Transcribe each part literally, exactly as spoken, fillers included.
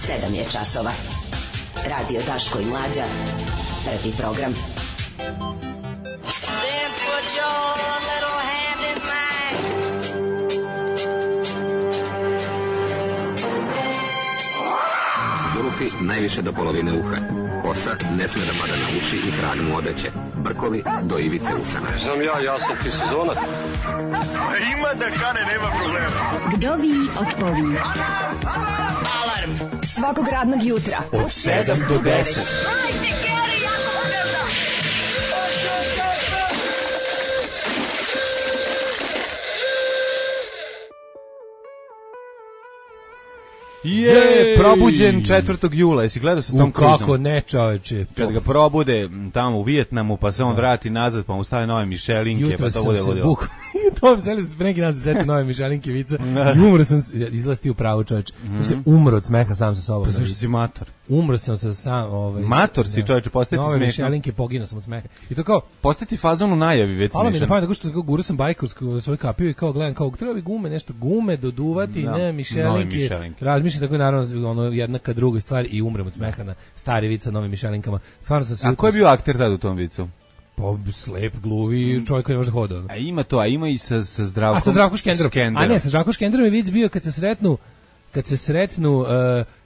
sedam je časova. Radio Daško i Mlađa. Prvi program. Then put your little hand in mine. Zulufi najviše do polovine uha. Kosa ne sme da pada na uši i krag mu odeće. Brkovi do ivice usana. Znam ja, ja sam ti sezonac. Ima da kane, nema problema. Kdovi od povi. Alarm Svakog radnog jutra od sedam do deset. Je, probuđen četvrtog jula. Jesi gledao sa Tom Cruiseom? Kako ne, čoveče. Kad ga probude tamo u Vijetnamu, pa se on vrati nazad, pa mu stave nove mišelinke, jutro pa to bude ludilo. Jutro sam se to mi se pre neki dan se setio nove mišelinke vica. I umro sam, izlazi ti u pravu, čoveče. Mm. se umro od smeha sam sa sobom. Pa zašto si mator? Umro sam sa sam, ovaj. Mator si, čoveče, postati smešno. Nove mišelinke, poginuo sam od smeha. I to kao postati fazon u najavi već smešno. Ali mi na pamet, tako što kao gurao sam bajkovsku svoj kapiju i kao gledam kao treba bi gume, nešto gume doduvati, no, ne mišelinke. Razmišljam tako naravno ono jedna ka drugoj stvari i umrem od smeha na stari vic sa novim mišelinkama. Stvarno sam se. A ko je bio akter tad u tom vicu? Pa slep, gluvi, čovjek koji ne može da hoda. A ima to, a ima i sa sa Zdravkom. A sa Zdravkom Škenderom. A ne, sa Zdravkom Škenderom je vic bio kad se sretnu kad se sretnu uh,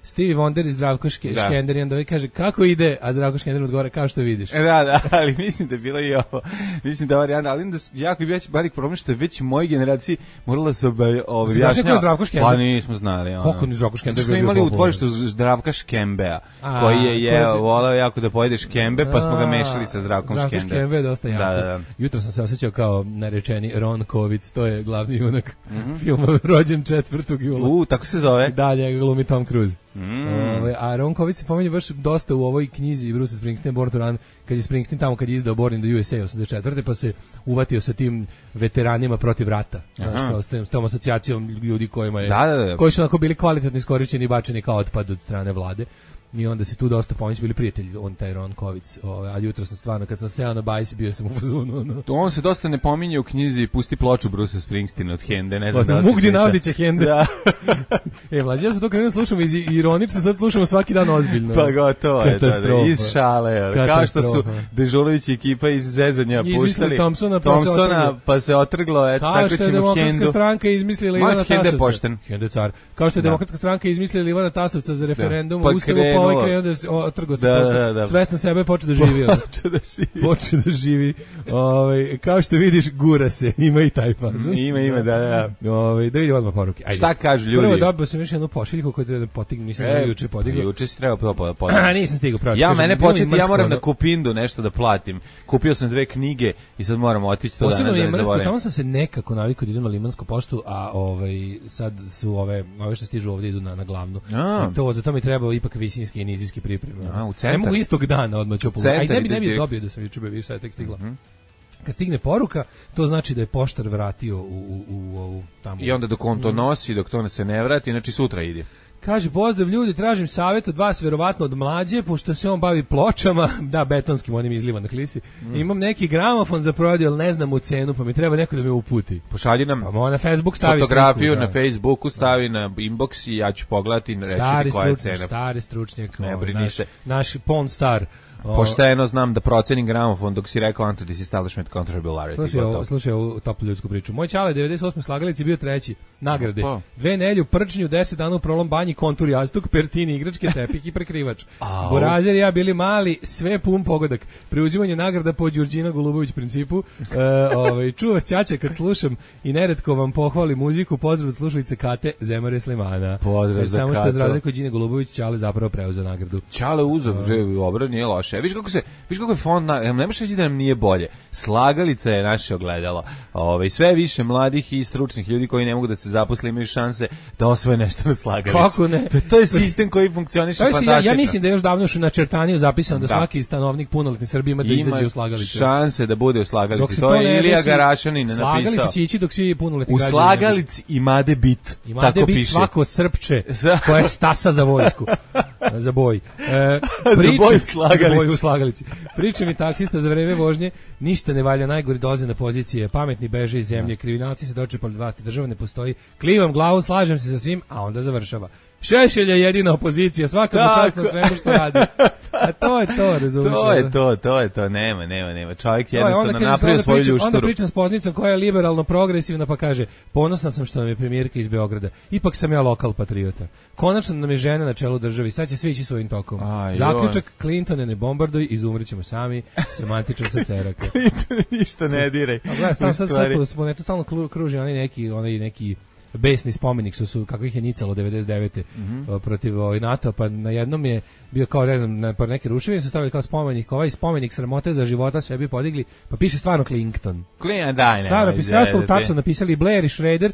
Stevie Wonder i Zdravko Škender i onda ovaj kaže kako ide, a Zdravko Škender odgovara kao što vidiš. Da, da, ali mislim da je bilo i ovo. Mislim da varijanta, ali da jako je već velik problem što je već mojoj generaciji morala se objašnjava. Pa nismo znali. Kako ni Zdravko Škender bio. Smo imali u tvorištu Zdravka Škembea, koji je je voleo jako da pojede škembe, pa smo ga mešali sa Zdravkom Škenderom. Zdravko Škembe je dosta jako. Da, da. Jutro sam se osjećao kao narečeni Ron Kovic, to je glavni junak mm-hmm. filma rođen četvrtog jula. U, tako se zove. Da, njega glumi Tom Cruise. Mm. Ove, a Ron Kovic se pominje baš dosta u ovoj knjizi Bruce Springsteen Born to Run, kad je Springsteen tamo kad je izdao Born in the U S A osamdeset četvrte pa se uvatio sa tim veteranima protiv rata. Znaš, kao s, tem, s tom asocijacijom ljudi kojima je, da, da, da. koji su onako bili kvalitetno iskorišćeni i bačeni kao otpad od strane vlade. I onda se tu dosta pomoći bili prijatelji, on taj Ron Kovic. Ove, a jutro sam stvarno, kad sam seo na bajs, bio sam u fazonu. No. On se dosta ne pominje u knjizi Pusti ploču Bruce Springsteen od Hende. Ne znam da Mugdi Navdića Hende. Da. e, mlađe, ja sam to krenuo slušamo iz ironično, sad slušamo svaki dan ozbiljno. Pa gotovo je, da, da, iz šale. Kao što su Dežulović ekipa iz zezanja puštali Thompsona, pa, Thompsona, se pa se otrglo. Et, kao što je Demokratska stranka izmislila Ivana Tasovca. Hende car. Kao što je Demokratska stranka izmislila Ivana Tasovca za referendum u Ustavu, pa ovaj krenuo da se otrgo se posto. Svestan sebe počeo da živi. Počeo da živi. Počeo da živi. Ovaj kao što vidiš gura se, ima i taj fazon. Ima, ima, da, da. Ovaj da vidimo odmah poruke. Ajde. Šta kažu ljudi? Prvo dobio sam još jednu pošiljku koju treba da potignem, nisam e, juče podigao. Juče si trebao to podignuti. A nisam stigao pravo. Ja mene podsjeti, ja moram na Kupindu nešto da platim. Kupio sam dve knjige i sad moram otići to danas da ne zaboravim. Tamo sam se nekako navikao da idem na Limansku poštu, a ovaj sad su ove ove što stižu ovdje idu na na glavnu. I to zato mi treba ipak visinski i nizijski pripreme. A, u centar. Ne mogu istog dana odmah ću pogledati. Aj ne bi ne bi dobio da sam juče bio više tek stigla. Mm-hmm. Kad stigne poruka, to znači da je poštar vratio u u u ovu tamo. I onda dok on to nosi, dok to se ne vrati, znači sutra ide. Kaže, pozdrav ljudi, tražim savjet od vas, verovatno od Mlađe, pošto se on bavi pločama, da, betonskim, onim izliva na klisi. Mm. Imam neki gramofon za prodaju, ali ne znam u cenu, pa mi treba neko da me uputi. Pošalji nam pa na Facebook stavi fotografiju, sliku, na Facebooku stavi na inbox i ja ću pogledati i reći koja je cena. Stari stručnjak, ne ovaj, naš, naš porn star. Pošteno znam da procenim gramofon dok si rekao anti-dis establishment controversiality. Slušaj, ovo, slušaj ovu toplu ljudsku priču. Moj čale devedeset osme slagalici bio treći. Nagrade. Opa. Dve nelju, prčnju, deset dana u prolom banji, kontur jastuk, pertini, igračke, tepih i prekrivač. Borazer i ja bili mali, sve pun pogodak. Preuzimanje nagrada po Đurđina Golubović principu. E, ovaj, čuva sćaća kad slušam i neretko vam pohvali muziku. Pozdrav od slušalice Kate Zemare Slimana. Pozdrav za Samo Kato. Samo što je zradio kod Đine Golubović, čale zapravo preuzeo nagradu. Čale uzeo, dobro, nije loše. Viš kako se, viš kako je fond, na, ne možeš reći da nam nije bolje. Slagalica je naše ogledalo. Ove, sve više mladih i stručnih ljudi koji ne mogu da se zaposle imaju šanse da osvoje nešto na slagalici. Kako ne? To je sistem koji funkcioniše fantastično. Ja, ja mislim da je još davno još u načrtaniju zapisano da, da svaki stanovnik punoletni Srbije ima da ima izađe u slagalici. Šanse da bude u slagalici. To, to je Ilija Garašanin napisao. Slagalici će ići dok svi punoletni građani. U slagalici imade bit. Imade tako bit piše. Svako srpče koja je stasa za vojsku. Za boj. E, priče, za boj u slagalici. Za boj u slagalici. Priča mi taksista za vreme vožnje, ništa ne valja, najgori doze na pozicije, pametni beže iz zemlje, kriminalci se dočepali vlasti, država ne postoji, klivam glavom, slažem se sa svim, a onda završava. Šešelj je jedina opozicija, svaka mu čast na svemu što radi. A to je to, razumiješ? To je to, to je to, nema, nema, nema. Čovjek jednostavno napravio svoju ljušturu. Onda pričam s poznicom koja je liberalno progresivna, pa kaže, ponosna sam što nam je premijerka iz Beograda. Ipak sam ja lokal patriota. Konačno nam je žena na čelu državi, sad će svi ići svojim tokom. Aj, zaključak, Clintone ne bombarduj, izumrećemo sami, semantično sa ceraka. Clintone ništa ne diraj. A gledaj, stalno sad sad stalno kruži onaj neki, onaj neki besni spomenik su, su kako ih je nicalo devedeset devete Mm-hmm. protiv ovaj NATO, pa na jednom je bio kao, ne znam, na par neke ruševine su stavili kao spomenik, ovaj spomenik sramote za života sebi podigli, pa piše stvarno Clinton. Clinton, daj, ne. Stvarno, pisalo tačno napisali Blair i Schrader,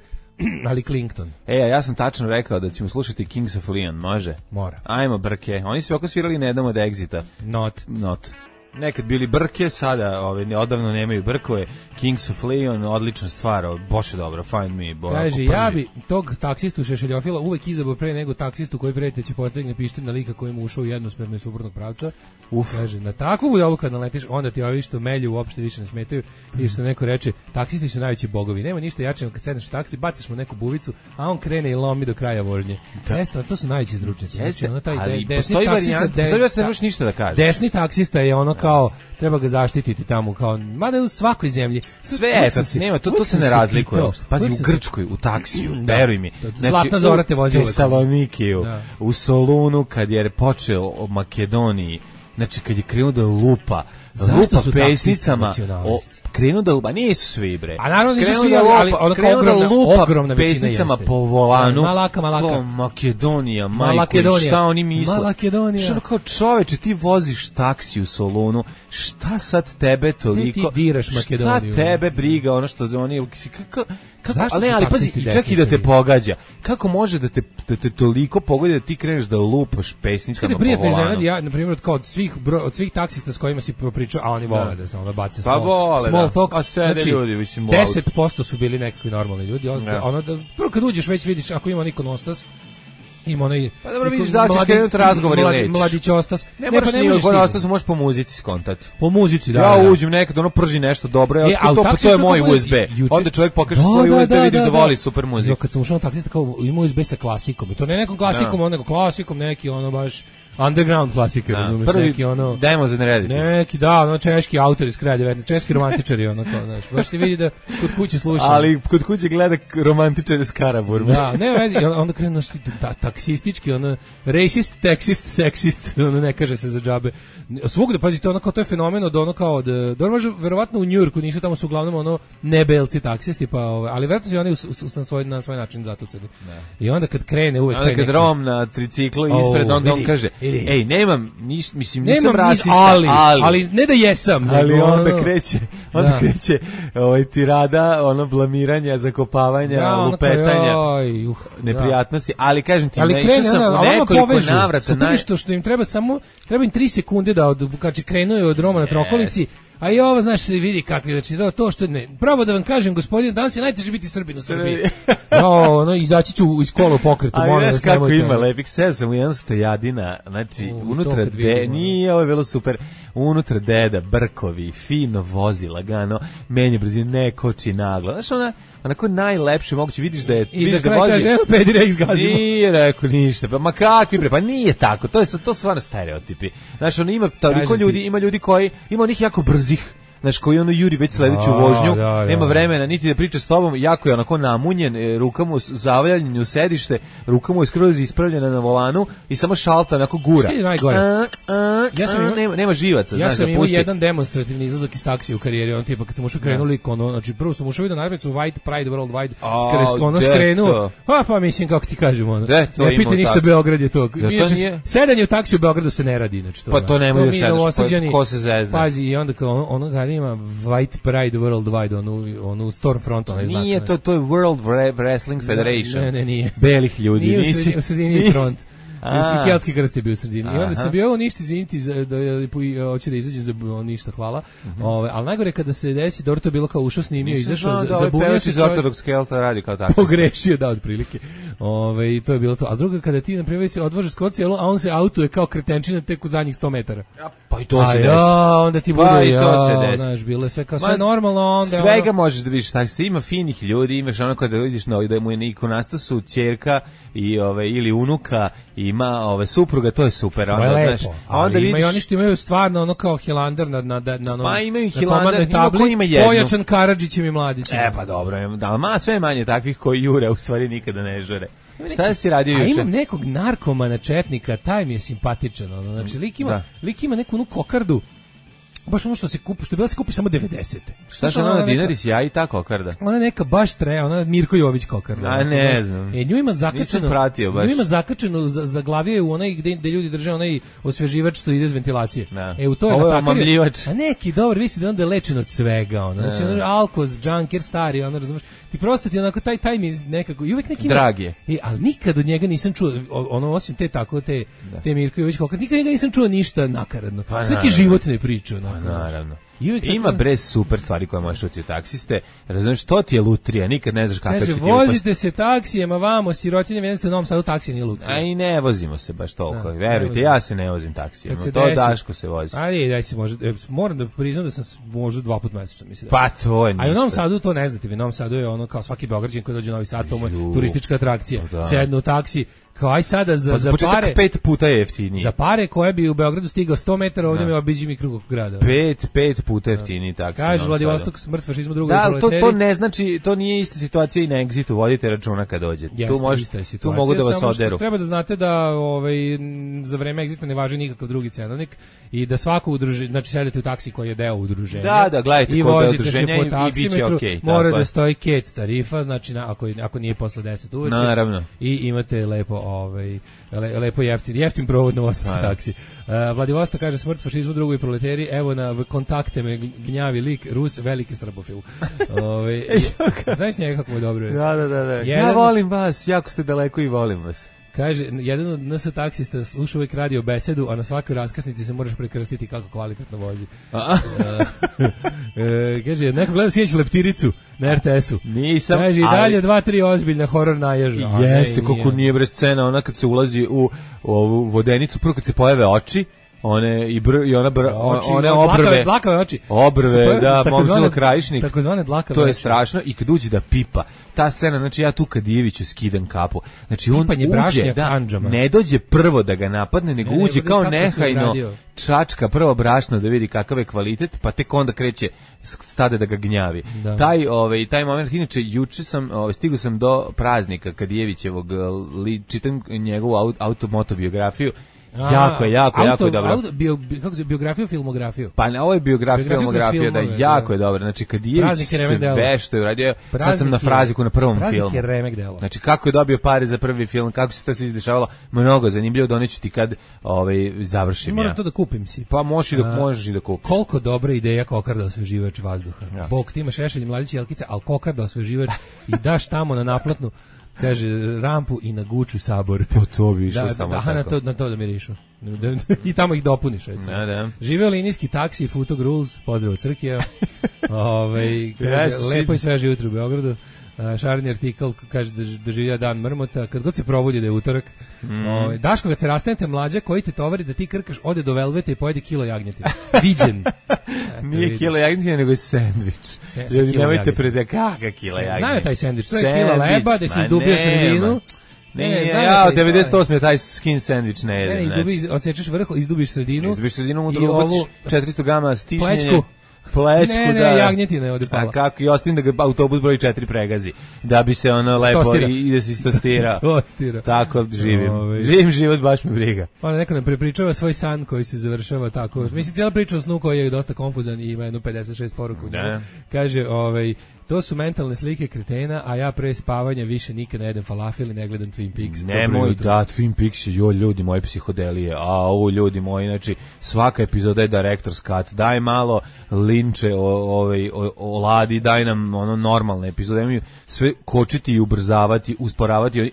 ali Clinton. E, ja sam tačno rekao da ćemo slušati Kings of Leon, može? Mora. Ajmo, brke. Oni su oko svirali na jednom od Exita. Not. Not. Nekad bili brke, sada ove, odavno nemaju brkove. Kings of Leon, odlična stvar, boše dobro, find me. Bo, kaže, ja bi tog taksistu šešeljofila uvek izabrao pre nego taksistu koji prete će potegne pištolj na lika koji mu ušao u jednosmerno i suprotnog pravca. Uf. Kaže, na takvu budalu kad naletiš, onda ti ovi što melju uopšte više ne smetaju i što neko reče, taksisti su najveći bogovi. Nema ništa jače kad sedneš u taksi, baciš mu neku buvicu, a on krene i lomi do kraja vožnje. Jeste, to su najveći zručnici. Jeste, znači, taj ali de, postoji varijanta, postoji vas ne možeš ništa da kažeš. Desni taksista je ono kao, treba ga zaštititi tamo, kao, mada u svakoj zemlji. Sve je, nema, to, to se ne razlikuje. Pazi, u Grčkoj, u taksiju, veruj mi. Zlatna Zora te vozi u Tesalonikiju, u Solunu, kad je počeo o Makedoniji, znači kad je krenuo da lupa, zašto lupa pesnicama, o, krenuo da lupa, nisu svi bre. A naravno nisu svi, ali, ali ono kao ogromna, lupa ogromna većina pesnicama po volanu. Malaka, malaka. Kao Makedonija, majko, šta oni misle? Malakedonija. Što kao čoveče, ti voziš taksi u Solunu, šta sad tebe toliko? Ti diraš Makedoniju. Šta tebe briga, ono što oni, kako... Kako, zašto ali, ali pazi, čak i da te pogađa. Kako može da te, da te toliko pogodi da ti kreneš da lupaš pesnicama po volanu? Iznenadi, ja, na primjer, kao od svih, bro, od svih taksista s kojima si pričao, a oni vole da se ono bace small, pa vole, small da. talk. A sede znači, ljudi, mislim, deset posto su bili nekakvi normalni ljudi. Od, ono, da, prvo kad uđeš već vidiš, ako ima niko nostas, ima onaj... Pa dobro, vidiš da ćeš krenuti razgovor ili nećeš. Mladić ostas. Ne, ne moraš nije od ostas, možeš po muzici skontati. Po muzici, da. Ja da. uđem nekad, ono prži nešto dobro, e, ja, to, to je moj U S B. Juče... Onda čovjek pokaže da, svoj da, U S B, da, vidiš da, da, da voli super muziku. Kad sam ušao na taksista, kao ima U S B sa klasikom. I to ne nekom klasikom, no. nego klasikom, neki ono baš... underground klasike, razumiješ, neki ono... Dajmo za narediti. Neki, da, ono češki autor iz kraja devetnaestog češki romantičari, ono to, znaš, baš se vidi da kod kuće sluša. Ali kod kuće gleda romantičare s Karaburma. Da, ne vezi, onda krenu naš ta, taksistički, ono, racist, taksist, seksist, ono ne kaže se za džabe. Svugde, pazite, ono kao to je fenomen od ono kao, da, da može, verovatno u Njujorku nisu tamo su uglavnom ono nebelci taksisti, pa, ali verovatno su oni u, u, u svoj, na svoj način zatuceni. I onda kad krene uvek... Onda kad neki... Rom na triciklu ispred, onda on kaže... Ej, nemam, nis, mislim, nisam nemam rasista, nis, ali, ali, ali ne da jesam. Ali nego, onda ono, kreće, onda da. kreće ovaj, tirada, ono, blamiranja, zakopavanja, da, lupetanja, oj, uf, neprijatnosti, da. Ali kažem ti, ali ne, krene, sam da, u nekoliko povežu, navrata. Naj... Što, što im treba samo, treba im tri sekunde da, od, kad će krenuju od Roma na Trokolici, a i ovo, znaš, se vidi kakvi, znači, to, to što ne, pravo da vam kažem, gospodine, danas je najteže biti Srbin u Srbiji. No, no, izaći ću iz kola u pokretu, molim vas, kako ima, lepih seo sam u jedan stojadina, znači, u, unutra, de, nije, ovo je bilo super, unutra deda, brkovi, fino vozi, lagano, menje brzine, ne koči naglo, znaš, ona, onako najlepše moguće, vidiš da je, i vidiš za da vozi. kaže, evo pedi rex gazimo. Nije rekao ništa, pa ma kakvi bre, pa nije tako, to je, to stvarno stereotipi. Znaš, ono ima toliko ljudi, ima ljudi koji, ima onih jako brzih, znaš, koji ono juri već sledeću vožnju, da, da, nema vremena niti da priča s tobom, jako je onako namunjen, ruka mu zavljanjen u sedište, ruka mu je skroz ispravljena na volanu i samo šalta onako gura. Što je najgore? A, a, ja sam ima, nema, nema živaca, ja znaš, sam da imao pusti. jedan demonstrativni izlazak iz taksija u karijeri, on tipa kad sam ušao krenuli, ono, znači prvo sam ušao na narednicu White Pride Worldwide, skoro ono skrenuo, a pa mislim kako ti kažem, ono, de, to ne pita ništa, Beograd je to. Sedanje u taksiju u Beogradu se ne radi, znači to. Pa to nemoj da sedeš, ko se zezne. Pazi, i onda kao ono ga ima White Pride Worldwide, onu, onu Stormfront, onaj znak. Nije to, to je World Wrestling Federation. Ne, ne, nije. Belih ljudi. Nije u sredini front. I keltski krst je bio u sredini. I onda sam bio ništa izviniti, da hoću da izađem za ništa, hvala. Ove, ali najgore kada se desi, dobro to je bilo kao ušao snimio, izašao, za, zabunio se čovjek. Ortodoks Kelta radi kao tako. Pogrešio, da, otprilike. Ove, i to je bilo to. A druga, kada ti, na primjer, se odvožeš skorci, a on se autuje kao kretenčina tek u zadnjih sto metara. Pa i to se desi. Ja, onda ti bude, pa i to se desi. Znaš, bilo je sve kao sve normalno. Onda svega ono... možeš da vidiš, tako se ima finih ljudi, imaš ono kada vidiš no, da mu je ikonastasu ćerka i ove ili unuka ima ove supruga, to je super, onda znaš. A onda vidiš, ima i oni što imaju stvarno ono kao Hilander na na na na. Pa imaju Hilander, ima ko ima jednu. Pojačan Karadžićem i Mladićem. E pa dobro, da, ma sve manje takvih koji jure, u stvari nikada ne žure. Šta si radio juče? A imam nekog narkomana četnika, taj mi je simpatičan, ono, znači lik ima, da. lik ima neku onu kokardu. Baš ono što se kupi, što je bila se kupi samo devedesete. Šta se ona na dinari si ja i ta kokarda? Ona neka baš tre, ona Mirko Jović kokarda. A ne baš, znam. E, nju ima zakačeno. Pratio baš. Nju ima zakačeno za, za glavije u onaj gde, gde ljudi drže onaj osveživač što ide iz ventilacije. Da. E u to je ovo je natakariju. A neki dobar, visi da onda je lečen od svega, ono. Znači ono alkoz, junker, stari, ono, razumeš. Ti prosto ti onako taj taj mi nekako i uvek neki drag je. E, ali nikad od njega nisam čuo ono osim te tako te da. te Mirko Jović kokarda. Nikad njega nisam čuo ništa nakaradno. Pa, svaki životne priče, onako. Pa, naravno. Ima tako... bre super stvari koje možeš čuti u taksiste. Razumeš, to ti je lutrija, nikad ne znaš kako će ti upasti. Kaže, vozite se taksijema vamo, sirotinje, vidite u Novom Sadu taksije nije lutrija. A i ne vozimo se baš toliko. Da, verujte, ja se ne vozim taksijema. To desi, Daško se vozi. Ali daj se može, moram da priznam da sam možda dva puta mesečno mislim. Pa to je ništa. A u Novom Sadu to ne znate, u Novom Sadu je ono kao svaki Beograđanin koji dođe u Novi Sad, to je turistička atrakcija. Da. Sednu u taksi, kao aj sada za, pa za pare pet puta je jeftiniji. Za pare koje bi u Beogradu stigao sto metara, ovdje mi obiđi mi krug oko grada. Pet, pet puta jeftiniji taksi. Kaže Vladivostok smrt fašizmu drugoj da, to, to ne znači, to nije ista situacija i na Exitu, vodite računa kad dođete. Jeste, tu, može, tu mogu da vas oderu. Treba da znate da ovaj, za vreme Exita ne važi nikakav drugi cenovnik i da svako udruženje, znači sedete u taksi koji je deo udruženja. Da, da, gledajte i kod udruženja i, i bit će okej. Mora da stoji kec tarifa, znači na, ako, ako nije posle deset uveče. Naravno. I imate lepo, ovaj, le, lepo jeftin, jeftin provod na osam taksi. Uh, Vladivostok kaže smrt fašizmu drugoj proleteri, evo na kontakte me gnjavi lik Rus, veliki srbofil. Ove, znaš njega kako je dobro? Da, da, da. da. Jedan, ja volim vas, jako ste daleko i volim vas. Kaže, jedan od N S taksista sluša uvijek radio besedu, a na svakoj raskrsnici se moraš prekrstiti kako kvalitetno vozi. uh, e, kaže, neko gleda sjeći leptiricu na R T S-u. Nisam. Kaže, i dalje ali... dva, tri ozbiljna horor naježa. Jeste, koliko nije bre scena, ona kad se ulazi u, u ovu vodenicu, prvo kad se pojave oči, one i br, i ona br, oči, one obrve dlakave, dlakave oči obrve da momčilo krajišnik takozvane dlakave to je oči. Strašno i kad uđe da pipa ta scena, znači ja tu kad Iviću skidam kapu, znači on uđe da anđama. Ne dođe prvo da ga napadne nego ne, uđe kao nehajno čačka prvo brašno da vidi kakav je kvalitet pa tek onda kreće stade da ga gnjavi. Da. Taj ovaj taj moment inače juče sam ovaj stigao sam do praznika kad Ivićevog li, čitam njegovu automotobiografiju. A, jako je, jako, auto, jako je dobro. Auto, bio, kako se, biografiju, filmografiju? Pa ne, ovo je biografija, filmografija, da, jako da. je dobro. Znači, kad je sve što je uradio, sad sam na fraziku na prvom praznik filmu. Je remek delo. Znači, kako je dobio pare za prvi film, kako se to sve izdešavalo, mnogo zanimljivo, doneću ti kad ovaj, završim moram ja. to da kupim si. Pa možeš i da, možeš i da kupiš. Koliko dobra ideja kokarda osveživač vazduha. Ja. Bog, ti imaš Šešelj, Mladić i Jelkica, ali kokarda osveživač i daš tamo na naplatnu, kaže, rampu i na Guču Sabor. Po to bi išlo da, samo da, tako. Na to, na to da mirišu. I tamo ih dopuniš, recimo. Da, da. Živeo linijski taksi, Futog Rules, pozdrav od Crkija. Ove, kaže, yes, lepo i sveže jutro u Beogradu. Uh, šarni artikl kaže da doživlja dan mrmota, kad god se probudi da je utorak. Mm. Ove, Daško, kad se rastanete mlađa, koji te tovari da ti krkaš, ode do Velveta i pojede kilo jagnjetine. Viđen. Nije vidiš. Kilo jagnjetine, nego je sendvič. Ljudi, nemojte prede kaka kilo jagnjetine. Znaju taj sendvič, to je kilo leba, da se izdubio sredinu. Ne, ne, ne, ja, od devedeset osme taj skin sandvič ne jedem. Ne, izdubi, odsečeš vrh, izdubiš sredinu. Izdubiš sredinu, u drugu baciš četiristo grama stišnjenje. Plečku. Plečku, ne, ne, da. jagnjetina ovde pala. A kako, i ostim da ga autobus broj četiri pregazi. Da bi se ono lepo stostira. I, i da se istostira. Stostira. Tako živim. Ove. Živim život, baš me briga. Ona neko nam prepričava svoj san koji se završava tako. Mislim, cijela priča o snu koji je dosta konfuzan i ima jednu pedeset šest poruku. Da. Kaže, ovaj, To su mentalne slike kretena, a ja pre spavanja više nikad ne jedem falafel i ne gledam Twin Peaks. Nemoj da, Twin Peaks, jo, ljudi moji psihodelije, a ovo ljudi moji, znači, svaka epizoda je director's cut, daj malo linče o, ovaj, o, o Ladi, daj nam ono normalne epizode, imaju sve kočiti i ubrzavati, usporavati,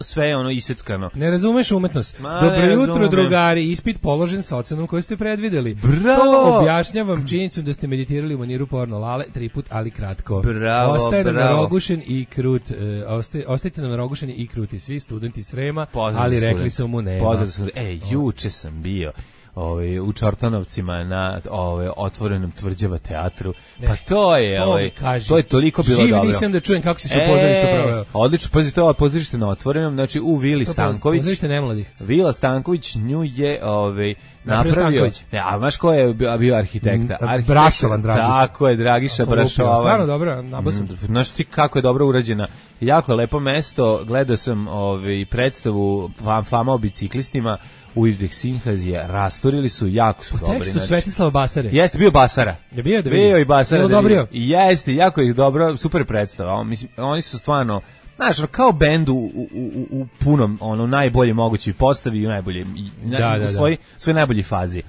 sve je ono iseckano. Ne razumeš umetnost. Ma, dobro jutro, drugari, ispit položen sa ocenom koju ste predvideli. Bravo! To objašnjavam činjenicom da ste meditirali u maniru porno lale, tri put, ali kratko. Bravo, Ostaje bravo. nam narogušen i krut, uh, ostaje, ostajte nam narogušeni i kruti svi studenti Srema, Pozdrav ali student. rekli su mu nema. Pozdrav student. E, juče sam bio ovaj u Čortanovcima na ovaj otvorenom Tvrđava teatru. Ne, pa to je to ovaj kaži. to je toliko bilo Živ dobro. nisam da čujem kako si se u pozorištu proveo. Odlično, pazi, to je pozorište na otvorenom, znači u Vili to Stanković. Pozorište nemladih. Vila Stanković nju je ovaj napravio. Ja, a znaš ko je bio, bio arhitekta? Arhitekta Brašovan Dragiša. Tako je, Dragiša Brašovan. Stvarno dobro, nabasam. Znaš ti kako je dobro urađena. Jako je lepo mesto. Gledao sam ovaj predstavu Fama o biciklistima u Ivdek Sinhazije, rasturili su, jako su u dobri. U tekstu Svetislava Basare. Jeste, bio Basara. Je bio da vidim. Bio i Basara. Da dobrio. Jeste, jako je dobro, super predstava. On, mislim, oni su stvarno, znaš, kao bend u, u, u, u punom, ono, najbolje mogućoj postavi i u najbolje, da, da, u da. svoj, svoj najbolji fazi.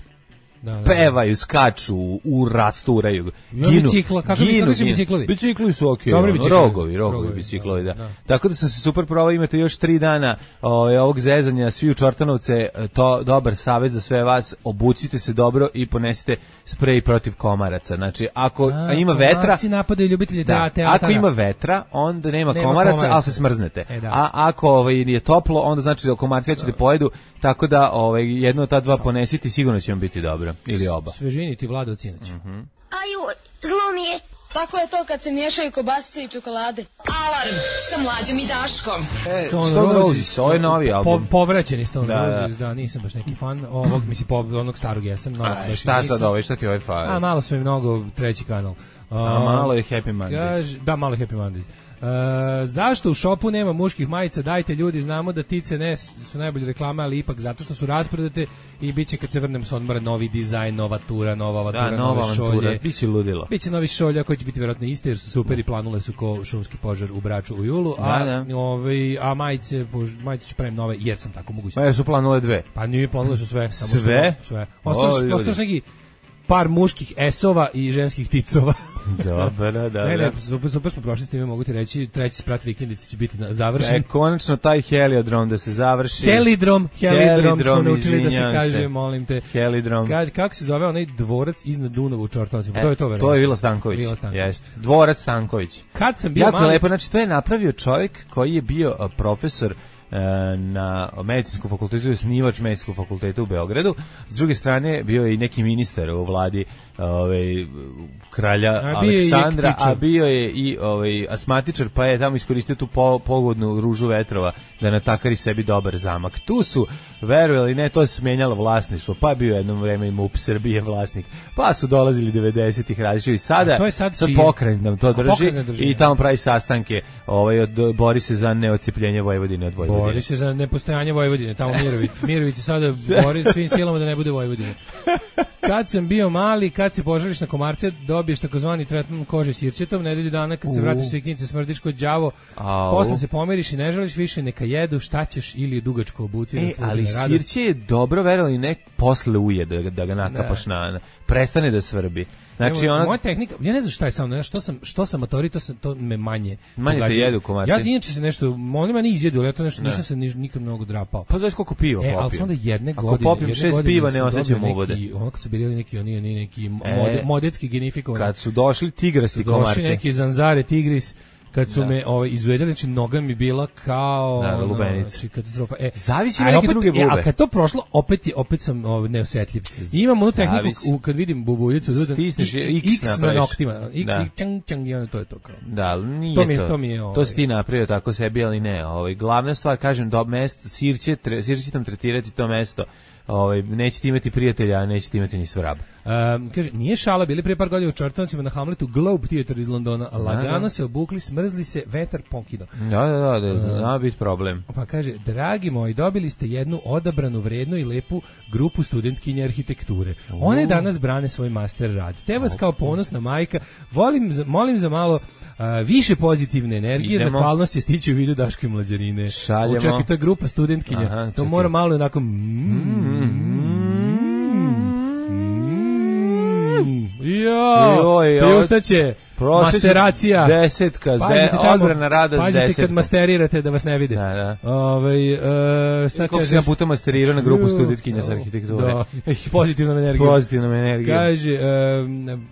Da, da, pevaju, skaču, urasturaju, ginu, bicikla, kako ginu, su biciklovi? Bicikli su okej, okay, ono, rogovi, rogovi biciklovi, da, da. Tako da sam se super provao, imate još tri dana o, ovog zezanja, svi u Čortanovce, to dobar savjet za sve vas, obucite se dobro i ponesite sprej protiv komaraca. Znači, ako a, ima vetra, napadaju ljubitelji da, teatara. Ako ima vetra, onda nema, nema komaraca, komaraca, ali se smrznete. E, a ako ovaj, je toplo, onda znači da komarci neće da pojedu, tako da ovaj, jedno od ta dva ponesite, sigurno će vam biti dobro. Ili oba. Svežini ti Vlado Cineć. Uh-huh. Aju, zlo mi je. Tako je to kad se miješaju kobasice i čokolade. Alarm sa Mlađom i Daškom. E, Stone, Stone Roses, ovo je novi album. Po, povraćeni Stone da, Roses, da. da, nisam baš neki fan ovog, mislim, po, onog starog jesam. No, A, šta nisam. Sad ovo, šta ti ovaj fan? A, malo su mi mnogo treći kanal. Uh, A, malo je Happy Mondays. Kaž, da, malo je Happy Mondays. Uh, zašto u šopu nema muških majica? Dajte ljudi, znamo da tice ne su najbolje reklame, ali ipak zato što su rasprodate i bit će kad se vrnem s odmora novi dizajn, nova tura, nova avatura, da, nove nova šolje. Biće ludilo. Biće novi šolja koji će biti vjerojatno isti jer su super i planule su ko šumski požar u Braču u julu, a, da, da. Ovaj, a majice, majice ću pravim nove jer sam tako moguće. Ma su planule dve. Pa nije planule su sve. Samo sve? Što, sve. Ostalo neki par muških esova i ženskih ticova. Dobro, da. Ne, ne, super, super smo prošli s time, mogu ti reći, treći sprat vikendice će biti završen. E, konačno taj heliodrom da se završi. Helidrom, helidrom, helidrom smo naučili da se kaže, se. molim te. Helidrom. Kaže, kako se zove onaj dvorac iznad Dunava u Čortanovcima? E, to je to, verovatno. To je Vila Stanković. Vila Stanković. Jeste. Dvorac Stanković. Kad sam bio jako mali... lepo, znači to je napravio čovjek koji je bio profesor na medicinskom fakultetu, osnivač medicinskog fakulteta u Beogradu. S druge strane bio je i neki ministar u vladi ovaj kralja a Aleksandra, a bio je i ovaj asmatičar, pa je tamo iskoristio tu po, pogodnu ružu vetrova da natakari sebi dobar zamak. Tu su, verovali ne, to je smenjalo vlasništvo, pa bio jedno vreme i M U P Srbije vlasnik, pa su dolazili devedesetih različiti i sada to je sad, sad pokrajin nam to drži, drži i tamo pravi sastanke, ovaj od, bori se za neodcepljenje Vojvodine od Vojvodine. Bori se za nepostojanje Vojvodine, tamo Mirović. Mirović se sada bori svim silama da ne bude Vojvodine. Kad sam bio mali, kad se požališ na komarce, dobiješ takozvani tretman kože sirćetom, nedelju dana kad se vratiš s vikinice smrdiš kod đavo, posle se pomiriš i ne žališ više, neka jedu, šta ćeš ili je dugačko obuci. E, ali sirće je dobro, verovali ne, posle uje da, da ga nakapaš na, na, prestane da svrbi. Znači, Evo, ona... moja tehnika, ja ne znam šta je samo, ne, što sam, što sam matori, to, sam, to me manje. Manje te jedu komarci. Ja inače se nešto, oni meni izjedu, ali ja to nešto ne. Nisam se ni, nikad mnogo drapao. Pa znaš koliko piva e, popijem. ali sam onda jedne Ako godine. Ako popijem šest piva, ne osjećam uvode. Ono kad su bili neki, oni, oni neki mode, e, modetski genifikovani. Kad su došli tigrasti komarci. Došli neki zanzare tigris. Kad su da. me ovaj izuvedeli, znači noga mi bila kao da, lubenica. Znači katastrofa. E, zavisi neke opet, druge bube. E, a kad to prošlo, opet je opet sam ovaj neosetljiv. I imam onu tehniku u, kad vidim bubuljicu, da stisneš X, X na noktima. I da. čang čang i ono to je to kao. Da, nije to. Mi, to. To mi je ovaj. To si ti napravio tako sebi, ali ne. Ovaj glavna stvar, kažem, do mesto sirće, tre, sirće tam tretirati to mesto ovaj, nećete imati prijatelja, a nećete imati ni svrab. Um, kaže, nije šala, bili prije par godina u Čartanovcima na Hamletu, Globe Theater iz Londona, lagano da. se obukli, smrzli se, vetar pokido. Da, da, da, da, da, da biti problem. Pa kaže, dragi moji, dobili ste jednu odabranu, vrednu i lepu grupu studentkinje arhitekture. One danas brane svoj master rad. Te vas kao ponosna majka, volim, molim za malo uh, više pozitivne energije, Idemo. Zahvalnost je stići u vidu Daško i Mlađarine. Šaljemo. Čekaj, to je grupa studentkinja. Aha, to mora malo onako... Jo, priustaće masteracija. Desetka, odbrana rada pazite desetka. Kad masterirate da vas ne vide. Da, da. Ove, uh, šta Koliko se ja puta masterirao na grupu studentkinja s arhitekture. Da, s pozitivnom energijom. Pozitivnom energijom. Kaže, um,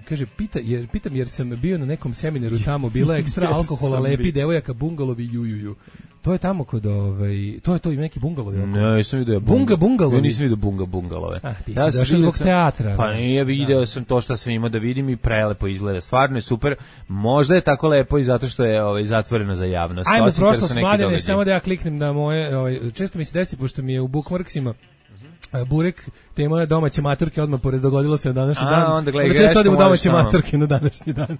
kaže pita, jer, pitam jer sam bio na nekom seminaru tamo, bila ekstra alkohola, lepi devojaka, bungalovi, jujuju. To je tamo kod ovaj, to je to i neki bungalovi. Ne, nisam vidio bunga, bunga bungalovi. Ja nisam vidio bunga bungalove. Ah, ti ja si došao zbog teatra. Pa nije, video da. sam to što sam imao da vidim i prelepo izgleda. Stvarno je super. Možda je tako lepo i zato što je ovaj zatvoreno za javnost. Ajmo prošlost Mladene, samo da ja kliknem na moje, ovaj, često mi se desi pošto mi je u bookmarksima Burek, tema domaće maturke, odmah pored dogodilo se na današnji A, dan. Onda gledaj, često odemo domaće maturke na današnji dan.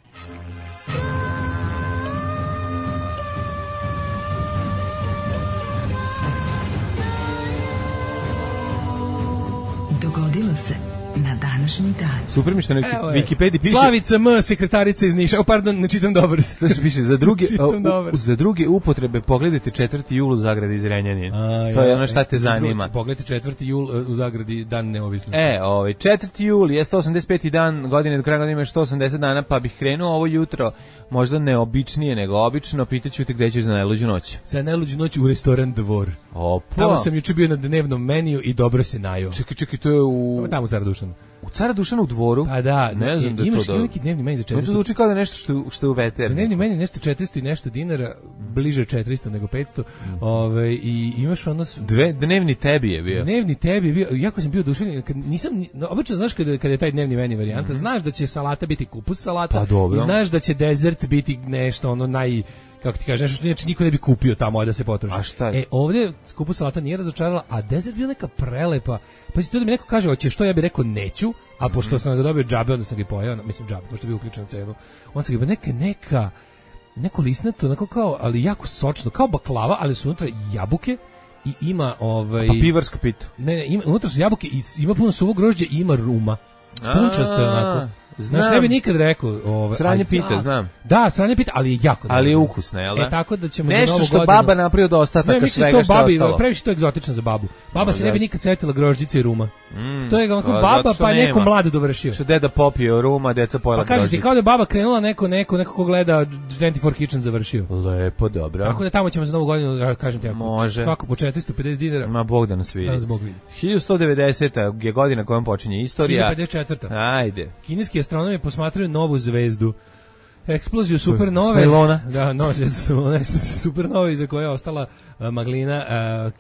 Dogodilo se na današnji dan. Super mi što na Wikipediji piše. Slavica M, sekretarica iz Niša. O, pardon, ne čitam dobro. To piše za druge, u, za druge upotrebe pogledajte četvrti jul u zagradi iz Renjanina. To je ono šta te zanima. Drugi, pogledajte četvrti jul u zagradi dan neovisnosti. E, ovaj četvrti jul je sto osamdeset peti dan godine, do kraja godine ima sto osamdeset dana, pa bih krenuo ovo jutro možda neobičnije nego obično, pitaću te gde ćeš za najluđu noć. Za najluđu noć u restoran Dvor. Opa. Tamo sam juče bio na dnevnom meniju i dobro se najeo. Čekaj, čekaj, to je u... Tamo u Cara Dušanu. U Cara Dušanu u Dvoru? Pa da, ne znam da imaš to da... neki dnevni meni za četiristo. To zvuči kao da nešto što, što je u veterniku. Dnevni meni nešto četiristo i nešto dinara, bliže četiristo nego petsto. Mm. Ove, i imaš ono... Dve, dnevni tebi je bio. Dnevni tebi je bio, jako sam bio oduševljen, kad nisam, no, obično znaš kada, kada je taj dnevni meni varijanta, mm. znaš da će salata biti kupus salata, pa, i znaš da će dezert biti nešto ono naj... kako ti kažeš, nešto što inače niko ne bi kupio tamo da se potroši. A šta? E, ovdje skupu salata nije razočarala, a dezert bio neka prelepa. Pa si to da mi neko kaže, hoće što, ja bih rekao neću, a pošto mm-hmm. sam ga dobio džabe, onda sam ga pojao, mislim džabe, pošto je bio uključen u cenu. On sam ga neka, neka, neko lisnato, onako kao, ali jako sočno, kao baklava, ali su unutra jabuke i ima ovaj... Pa pivarska pita. Ne, ne, ima, unutra su jabuke i ima puno suvog grožđa i ima ruma. Punčasto je onako. Znaš, ne bi nikad rekao... Ove, sranje pita, ja, znam. Da, sranje pita, ali je jako... Ali je ukusno, jel da? E, tako da ćemo nešto za novu što godinu... baba napravi od ostataka ne, svega što je babi, ostalo. Previše to egzotično za babu. Baba no, se ne bi nikad setila grožđice i ruma. Mm, to je onako baba, pa nema. neko mlado dovršio. Što deda popio ruma, deca pojela grožđice. Pa kažeš ti, kao da je baba krenula, neko, neko, neko ko gleda dvadesete četiri Kitchen završio. Lepo, dobro. Tako da tamo ćemo za novu godinu, kažem ti, ako može. Svako po četiristo pedeset dinara. Ma Bog da nas vidi. Da nas Bog vidi. hiljadu sto devedeseta je godina kojom počinje istorija. hiljadu pedeset četvrta Ajde. Kineski astronomi posmatraju novu zvezdu. Eksploziju supernove. Smelona. Da, no, eksploziju supernove iza koje je ostala uh, maglina,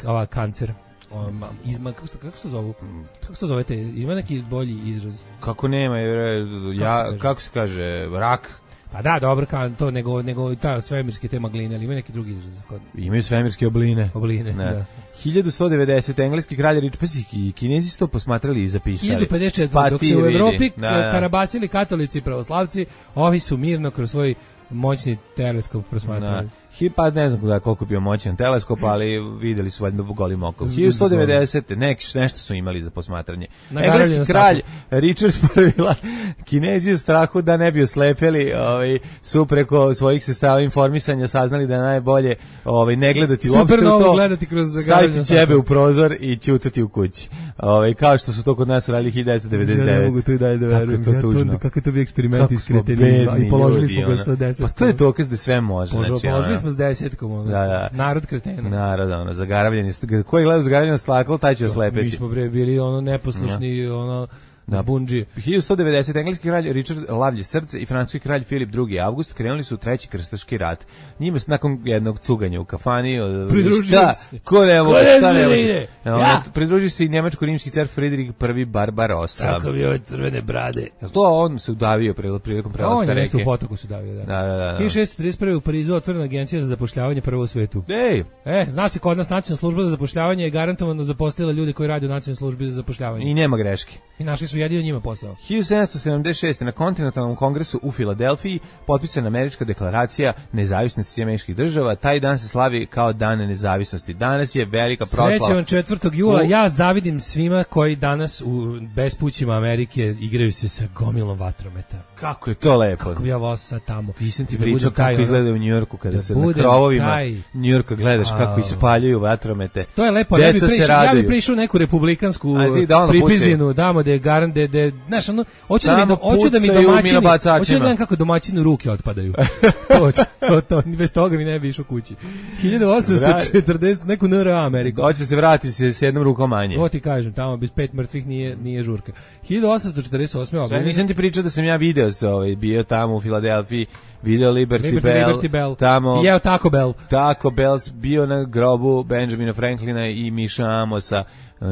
uh, ova kancer. Um, izma, kako, kako se to zovu? Kako se to zovete? Ima neki bolji izraz? Kako nema, ja, kako se, kako se kaže, rak? Pa da, dobro, kao to, nego, nego ta svemirske te magline, ali ima neki drugi izraz. Imaju svemirske obline. Obline, ne. Da. hiljadu sto devedeset engleski kralj Richard, pa i Kinezi su to posmatrali i zapisali. hiljadu pedeset četiri Pa dok se u Evropi da, da. karabasili katolici i pravoslavci, ovi su mirno kroz svoj moćni teleskop prosmatrali. Da. Pa ne znam da koliko bio moćan teleskop, ali videli su valjda golim okom. hiljadu sto devedeset Nek, nešto su imali za posmatranje. Engleski kralj Richard prvi Kinezi u strahu da ne bi oslepeli, ovaj, su preko svojih sredstava informisanja saznali da je najbolje ovaj, ne gledati uopšte u to, gledati kroz staviti ćebe u prozor i ćutati u kući. Ovaj, kao što su to kod nas uradili hiljadu devetsto devedeset devete. Ja ne mogu to i dalje da verujem. Kako je to tužno. Kako je to bi eksperiment iz kretenizma i položili smo ga sa deset. Pa to je dokaz da sve može. Znači, položili smo s desetkom, ono. Da, da. Narod kretena. Narod, ono, zagaravljeni. Ko je gledao zagaravljeno staklo, taj će oslepeti. Mi smo bre bili ono neposlušni, ja. ono Da, bundžije. hiljadu sto devedeset. engleski kralj Richard Lavlje srce i francuski kralj Filip drugi. avgust krenuli su u treći krstaški rat. Njima se nakon jednog cuganja u kafani pridružio se. Ko ne može, šta ne može. Ja. Pridružio se i nemačko-rimski car Friedrich prvi Barbarossa. Kako bi ove crvene brade. Jel to on se udavio prilikom prelaska reke? On je nešto u potoku se udavio, da. Da, da, da. hiljadu šessto trideset prve. u Parizu otvorena agencija za zapošljavanje prva u svetu. Ej! E, zna se kod nas nacionalna služba za zapošljavanje je garantovano zaposlila ljude koji rade u nacionalnoj službi za zapošljavanje. I nema greške. I našli su jedino njima posao. hiljadu sedamsto sedamdeset šeste. na kontinentalnom kongresu u Filadelfiji potpisana američka deklaracija nezavisnosti američkih država. Taj dan se slavi kao dan nezavisnosti. Danas je velika proslava. Srećan vam četvrtog jula. Ja zavidim svima koji danas u bespućima Amerike igraju se sa gomilom vatrometa. Kako je to lepo. Kako bi ja volao sad tamo. Ti sam ti da pričao kako taj, izgleda u Njujorku kada da se na krovovima Njujorka gledaš a, kako ispaljuju vatromete. To je lepo. Ja bih prišao, ja bi prišao neku republikansku pripizdinu, damo da je garan, da je, znaš, ono, hoću da mi, do, hoću da mi domaćini, hoću da gledam kako domaćinu ruke otpadaju. to, to, to, bez toga mi ne bi išao kući. hiljadu osamsto četrdeset. neku N R A Ameriku. Hoće se vratiti se s jednom rukom manje. To ti kažem, tamo bez pet mrtvih nije, nije žurka. hiljadu osamsto četrdeset osme. Sve, nisam ti pričao da sam ja video ovaj, bio tamo u Filadelfiji, video Liberty, Liberty, Bell, Liberty Bell, tamo, i jeo Taco Bell. Taco Bell, bio na grobu Benjamina Franklina i Miša Amosa.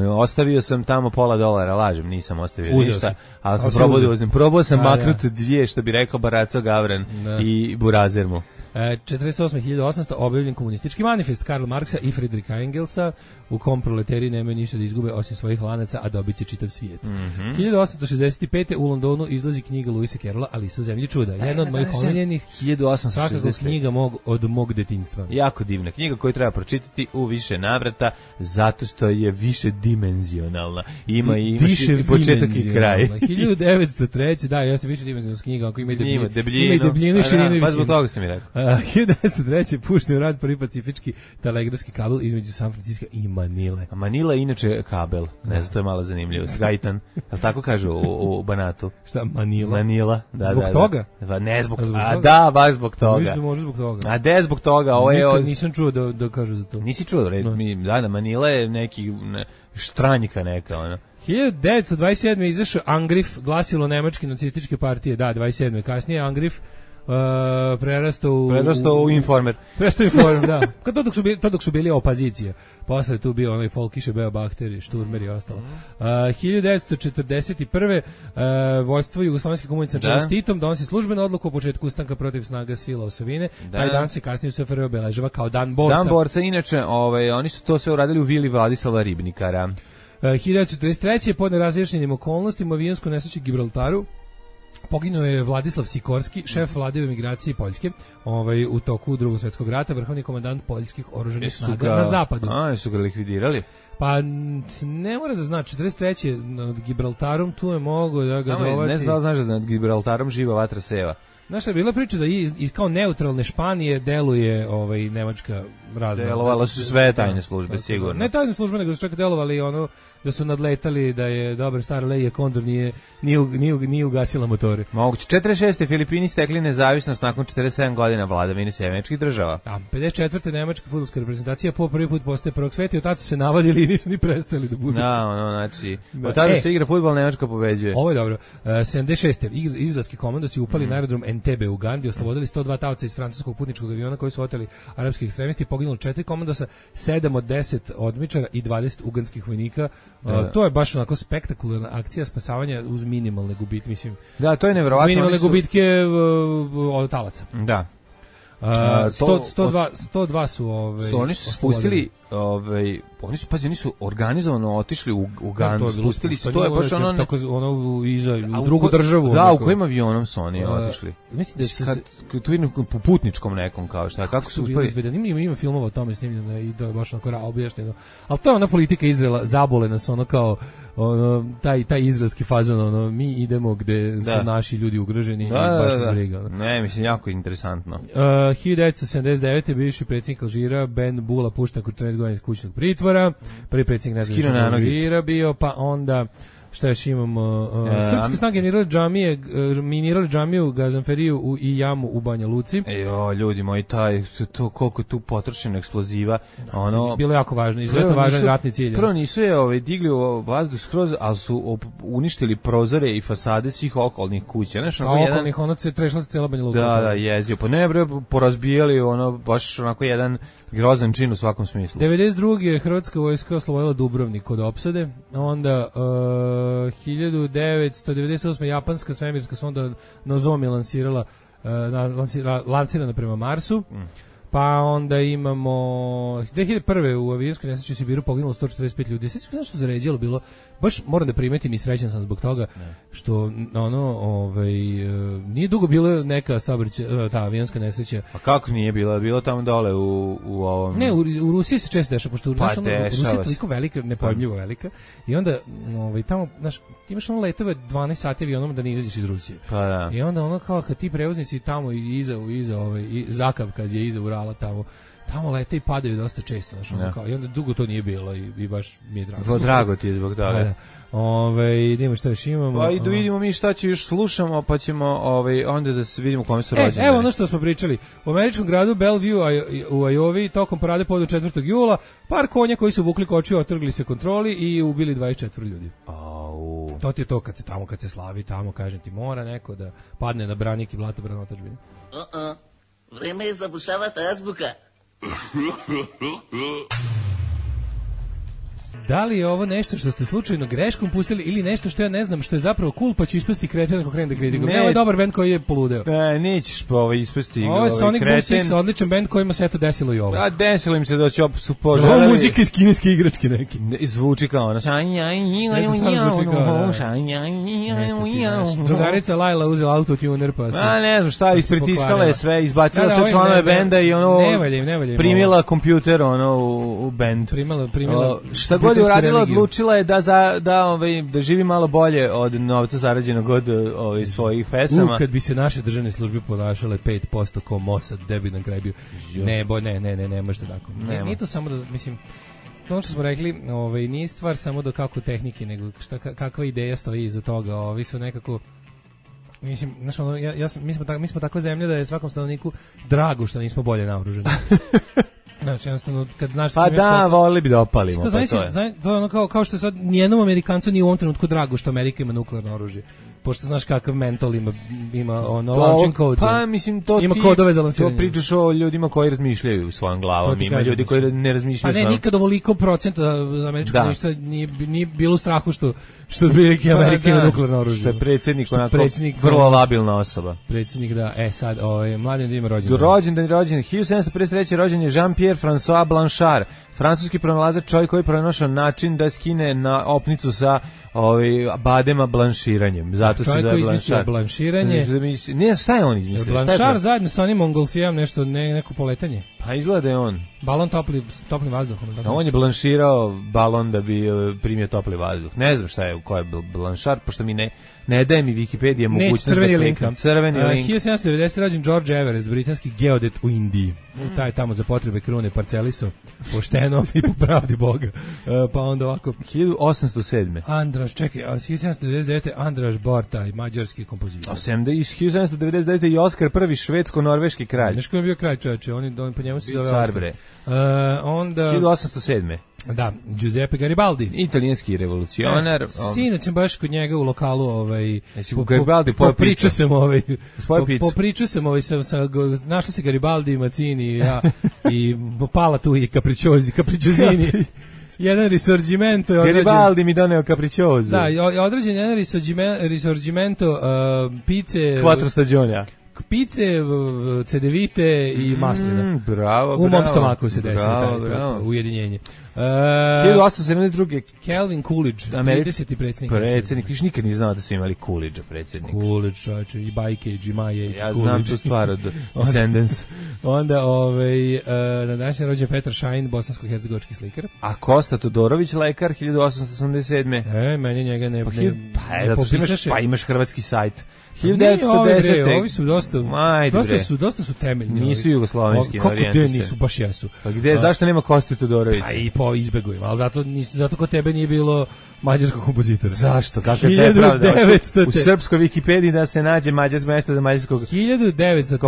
Ostavio sam tamo pola dolara, lažem, nisam ostavio uzeo ništa, si. ali sam probao da uzem. Probao sam da, maknut da. dvije, što bi rekao Baraco Gavran da. i Burazer mu. E, četrdeset osme. hiljadu osamsto. objavljen komunistički manifest Karla Marksa i Friedricha Engelsa, u kom proleteri nemaju ništa da izgube osim svojih lanaca, a dobit će čitav svijet. Mm -hmm. hiljadu osamsto šezdeset pete. u Londonu izlazi knjiga Luisa Carrolla Alisa u zemlji čuda. Jedna od mojih omiljenih, hiljadu osamsto šezdeset pete. svakako knjiga mog, od mog detinjstva. Jako divna knjiga koju treba pročitati u više navrata, zato što je više dimenzionalna. Ima i, imaš i početak i kraj. hiljadu devetsto treće. Da, jeste više dimenzionalna knjiga, ako ima i debljinu. Ima debljinu, ima i debljinu i širinu i visinu. Pa zbog toga sam mi rekao. Uh, hiljadu devetsto treće. pušten u rad prvi pacifički telegrafski kabel između San Francisco i Manile. A Manila je inače kabel, ne znam, to je malo zanimljivo. Gajtan, ali tako kažu u, u Banatu. Šta, Manila? Manila, da, zbog da, toga? Da. Ne zbog, zbog a toga? da, baš zbog toga. Mislim, može zbog toga. A de zbog toga, ovo je... Nikad nisam čuo da, da kažu za to. Nisi čuo, red, no. mi, da, da, Manila je neki ne, štranjika neka, ono. hiljadu devetsto dvadeset sedme. izašao Angriff, glasilo nemačke nacističke partije, da, dvadeset sedme. kasnije Angriff Uh, prerastao u, prerastao u Informer. Prerastao u Informer, da. Kad to dok su bili, to dok su bili opozicija. Posle je tu bio onaj Folkiše, Beo Bahteri, Šturmer i ostalo. Uh, hiljadu devetsto četrdeset prve. Uh, vodstvo Jugoslovenske komunice na čelu s Titom donosi službenu odluku o početku ustanka protiv snaga sila osovine. Da. Taj dan se kasnije u S F R obeležava kao dan borca. Dan borca, inače, ovaj, oni su to sve uradili u vili Vladislava Ribnikara. Uh, hiljadu devetsto četrdeset treće. pod nerazjašnjenim okolnostima avionsku nesreću Gibraltaru poginuo je Vladislav Sikorski, šef vlade emigracije Poljske, ovaj, u toku Drugog svjetskog rata, vrhovni komandant poljskih oružanih snaga ga, na zapadu. A, su ga likvidirali? Pa ne mora da zna, četrdeset treće nad Gibraltarom tu je mogo da ga dovati. Ne znam da znaš da nad Gibraltarom živa vatra seva. Znaš šta je bila priča da iz, iz kao neutralne Španije deluje ovaj, nemačka razna. Delovala su sve tajne službe, da, sigurno. Ne tajne službe, nego su čak delovali ono da su nadletali da je dobar star Leija Kondor nije, nije, nije, nije ugasila motore. Moguće. četrdeset šeste. Filipini stekli nezavisnost nakon četrdeset sedam godina vladavine američkih država. A pedeset četvrte. nemačka fudbalska reprezentacija po prvi put postaje prvog sveta i od tada su se navadili i nisu ni prestali da budu. Da, ono, znači, od tada e, se igra fudbal, Nemačka pobeđuje. Ovo je dobro. Uh, sedamdeset šeste. izraelski komandosi upali mm. na aerodrom Entebbe u Ugandi, oslobodili sto dva taoca iz francuskog putničkog aviona koji su oteli arapski ekstremisti, poginulo četiri komandosa, sedam od deset odmičara i dvadeset uganskih vojnika. Uh, to je baš onako spektakularna akcija spasavanja uz minimalne gubitke, mislim. Da, to je neverovatno. Uz minimalne su... gubitke uh, od talaca. Da. Uh, sto, sto dva, sto dva su ove, su oni su spustili ovaj oni su pazi oni su organizovano otišli u Ugandu, spustili se, to je baš ono tako ono iza u drugu državu. Da, u kojim avionom su oni uh, otišli? Mislim da se kad tu vidim po putničkom nekom kao šta, kako su uspeli izvedeni. Ima ima filmova o tome snimljeno i da je baš onako objašnjeno. Al to je ona politika Izraela, zabole nas ono kao ono taj taj izraelski fazon, ono mi idemo gde su da. naši ljudi ugroženi i baš se briga. Ne, mislim jako interesantno. Uh, hiljadu devetsto sedamdeset devete. bivši predsjednik Alžira Ben Bula pušten nakon četrnaest godina kućnog pritvora. Prvi predsjednik Alžira bio, pa onda Šta još imamo? Uh, Srpske snage minirale džamije, minirale džamiju, Gazanferiju u, i jamu u Banja Luci. Ejo, ljudi moji, taj, to, koliko tu potrošeno eksploziva. Ono, bilo jako važno, izuzetno važan ratni cilj. Prvo nisu je ovaj, digli u vazduh skroz, ali su op, uništili prozore i fasade svih okolnih kuća. Znaš, a okolnih, jedan... ono se trešla se cijela Banja Luka. Da, da, jezio. Pa ne, bre, porazbijali, ono, baš onako jedan grozan čin u svakom smislu. devedeset druge Hrvatska vojska oslobodila Dubrovnik od opsade, onda uh, hiljadu devetsto devedeset osme japanska svemirska sonda Nozomi lansirala, uh, lansira, lansirana prema Marsu. Mm. Pa onda imamo dve hiljade prve u avionskoj nesreći u Sibiru poginulo sto četrdeset pet ljudi. Sve što što zaređalo bilo, baš moram da primetim i srećan sam zbog toga ne. Što ono, ovaj nije dugo bilo neka saobraćaj, ta avionska nesreća. A kako nije bilo? Bilo tamo dole u u ovom. Ne, u, u Rusiji se često dešava, pošto pa ono, Rusija je toliko velika, nepojmljivo velika. I onda ovaj tamo, znaš, ti imaš ono letove dvanaest sati avionom da ne izađeš iz Rusije. Pa da. I onda ono kao kad ti prevoznici tamo i iza iza ovaj i Zakav kad je iza Urala tamo tamo lete i padaju dosta često, znači ono kao i onda dugo to nije bilo i, i baš mi je drago. Vo drago ti je zbog toga. Da. Ovaj idemo šta još imamo. Pa i da vidimo mi šta će još slušamo, pa ćemo ovaj onda da se vidimo kome su e, rođeni. Evo ono što smo pričali. U američkom gradu Bellevue u Iowa tokom parade povodu četvrtog jula par konja koji su vukli kočiju otrgli se kontroli i ubili dvadeset četiri ljudi. Au. To ti je to kad se tamo kad se slavi, tamo kažem ti mora neko da padne na branik i blatobran otadžbine. Uh-uh. Vreme je zabušavati azbuka. Da li je ovo nešto što ste slučajno greškom pustili ili nešto što ja ne znam što je zapravo cool pa ću ispasti kreten ako krenem da kritikujem? Ne, ovo je dobar bend koji je poludeo. Ne, nećeš pa ovo ispasti ovo je Sonic Boom Six, odličan bend kojima se eto desilo i ovo. A desilo im se da će opet su poželeli. Ovo muzika iz kineske igračke neki. Ne, zvuči kao ono. Drugarica Laila uzela autotuner pa se... A ne znam šta, ispritiskala je sve, izbacila sve članove benda i ono... Ne valje, ne valje. Primila kompjuter ono u bend. Primila, primila... Šta god uradila, odlučila je da za da ovaj da živi malo bolje od novca zarađenog od ovaj svojih pesama. U, kad bi se naše državne službe ponašale pet posto kao Mossad, da bi na kraju bio. Ne, bo, ne, ne, ne, ne može tako. Ne, nije to samo da mislim to što smo rekli, ovaj nije stvar samo do kako tehnike, nego šta kakva ideja stoji iza toga. Ovi su nekako mislim, znači, ja, ja sam, mi smo tako, mi smo takva zemlja da je svakom stanovniku drago što nismo bolje naoružani. Znači, jednostavno, kad znaš... Pa da, volili bi da opalimo. Pa to je. Znaš, to je ono kao, kao što sad nijednom Amerikancu nije u ovom trenutku drago što Amerika ima nuklearno oružje. Pošto znaš kakav mental ima, ima ono, launching codes. Pa, mislim, to ima ti... kodove za lansiranje. To pričaš o ljudima koji razmišljaju u svojom glavom. Ima ljudi koji ne razmišljaju. Pa ne, nikad ovoliko procenta američkog društva nije, nije bilo u strahu što što otprilike Amerika ima nuklearno oružje. Što je predsjednik onako vrlo labilna osoba. Predsjednik, da, e sad, ovaj mladen da ima rođendan. Rođendan i rođendan. hiljadu sedamsto pedeset treće rođen je Jean-Pierre François Blanchard, francuski pronalazač, čovjek koji je pronašao način da skine na opnicu sa ovaj badema blanširanjem. Zato se zove Blanchard. Blanširanje. Ne, šta je on izmislio? Blanchard zajedno sa onim Montgolfijerom nešto ne, neko poletanje. Pa izgleda je on. Balon topli toplim vazduhom. A on je blanširao balon da bi primio topli vazduh. Ne znam šta je, ko je Blanchard, pošto mi ne ne daje mi Wikipedia mogućnost da crveni link. Crveni uh, link. hiljadu sedamsto devedesete rođen George Everest, britanski geodet u Indiji. Mm. Taj tamo za potrebe krune parceliso pošteno i po pravdi Boga. Uh, pa onda ovako hiljadu osamsto sedme. Andraš, čekaj, hiljadu sedamsto devedeset devete Andraš Bortaj, mađarski kompozitor. hiljadu sedamsto devedeset devete i Oskar prvi švedsko-norveški kralj. Znaš ko je bio kralj, čoveče, oni on po njemu se zove Oskar. Uh, onda hiljadu osamsto sedme. Da, Giuseppe Garibaldi, italijanski revolucionar. E, sinoć sam baš kod njega u lokalu, ovaj po, Garibaldi po, po pričao sam ovaj po, po pričao sam ovaj sa, sa našli se Garibaldi i Mazzini i ja i pala tu i Capricciosi, Capricciosini. Jedan risorgimento je određen. Garibaldi mi doneo Capriccioso. Da, je određen jedan risorgimento uh, pice Quattro stagioni. Pice, cedevite i maslina. Mm, bravo, U mom bravo, stomaku se desilo bravo, taj bravo. ujedinjenje. Uh, hiljadu osamsto sedamdeset druge. Calvin Coolidge, trideseti predsjednik. Predsjednik, viš nikad ni znao da su imali Coolidge predsjednik. Coolidge, čovječe, i Bajke, i Maje, i ja Coolidge. znam tu stvar od Descendants. Onda, ovaj, uh, na današnji rođen Petar Šajn, bosansko-hercegovački slikar. A Kosta Todorović, lekar, hiljadu osamsto osamdeset sedme. E, meni njega ne, pa, ne, pa, ne zato popisaše. Imaš, pa imaš hrvatski sajt. hiljadu devetsto desete. Ovi su dosta, Majde, dosta su, dosta su temeljni. Nisu jugoslovenski, kako gde nisu, baš jesu. Pa gde, zašto nema Koste Todorovića? Pa i po to izbegujem, ali zato, nis, zato kod tebe nije bilo mađarskog kompozitora. Zašto? Kakva je pravda? U srpskoj Wikipediji da se nađe mađarsko mesto za mađarskog hiljadu devetsto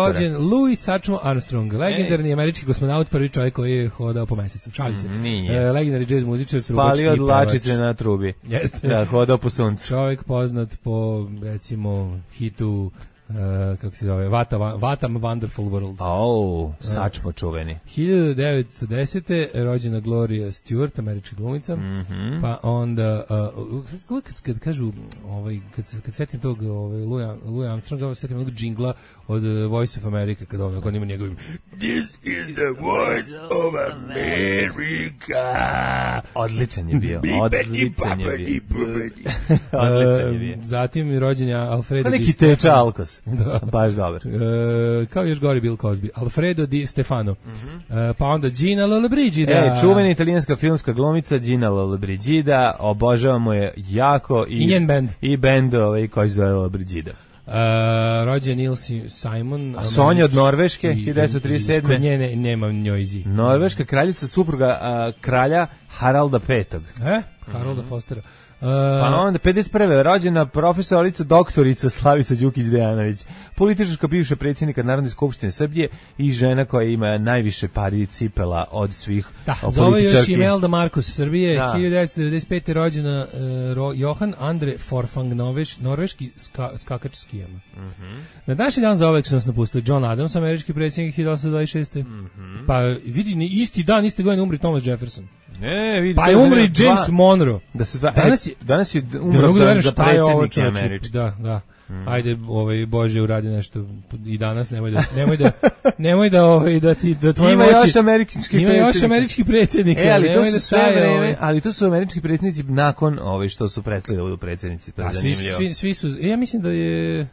rođen Louis Satchmo Armstrong, legendarni američki kosmonaut, prvi čovjek koji je hodao po mesecu. Šalim se. Nije. E, legendarni jazz muzičar, trubač Palio od lačice na trubi. Jeste. Da, hodao po suncu. Čovjek poznat po, recimo, hitu Uh, kako se zove, Vata, Vatam Wonderful World. Oh, Satchmo čuveni. hiljadu devetsto desete rođena Gloria Stewart, američka glumica. Mm -hmm. Pa onda uh, kad, kad kažu ovaj, kad, kad setim tog ovaj, Louis Armstronga, setim onog džingla od uh, Voice of America, kad on, on ima njegovim This is the voice of America. Odličan je bio. Odličan je bio. Odličan je bio. Zatim rođen je Alfredo Di Stefano. Alkos. Da. Baš dobar. E, kao još gori Bill Cosby. Alfredo Di Stefano. Mm -hmm. e, pa onda Gina Lollobrigida. E, čuvena italijanska filmska glumica Gina Lollobrigida. Obožavamo je jako. I, I njen band. I band ovaj, koji zove Lollobrigida. Uh, rođen Neil Simon. A Sonja od Norveške, hiljadu devetsto trideset sedme. Kod nje ne, nema njojzi. Norveška kraljica, supruga uh, kralja Haralda petog. E? Harolda mm -hmm. Fostera. Uh, pa onda pedeset prve rođena profesorica doktorica Slavica Đukić-Dejanović, političarka bivša predsjednika Narodne skupštine Srbije i žena koja ima najviše pari cipela od svih da, političarki. Zove još Imelda Marcos Srbije, da. hiljadu devetsto devedeset pete rođena uh, Johan Andre Forfang, Noveš, norveški ska, skakač skijama. Mm -hmm. Na današnji dan za ovek su nas napustili John Adams, američki predsjednik hiljadu osamsto dvadeset šeste. Mm -hmm. Pa vidi, isti dan, iste godine umri Thomas Jefferson. Ne, vidi, pa je umri James dva, Monroe. Da se dva, danas je, danas je umro da da za predsjednike američke. Da, da. Mm. Ajde, ovaj Bože uradi nešto i danas, nemoj da nemoj da nemoj da ovaj da ti da tvoje ima moći. Još američki ima još američki predsjednik. E, ali to su da sve vreme, ali to su američki predsjednici nakon ovaj što su prestali da budu predsjednici, to je zanimljivo. Svi, svi su, ja mislim da je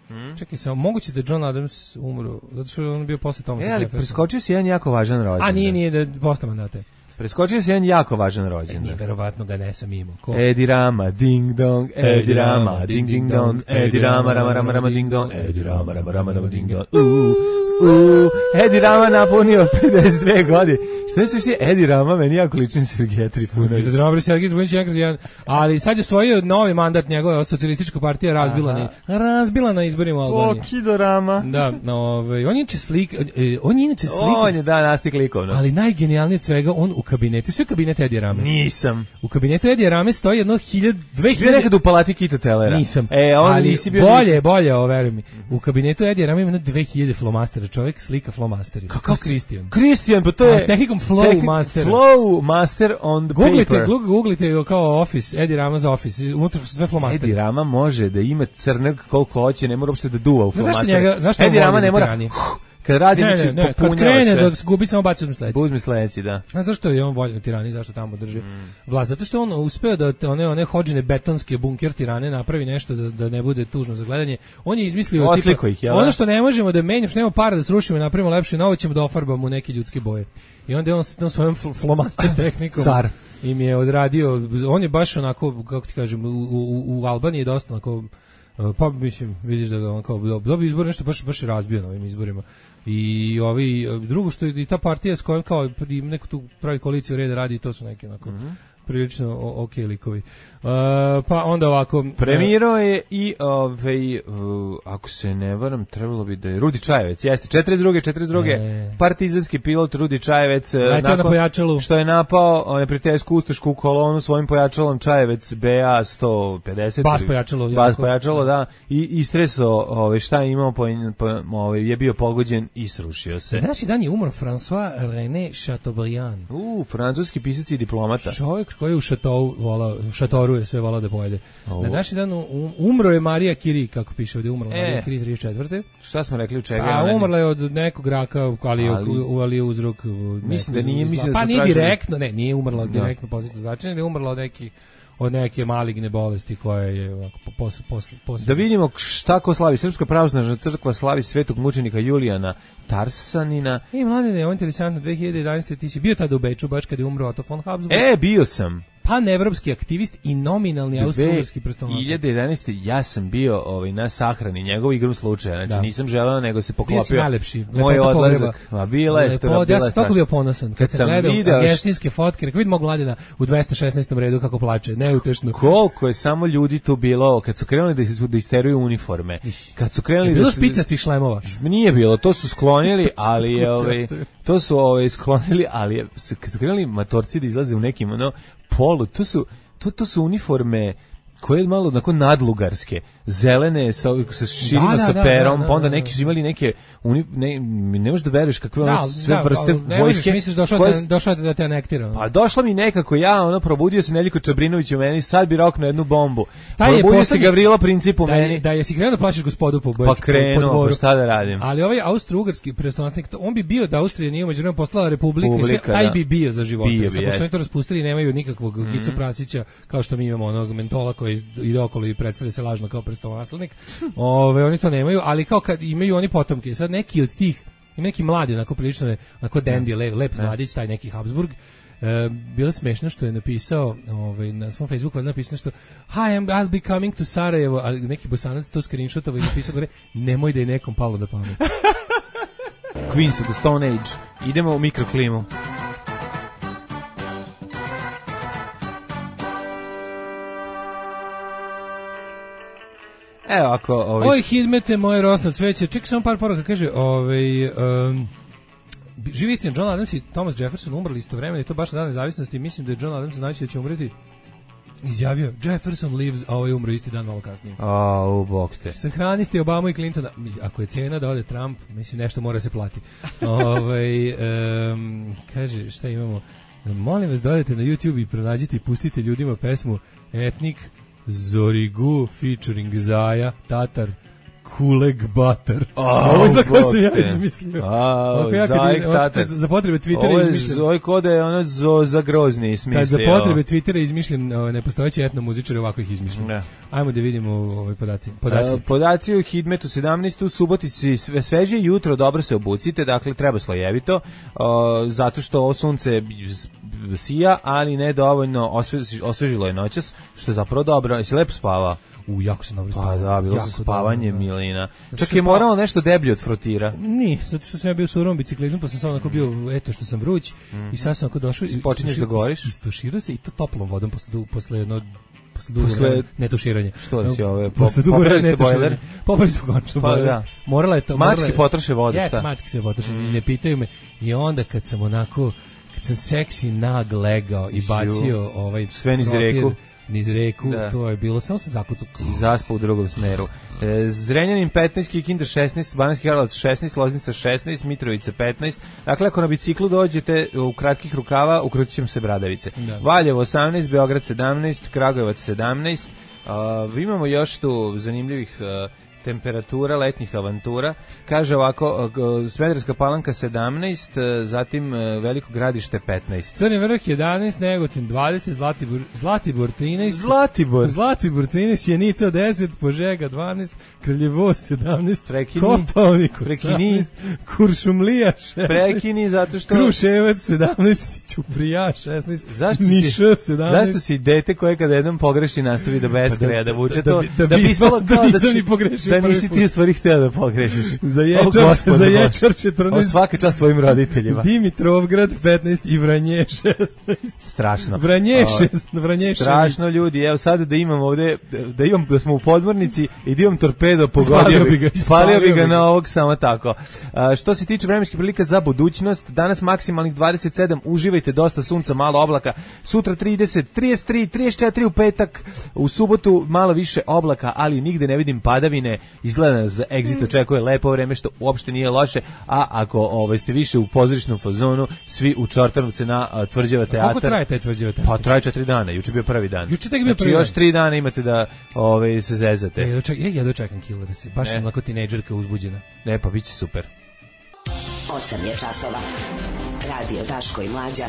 Hmm? Čekaj samo, moguće da John Adams umro, zato što je on bio posle Thomasa Jeffersona. E, ali preskočio si jedan jako važan rođendan. A nije, nije, da posle mandata. Preskočio si jedan jako važan rođendan. Nije, verovatno ga ne sam imao. Ko? Edi Rama, ding dong, Edi Rama, ding ding dong, Edi Rama, rama rama rama ding dong, Edi Rama, rama rama rama ding dong. Uuu, uuu, Edi Rama napunio pedeset dve godine. Što je sve što je Edi Rama, meni jako lični Sergej Trifunović. Edi Rama, Sergej Trifunović, jedan kroz jedan. Ali sad je svojio novi mandat, njegova socijalistička partija razbila, na, razbila na izborima u Albaniji. O, Kido Rama. Da, no, ove, on je inače slik, on je inače slik. On je, da, nastik likovno. Ali najgenijalnije od svega, on u kabinetu, sve kabinete Edija Rame. Nisam. U kabinetu Edija Rame stoji jedno hiljadu, dve hiljade... Si bio nekad u palati Kito Telera? Nisam. E, on ali nisi bio... bolje, ni... bolje, ovo, veruj mi. U kabinetu Edija Rame ima dve hiljade flomastera, čovjek slika flomasteri. Kako Kristijan? Kristijan, pa to je... A, tehnikom flow tehnik, master. Flow master on the googlite, paper. Googlite, googlite kao office, Edi Rama's office, unutra sve flomasteri. Edi Rama može da ima crnog koliko hoće, ne mora uopšte da duva u flomaster. Zašto Edi Rama ne mora... Kad radi, ne, ne, ne, kad krene da gubi samo baci uzme sledeći. Uzme sledeći, da. A zašto je on voljno tirani, zašto tamo drži mm. vlast? Zato što on uspeo da one one hodžine betonske bunker tirane napravi nešto da, da ne bude tužno za gledanje. On je izmislio tipa, ih, ja, ono što ne možemo da menjamo, što nema para da srušimo i napravimo lepše, novo ćemo da ofarbamo u neke ljudske boje. I onda je on sa svojom flomaster tehnikom car im je odradio, on je baš onako, kako ti kažem, u, u, u Albaniji je dosta onako, pa mislim, vidiš da on kao dobio izbor, nešto baš, baš je razbio na ovim izborima. I ovi, drugo što je i ta partija s kojom kao neko tu pravi koaliciju reda radi i to su neki onako mm-hmm. prilično ok likovi. Uh, pa onda ovako... Premirao je i, ovaj, uh, ako se ne varam, trebalo bi da je Rudi Čajevec, jeste, četrdeset druge četrdeset druge E. partizanski pilot Rudi Čajevec, nakon što je napao neprijateljsku ustašku kolonu svojim pojačalom Čajevec B A sto pedeset Bas pojačalo. Bas pojačalo, da, i istresao ovaj, šta je imao, po, po, ovaj, je bio pogođen i srušio se. Današnji dan je umro François René Chateaubriand. U, francuski pisac i diplomata. Čovjek koji je u Chateau, vola, Chateau je sve volao da pojede. Oh. Na današnji dan um, umro je Marija Curie, kako piše ovdje, umrla e. Marija Curie trideset četvrte Šta smo rekli u čega? A umrla je od nekog raka, ali je ali uzrok. Mislim da nije, mislim pa nije direktno, ne, nije umrla od direktno pozitivno značenje, nego je umrla od neki od neke maligne bolesti koja je ovako posle posle posle. Da vidimo šta ko slavi. Srpska pravoslavna crkva slavi svetog mučenika Julijana Tarsanina. I mladine, je interesantno, dve hiljade jedanaeste ti si bio tada u Beču baš kad je umro Otto von Habsburg. E, bio sam. panevropski aktivist i nominalni austrougarski prestolonaslednik. dve hiljade jedanaeste ja sam bio ovaj, na sahrani njegovu igrom slučaja, znači da. nisam želeo nego se poklopio. Bio si najlepši, moj odlazak. Ma bila je što ja sam toliko bio ponosan. Kad, kad sam gledao video agestinske fotke, rekao vidim mog Mladena u dvesta šesnaestom redu kako plače, neutešno. Koliko je samo ljudi tu bilo, kad su krenuli da, da isteruju uniforme. Kad su krenuli je bilo da spicastih šlemova. Nije bilo, to su sklonili, ali je ovaj to su ovaj sklonili, ali je, kad su krenuli matorci da izlaze u nekim ono polu, to su to to su uniforme koje je malo onako nadlugarske, zelene sa sa širima da, sa da, perom, da, da, pa onda da, neki su imali neke uni, ne, ne možeš da veruješ kakve da, ono sve da, vrste ne vojske. Ne misliš došao koje, da došao da te anektira. Pa došla mi nekako ja, ono probudio se Neljko Čabrinović u meni, sad bi roknuo jednu bombu. Taj je probudio se Gavrilo Princip u da meni. Je, da je si krenuo da plaćaš gospodu po pa krenuo, pa šta da radim. Ali ovaj austrougarski prestolonaslednik, on bi bio da Austrija nije međuvremenu postala republika, Publika, sve, taj da. bi bio za života. Bio bi, Samo što oni to raspustili i nemaju nikakvog mm-hmm. Gicu Prasića, kao što mi imamo onog mentola koji ide okolo i predstavlja se lažno kao prestolonaslednik. Ove, oni to nemaju, ali kao kad imaju oni potomke, sad neki od tih, ima neki mladi, onako prilično, onako dandy, lep, lep mladić, taj neki Habsburg, e, bilo smešno što je napisao, ovaj, na svom Facebooku je napisao što Hi, I'm, I'll be coming to Sarajevo, a neki Bosanac to screenshotovo i napisao gore, nemoj da je nekom palo na pamet. Queens of the Stone Age. Idemo u mikroklimu. Evo ako ovaj Oj hidmete moje rosno cveće. Čekaj samo par poruka, kaže, ovaj um, živi istina, John Adams i Thomas Jefferson umrli istovremeno i to baš na dan nezavisnosti. Mislim da je John Adams znajući da će umreti izjavio Jefferson lives, a ovaj umro isti dan malo kasnije. A, u bok te. Sahranisti Obama i Clintona. Ako je cena da ode Trump, mislim nešto mora se plati. ovaj um, kaže, šta imamo? Molim vas da odete na YouTube i pronađite i pustite ljudima pesmu Etnik Zorigu featuring Zaja, Tatar, Kuleg Batar. Oh, ovo je za koje sam ja izmislio. Oh, ja Zajek Tatar. Za potrebe Twittera izmišljen. Ovo je kode je ono zo, za grozni smislio. Kad za potrebe Twittera izmišljen nepostojeći etnomuzičar, ovako ih izmišljen. Ne. Ajmo da vidimo ove podaci. Podaci, uh, podaci u Hidmetu sedamnaest u Subotici sve sveže jutro, dobro se obucite, dakle treba slojevito, uh, zato što ovo sunce sija, ali ne dovoljno osveži, osvežilo je noćas, što je zapravo dobro. Jesi lepo spavao? U, jako sam dobro spavao. Pa da, bilo jako se spavanje dobro, da. Milina. Čak je moralo nešto deblje od frotira. Ni, zato što sam ja bio u surovom biciklizmu, pa sam samo onako bio, eto što sam vruć, mm. i sad sam onako došao i počinješ da goriš. Istuširao se i to toplom vodom posle, posle jedno posle dugo posle netuširanja. Što da si ove posle dugo netuširanja. Popravili smo končno pa, bojler. Morala je to. Mački je... potroše vodu, yes, šta? Mački se potroše, mm. ne pitaju me. I onda kad sam onako, kad sam seksi nag legao i bacio ovaj sve niz reku. niz reku, da. To je bilo, samo sam zakucao. Zaspao u drugom smeru. E, Zrenjanin petnaest, Kikinda šesnaest, Banatski Karlovac šesnaest, Loznica šesnaest, Mitrovica petnaest. Dakle, ako na biciklu dođete u kratkih rukava, ukrutit će se bradavice. Da. Valjevo osamnaest, Beograd sedamnaest, Kragujevac sedamnaest. Uh, imamo još tu zanimljivih uh, temperatura letnjih avantura. Kaže ovako, Smederevska Palanka sedamnaest, zatim Veliko Gradište petnaest. Crni vrh jedanaest, Negotin dvadeset, Zlatibor, Zlatibor trinaest, Zlatibor. Zlatibor trinaest, Sjenica deset, Požega dvanaest, Kraljevo sedamnaest, Prekini, Kopaonik Prekini, osamnaest, Kuršumlija šesnaest, Prekini, zato što... Kruševac sedamnaest, Ćuprija šesnaest, zašto Niš si, sedamnaest. Zašto si dete koje kada jednom pogreši nastavi da beskraja, da, da vuče da, to, da, da, da bi ispalo kao da, da si... pogrešio. Da nisi ti u stvari hteo da pogrešiš. Za Ječar, za Ječar četrnaest. O, svaka čast tvojim roditeljima. Dimitrovgrad petnaest i Vranje šesnaest. Strašno. Vranje šest, Vranje strašno ljudi. Evo sad da imam ovde, da imam, da smo u podmornici i da imam torpedo, pogodio bi ga. Spalio bi ga na ovog samo tako. A, što se tiče vremenskih prilika za budućnost, danas maksimalnih dvadeset sedam, uživajte, dosta sunca, malo oblaka. Sutra trideset, trideset tri, trideset četiri u petak, u subotu malo više oblaka, ali nigde ne vidim padavine. Izgleda nas Exit očekuje lepo vreme, što uopšte nije loše, a ako ovaj, ste više u pozorišnom fazonu, svi u Čortanovce na uh, Tvrđava teatar. Koliko traje taj Tvrđava teatar? Pa traje četiri dana, juče bio prvi dan. Juče tek bio znači, prvi dan. Još tri dana imate da ovaj, se zezate. E, doček, ja, ja dočekam Killera se, baš ne. Sam onako tinejdžerka uzbuđena. Ne, pa bit će super. osam je časova. Radio Daško i Mlađa.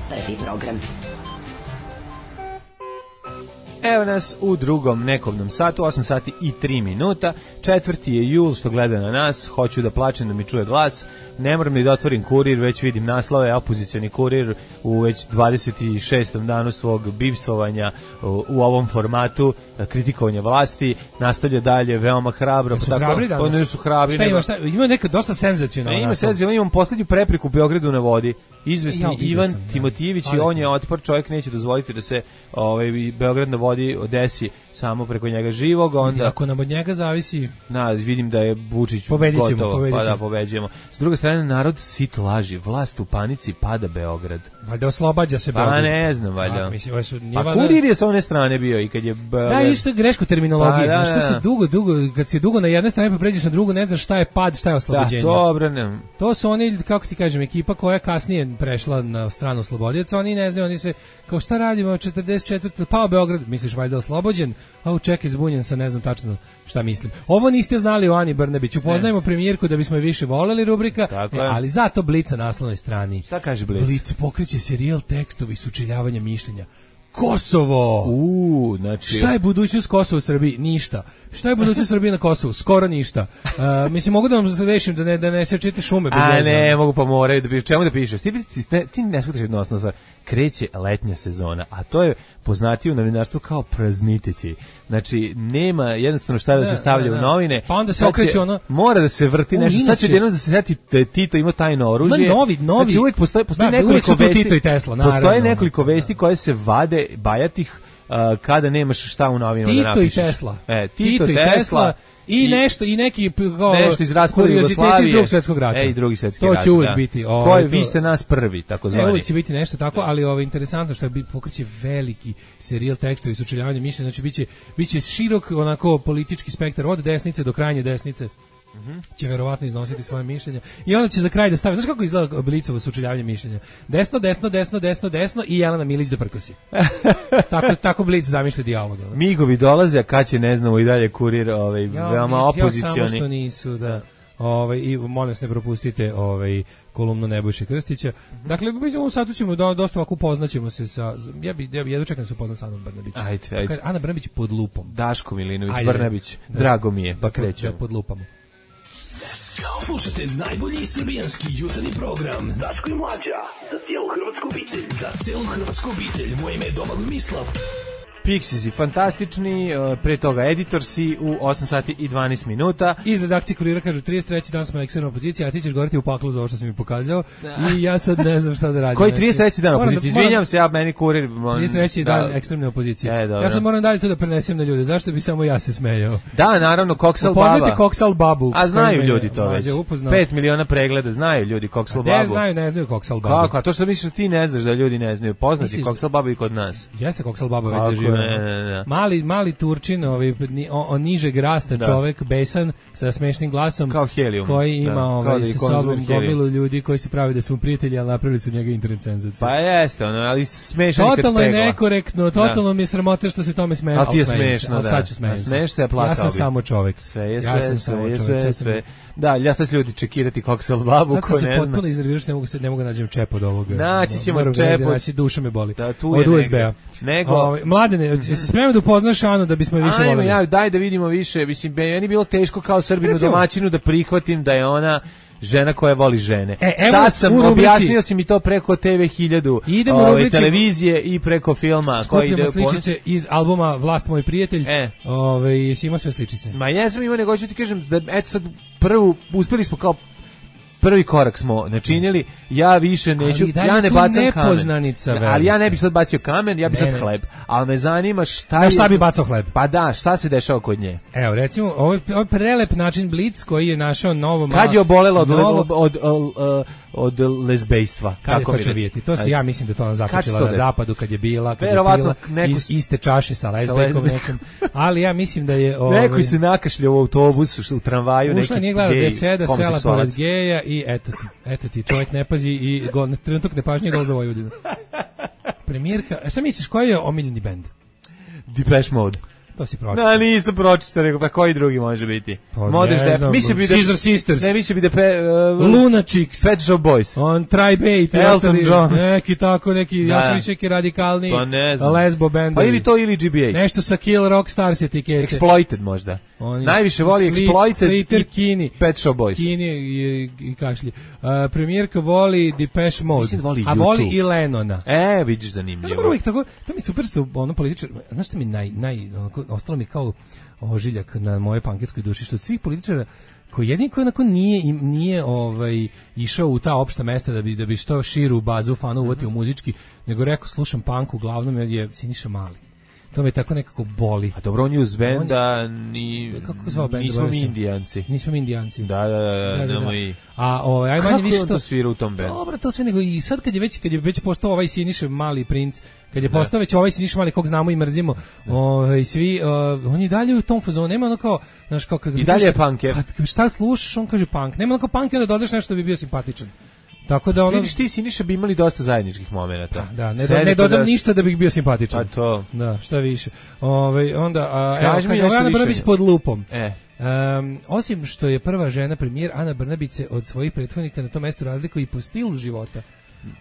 Prvi program. Evo nas u drugom nekovnom satu, osam sati i tri minuta. Četvrti je jul, što gleda na nas. Hoću da plačem da mi čuje glas. Ne moram ni da otvorim kurir, već vidim naslove. Opozicioni kurir u već dvadeset šestom danu svog bivstvovanja u, u ovom formatu kritikovanja vlasti. Nastavlja dalje veoma hrabro. Su hrabri danas? Pa ne su hrabri. Šta ima, šta, ima neka dosta senzacionalna. Ima senzacionalna, imam poslednju prepriku u Beogradu na vodi. Izvesni ja, Ivan sam, Timotijević ja. i on je otpor, čovjek neće dozvoliti da se ovaj, Beograd na vodi desi samo preko njega živog, onda... Ako nam od njega zavisi... Na, vidim da je Vučić pobedit ćemo, gotovo, pobedit ćemo. Pa da, pobeđujemo. S druge strane, narod sit laži, vlast u panici, pada Beograd. Valjda oslobađa se Beograd. Pa ne znam, valjda. A, mislim, su, pa valjda... kurir je sa one strane bio i kad je... Beograd... Da, isto grešku terminologije. Pa, da, što se dugo, dugo, kad si dugo na jednoj strani pa pređeš na drugu, ne znaš šta je pad, šta je oslobođenje. Da, dobro, ne. To su oni, kako ti kažem, ekipa koja kasnije prešla na stranu oslobodioca, oni ne znaju, oni se, kao šta radimo, četrdeset četvrte pao Beograd, misliš valjda oslobođen, a čekaj, zbunjen sam, ne znam tačno šta mislim. Ovo niste znali o Ani Brnabić, upoznajemo premijerku da bismo je više voleli, rubrika, e, ali zato Blic na naslovnoj strani. Šta kaže Blic? Blic pokreće serijal tekstovi sučeljavanja mišljenja. Kosovo. U, znači šta je budućnost Kosova u Srbiji? Ništa. Šta je budućnost Srbije na Kosovu? Skoro ništa. Uh, mislim mogu da vam rešim da ne da ne sečete šume bez A veze. ne, mogu pa moraju da pišeš. Čemu da pišeš? Ti ti ne, ti ne shvataš jednu osnovnu stvar. Kreće letnja sezona, a to je poznatije u novinarstvu kao praznititi. Znači nema jednostavno šta da se stavlja u novine. Pa onda se okreće ono mora da se vrti nešto. Sad će jednom da se seti Tito ima tajno oružje. Ma novi, novi. Znači uvijek postoji postoji da, nekoliko vesti. Tito i Tesla, naravno. Postoje nekoliko vesti koje se vade bajatih uh, kada nemaš šta u novinama da napišeš. Tito i Tesla. E, Tito, Tito i Tesla. Tesla I, I nešto i neki kao nešto iz raspada Jugoslavije iz drugog svjetskog rata. E, i drugi svjetski to rat. To će uvijek da. biti. O, Koji vi ste nas prvi, tako zvani. E, uvijek će biti nešto tako, ali ovo interesantno što je pokreće veliki serijal tekstovi sučeljavanja mišljenja, znači biće biće širok onako politički spektar od desnice do krajnje desnice. Mhm. Mm će verovatno iznositi svoje mišljenja i onda će za kraj da stavi, znaš kako izgleda Blicovo sučeljavanje mišljenja, desno, desno, desno, desno, desno i Jelena Milić da prkosi. tako, tako Blic zamišlja dijalog. Migovi dolaze, a kad će ne znamo i dalje kurir ovaj, ja, veoma opozicioni. Ja samo što nisu, da. da. Ovaj, i molim vas ne propustite ovaj, kolumnu Nebojše Krstića. Dakle, u ovom satu ćemo do, dosta ovako upoznaćemo se sa, ja bi, ja bi jedno čekam da se upoznam sa Anom Brnabić. Ajde, ajde. Ana Brnabić pod lupom. Daško Milinović, ajde, Brnabić, da, drago mi je, pa krećemo. Da pod lupamo. Slušajte najbolji srbijanski jutarnji program Daško i Mlađa, za cijelu hrvatsku obitelj. Za cijelu hrvatsku obitelj, moje ime je Domagoj Mislav. Pixies, fantastični, pre toga Editorsi u osam sati i dvanaest minuta. Iz redakcije Kurira kažu trideset treći dan smo na ekstremnoj opoziciji, a ti ćeš govoriti u paklu za ovo što si mi pokazao. Da. I ja sad ne znam šta da radim. Koji trideset treći dan opozicije? Izvinjam se, ja meni Kurir... trideset treći da. dan ekstremne opozicije. E, ja sad moram dalje to da prenesem na ljude. Zašto bi samo ja se smejao? Da, naravno, Koksal Baba. Poznate Koksal Babu. A znaju ljudi to već. Upoznao. Pet miliona pregleda, znaju ljudi Koksal Babu. Ne znaju, ne znaju Koksal Babu. Kako? A to što misliš ti ne znaš da ljudi ne znaju. Poznati Koksal Babu i kod nas. Jeste Koksal Babu već zaživio. Mali, mali Turčin, ovaj, o, o nižeg rasta da. Čovek, besan, sa smešnim glasom, kao helijum, koji ima da. ovaj, da sa sobom gomilu ljudi koji se pravi da su prijatelji, ali napravili su njega internet senzaciju. Pa jeste, ono, ali smešan kad totalno je nekorektno, totalno da. mi je sramote što se tome smeje. Ali ti je smešno, da. Šta ću smejem se? Smeješ se, plakao ja sam bi. samo čovek. Sve je sve, ja sam sve, samo je čovek. sve, sve. Da, ja sad ljudi čekirati Koksal Babu, sad ko ne zna. Sad se potpuno iznerviraš, ne mogu se, ne mogu nađem čep od ovoga. Naći ćemo čep od... Naći, duša me boli. Da, tu od U S B-a. Nego... Ovaj, Mladene, jesi spreman da upoznaš Anu da bismo je više Ajmo, voleli? Ja, daj da vidimo više. Mislim, meni bilo teško kao Srbinu domaćinu da prihvatim da je ona žena koja voli žene. E, sad sam rubrici, objasnio si mi to preko T V hiljadu, ove, rubrici, televizije i preko filma. Skupljamo koji ide sličice ponos... iz albuma Vlast moj prijatelj. E. Ove, jesi imao sve sličice? Ma jesam imao, nego ću ti kažem, da, eto sad prvu, uspeli smo kao prvi korak smo načinili, ja više neću, ja ne bacam kamen. Ali ja ne bih sad bacio kamen, ja bih sad hleb. Ali me zanima šta Na je... šta bi bacao hleb? Pa da, šta se dešava kod nje? Evo, recimo, ovo je, ovo je prelep način Blic koji je našao novo... Kad je obolela od, novo... od, od, od, od lezbejstva? Kad kako je to vidjeti? To se, ja mislim da to ona započela na zapadu kad je bila, kad je bila neku... iz iste čaše sa lezbejkom nekom. Ali ja mislim da je... Ove... Neko se nakašljao u autobusu, u tramvaju, neki gej, gej, seda, sela pored geja i eto ti, eto ti, čovjek ne pazi i gol, trenutak nepažnje gol za Vojvodinu. Premijerka, a šta misliš, koji je omiljeni bend? Depeche Mode. To si pročitao. Da, nisam pročitao, nego pa koji drugi može biti? Pa Modeš ne da znam, mislim bi da Scissor Sisters. Ne, mislim bi da pe, uh, Luna Chicks. Pet Shop Boys. On Tri-Bait. Elton John. Neki tako, neki, Da. ja sam više neki radikalni Pa ne znam. lesbo bendovi. Pa ili to ili G B H. Nešto sa Kill Rock Stars etikete. Exploited možda. Oni Najviše voli Sleep- Exploited Slater, i Kini. Pet Shop Boys. Kini i, i kašlji. Uh, premijerka voli Depeche Mode. Mislim da voli a voli YouTube. i Lennona. E, vidiš Znaš, zanimljivo. moram uvijek tako, to mi super što ono političar, znaš što mi naj, naj, onako, ostalo mi kao ožiljak na moje panketskoj duši, što od svih političara koji jedini koji onako nije, im- nije ovaj, išao u ta opšta mesta da bi, da bi što širu bazu fana uvatio muzički, nego rekao slušam punk uglavnom jer je Siniša Mali. To me tako nekako boli. A dobro, on je uz benda, ni, Kako se zvao bend? nismo zaboravio mi sam. Indijanci. Nismo mi Indijanci. Da, da, da, Da, da, nemoj da. i... A ovaj aj Kako manje više je on to to svira u tom bendu? Dobro, to sve nego i sad kad je već kad je već postao ovaj Siniša Mali princ, kad je postao već ovaj Siniša Mali kog znamo i mrzimo, ovaj svi uh, on je dalje u tom fazonu, nema ono kao, znaš kao kad I dalje je punker. Kad šta slušaš, on kaže punk. Nema ono kao punk i onda dodaš nešto da bi bio simpatičan. Tako da ono Vidiš, ti Siniša bi imali dosta zajedničkih momenata. da, ne, do, Sedi ne tu dodam da- ništa da bih bio simpatičan. A to... Da, šta više. Ovaj onda a, evo Kaži mi kaže nešto Ana više o Brnabić njoj. pod lupom. E. Um, osim što je prva žena premijer, Ana Brnabić se od svojih prethodnika na tom mestu razlikuje i po stilu života.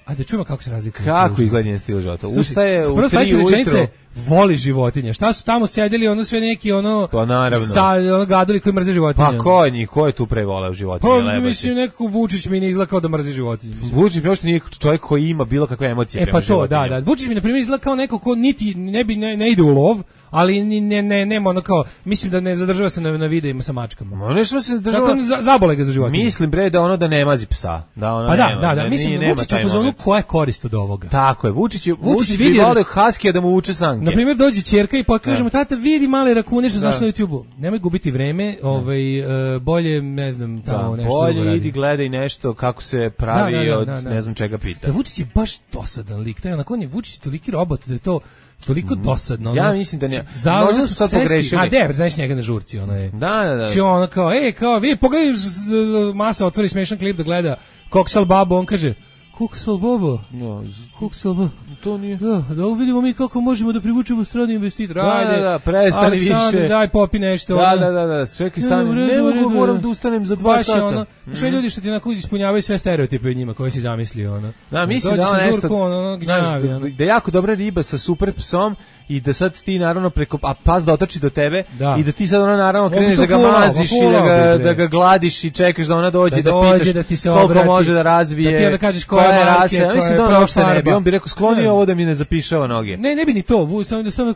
A da čujemo kako se razlikuje. Kako izgleda njen stil života? Slušaj, Ustaje u prva tri sledeća rečenica ujutro. je, voli životinje. Šta su tamo sedeli, ono sve neki ono Pa naravno. sa ono gadoli koji mrze životinje. Pa ko je njih? Ko je tu pre voleo životinje? Pa Lebati? mislim nekako Vučić mi ne izgleda kao da mrzi životinje. Vučić mi uopšte nije čovjek koji ima bilo kakve emocije E prema pa to, da, životinjama. da. Vučić mi na primjer izgleda kao neko ko niti ne bi ne, ne ide u lov, ali ni ne ne nema ono kao mislim da ne zadržava se na na videima sa mačkama. Ma nešto se država... Dakle, za, zabole ga za životinje. Mislim bre da ono da ne mazi psa. Da ono Pa da, nema, da, da, ne- mislim nije- da nema Vučić taj u fazonu moment. koja je korist od ovoga. Tako je, Vučić, je, Vučić Vučić, bi vidi- voleo Haskija da mu uče sanke. Na primjer dođe ćerka i pokaže mu tata vidi male rakune što Da. znaš na YouTubeu. Nemoj gubiti vreme, ovaj e, bolje ne znam tamo Da, nešto drugo bolje radi. idi gledaj nešto kako se pravi Da, da, da, od da, da. ne znam čega pita. Da, Vučić je baš dosadan lik, taj onako on je Vučić je toliki robot da je to toliko dosadno. Ja ono, mislim da ne- za- možda ono su sad sesti- pogrešili. A de, znaš njega na žurci, ono je. Da, da, da. Znači ono kao, ej, kao, vi pogledaj, z- z- masa otvori smešan klip da gleda Koksal Babo, on kaže, Koksal Babo, No, z- Koksal Babo. to nije. Da, da uvidimo mi kako možemo da privučemo strane investitore. Da, Ajde, da, da, prestani Aleksandar, više. daj popi nešto. Da, ono. da, da, da, čekaj, Ne, stani. u redu, Ne u mogu, redu, moram da. da ustanem za dva Baš je sata. ono, sve ljudi što ti onako ispunjavaju sve stereotipe o njima koje si zamislio, ono. Da, mislim Dođe da sa on nešto, žurku, ono, ono, znaš, gnjavi, da, ono. da je jako dobra riba sa super psom i da sad ti naravno preko, a pas da otrči do tebe Da. i da ti sad ono naravno On bi kreneš to da ga fulao, maziš pa i da fulao ga, bi, bre. da ga gladiš i čekaš da ona dođe Da da, dođe, pitaš da ti se koliko obrati, može da razvije, da ti onda kažeš koja je marke, rasa. Ja koja mislim je da on prva uopšte ne bi, farba. on bi rekao skloni Ne. ovo da mi ne zapišava noge. Ne, ne bi ni to, Vu, samo da samo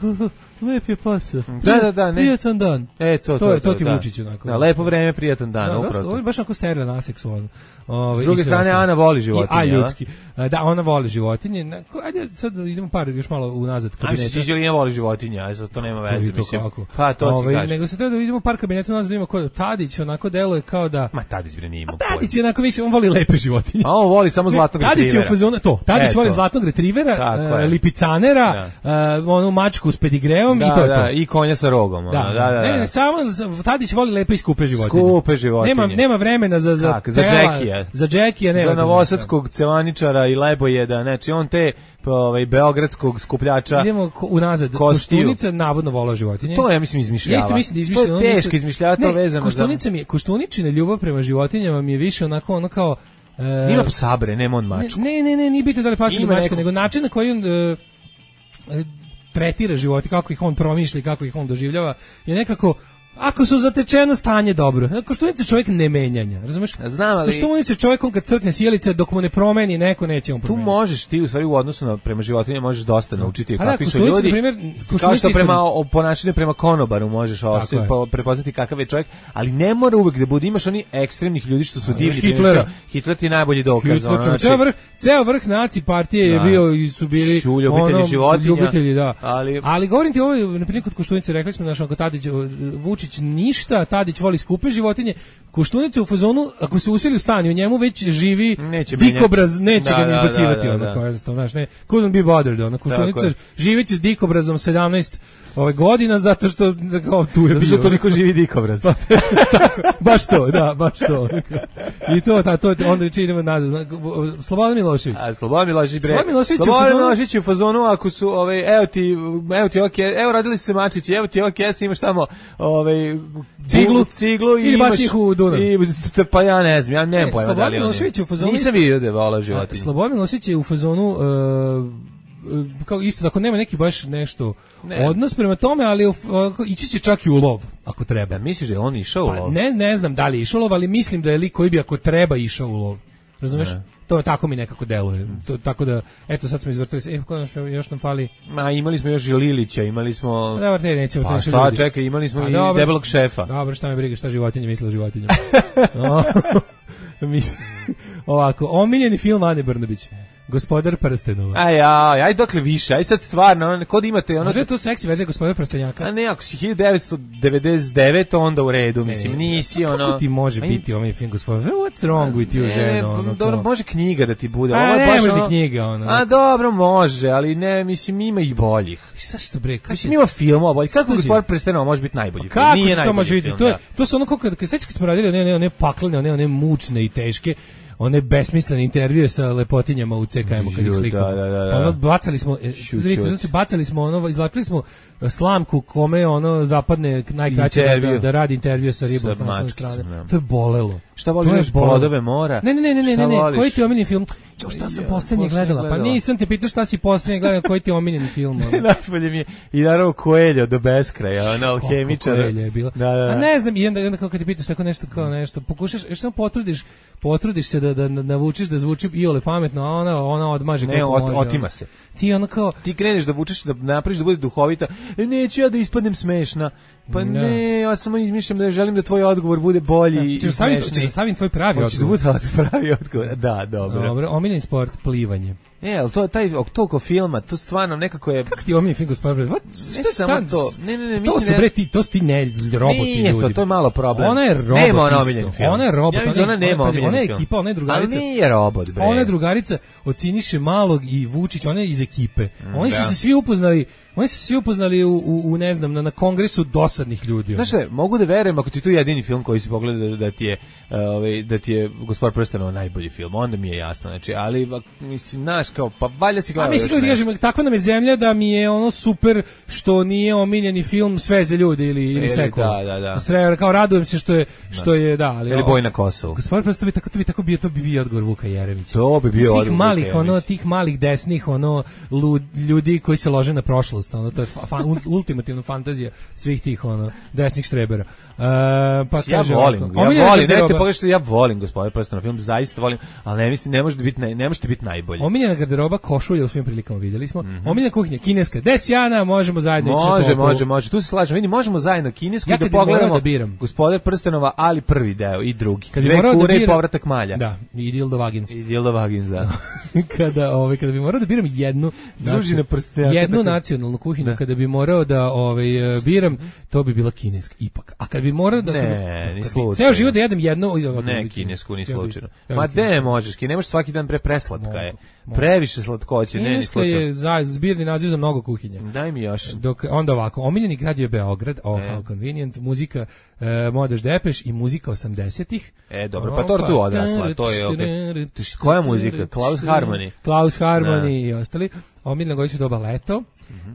lep je pas. Da, da, da, ne. Prijatan dan. E, to, To to, je- to ti da. Vučić onako. Da, lepo vreme, prijatan dan, Da, dosta, upravo. ovo je baš onako steril naseksualno. Ovaj, S druge i sve strane, ostalo. Ana voli I- životinje, A, jel da? ljudski. A, Da, ona voli životinje. Na- ko- Ajde, sad idemo par još malo unazad A kabineta. mislim, Čiđelina voli životinje, a sad to nema veze, To mislim. kako? Pa, to ti Ovaj, kažem. Nego se treba da vidimo par kabineta nazad da vidimo ko je Tadić, onako deluje kao da... Ma, Tadić bre nije imao Tadić je onako više, on voli lepe životinje. A on voli samo zlatnog Tadić je u retrivera. fazonu, to, Tadić E, voli to. zlatnog retrivera, Tako e, je. lipicanera, e, onu mačku s pedigreom Da, i to je da, to. i konja sa rogom. ono, Da, da, da. Ne, da. ne, samo Tadić voli lepe i skupe životinje. Skupe životinje. Nema nema vremena za za Kako, za tela, Jackija. Za Jackija nema. Za novosadskog cevaničara i lebojeda, znači on te pa, ovaj beogradskog skupljača. Idemo ko- unazad. Kostiju. Koštunica navodno vola životinje. To ja mislim izmišljava. Ja isto mislim da izmišljava. To ono je nešto- teško izmišljava, to Ne, vezano za... Koštunica mi je, Koštuničina ljubav prema životinjama mi je više onako ono kao e, Ima psa bre, nema on mačku. Ne, ne, ne, nije bitno da li paška ili Ima mačka, neko- nego način na koji on e, e, tretira životinje, kako ih on promišlja i kako ih on doživljava, je nekako ako su zatečeno stanje dobro. Koštunica je čovjek ne menjanja, razumeš? Znam, ali- Koštunica je čovjek on kad crkne sjelice dok mu ne promeni neko neće on Tu promeniti. možeš ti u stvari u odnosu na prema životinjama možeš dosta naučiti Pa da, kakvi su Koštunica, ljudi. na primjer, Kao Koštunica što isto- prema o ponašanju prema konobaru možeš osim je. po, prepoznati kakav je čovjek, ali ne mora uvek da bude imaš oni ekstremnih ljudi što su divni. imaš Hitlera. Hitler ti je najbolji dokaz. Hitler, ono, čovjek, znači- ceo vrh, ceo vrh naci partije je Da. bio i su bili Šu, ljubitelji ono, životinja, ljubitelji, da. ali- Ali govorim ti ovo, na primjer kod Koštunice rekli smo naš onko Tadić, Vučić Vučić ništa, Tadić voli skupe životinje, Koštunica u fazonu, ako se useli u stan i u njemu već živi dikobraz, neće da, ga ne izbacivati, da, da, ono, da. kao jednostavno, znaš, ne, couldn't be bothered, ono, Koštunica živeće s dikobrazom sedamnaest ove godina, zato što, kao, tu je zato što toliko živi dikobraz. Tako, baš to, da, baš to. I to, ta, to, onda idemo nazad. Slobodan Milošević. A, Slobodan Milošević, bre. Slobodan Milošević, Slobodan Milošević je u fazonu, ako su, ovaj, evo ti, evo ti ok, evo rodili su se mačići, evo ti ok, imaš tamo, ovaj, ciglu, ciglu i ili imaš, baci ih u Dunav. I, pa ja ne znam, ja nemam pojma da Slobodan li on Milošević je u fazonu. Nisam vidio da je vola životinje. Slobodan Milošević je u fazonu, uh, kao isto, ako nema neki baš nešto ne. odnos prema tome, ali uh, ići će čak i u lov, ako treba. Da, misliš da je on išao u pa, lov? Ne, ne znam da li je išao u lov, ali mislim da je lik koji bi ako treba išao u lov. Razumeš? Ne. To tako mi nekako deluje. To, tako da, eto, sad smo izvrtili se. E, konačno, još nam fali... Ma, imali smo još i Lilića, imali smo... Dobar, te nećemo. Pa šta, čekaj, imali smo A, i dobro, debelog šefa. Dobro, šta me briga, šta životinje misle o životinjama. No, ovako, omiljeni film Ane Brnabić. Gospodar prstenova. Aj, aj, aj dokle više, aj sad stvarno, kod imate ono... Može je to seksi verzija Gospodar prstenjaka? A ne, ako si hiljadu devetsto devedeset devete onda u redu, mislim, nisi ono... Kako ti može aj, biti ovaj film Gospodar? What's wrong with you, ženo? Ono, dobro, može knjiga da ti bude. A ovo ne, baš može ono, ni knjiga, ono. A dobro, može, ali ne, mislim, ima ih boljih. Šta što bre? Mislim, ima filmova boljih. Kako Gospodar prstenova može biti najbolji film? Kako Nije to može biti? film, To, je, da. to su ono kako kad sećaš kad smo radili one, one, one paklene, one, one mučne i teške, one besmislene intervjue sa lepotinjama u C K M-u kad ih slikamo. Da, da, da, da. Ono, bacali smo, vidite, bacali smo ono, izvlačili smo slamku kome ono zapadne najkraće da, da, da radi intervju sa ribom sa naslovne strane. Ja. To je bolelo. Šta voliš, Plodove mora? Ne, ne, ne, ne, ne, ne, koji ti je omiljeni film? Jo, šta sam poslednje gledala? gledala? Pa nisam te pitao šta si poslednje gledala, koji ti je omiljeni film? Najbolje mi je i naravno Coelho do beskraja, ona alhemičar. Coelho je bila. Da, da. A ne znam, i onda, onda kao kad te pitaš tako nešto, kao nešto, pokušaš, još samo potrudiš, potrudiš se da, da navučiš da zvuči iole pametno, a ona, ona odmaže ne, kako ot, može. Otima se. Ti ono kao... Ti kreneš da vučeš, da napraviš da bude duhovita, e, neću ja da ispadnem smešna. Pa ne, ne ja samo izmišljam da želim da tvoj odgovor bude bolji da, i smešniji. Ćeš da stavim tvoj pravi odgovor. Hoćeš da bude pravi odgovor, da, dobro. Dobro, omiljeni sport, plivanje. E, ali to, taj, toliko filma, to stvarno nekako je... Kako ti omiljeni film, gospodin? Ne samo to. Ne, ne, ne, to su, bre, ti, to su ti ne, roboti nije ljudi. To, to je malo problem. Ona je robot nema ona isto. Film. Ona je robot. Ja mislim, ona nema omiljeni Ona je film. ekipa, ona je drugarica. Ali nije robot, bre. Ona je drugarica od Siniše Malog i Vučić, ona je iz ekipe. Mm, Oni su da. se svi upoznali, oni su se svi upoznali u, u, u ne znam, na, na kongresu dosadnih ljudi. Znaš šta, mogu da verujem ako ti tu jedini film koji si pogledao da, da ti je ovaj da ti je Gospodar prstenova najbolji film, onda mi je jasno, znači, ali mislim, znaš, kao, pa valjda si gledao. A mislim da kažem, takva nam je zemlja da mi je ono super što nije omiljeni film Sve za ljude ili ili Sekula. Da, da, da. Sve, kao radujem se što je što je da, ali ili Boj na Kosovu. Gospodar prstenova tako to bi tako bio to bi bio odgovor Vuka Jeremića. To bi bio odgovor malih Vuka ono tih malih desnih ono lud, ljudi koji se lože na prošlost, ono to je fa, ultimativna fantazija svih tih ono desnih štrebera. Uh, pa ja kaže volim, ovako, ja volim, ne te pogledaj, ja volim Gospodar prstenova film, zaista volim, ali ne mislim ne može biti ne, ne može biti najbolji. Omiljena garderoba košulja u svim prilikama videli smo. Mm -hmm. Omiljena kuhinja kineska, desjana, možemo zajedno ići. Može, može, može. Tu se slažemo. Vidi, možemo zajedno kinesku ja da pogledamo. Da biram. Gospodar prstenova, ali prvi deo i drugi. Kad Dve kure da i povratak malja. Da, i Dildo Vagins. I Dildo Vagins, da. kada, ovaj, kada bi morao da biram jednu družina prstenjaka. Jednu tako... nacionalnu kuhinju, da. Kada bi morao da ovaj, biram, to bi bila kineska, ipak. A kad bi morao da... Ne, ni slučajno. Ceo život da jedem jednu... Ne, kinesku, ni slučajno. Ma de možeš, ki ne možeš svaki dan pre preslatka je. Previše slatkoće, ne, ni slučajno. Je za, zbirni naziv za mnogo kuhinja. Daj mi još. Dok, onda ovako, omiljeni grad je Beograd, oh, how convenient, muzika uh, Modeš Depeš i muzika osamdesetih. E, dobro, pa to tu odrasla, to je okej. Okay. Koja muzika? Klaus Harmony. Klaus Harmony i ostali. Omiljena godišnja doba leto,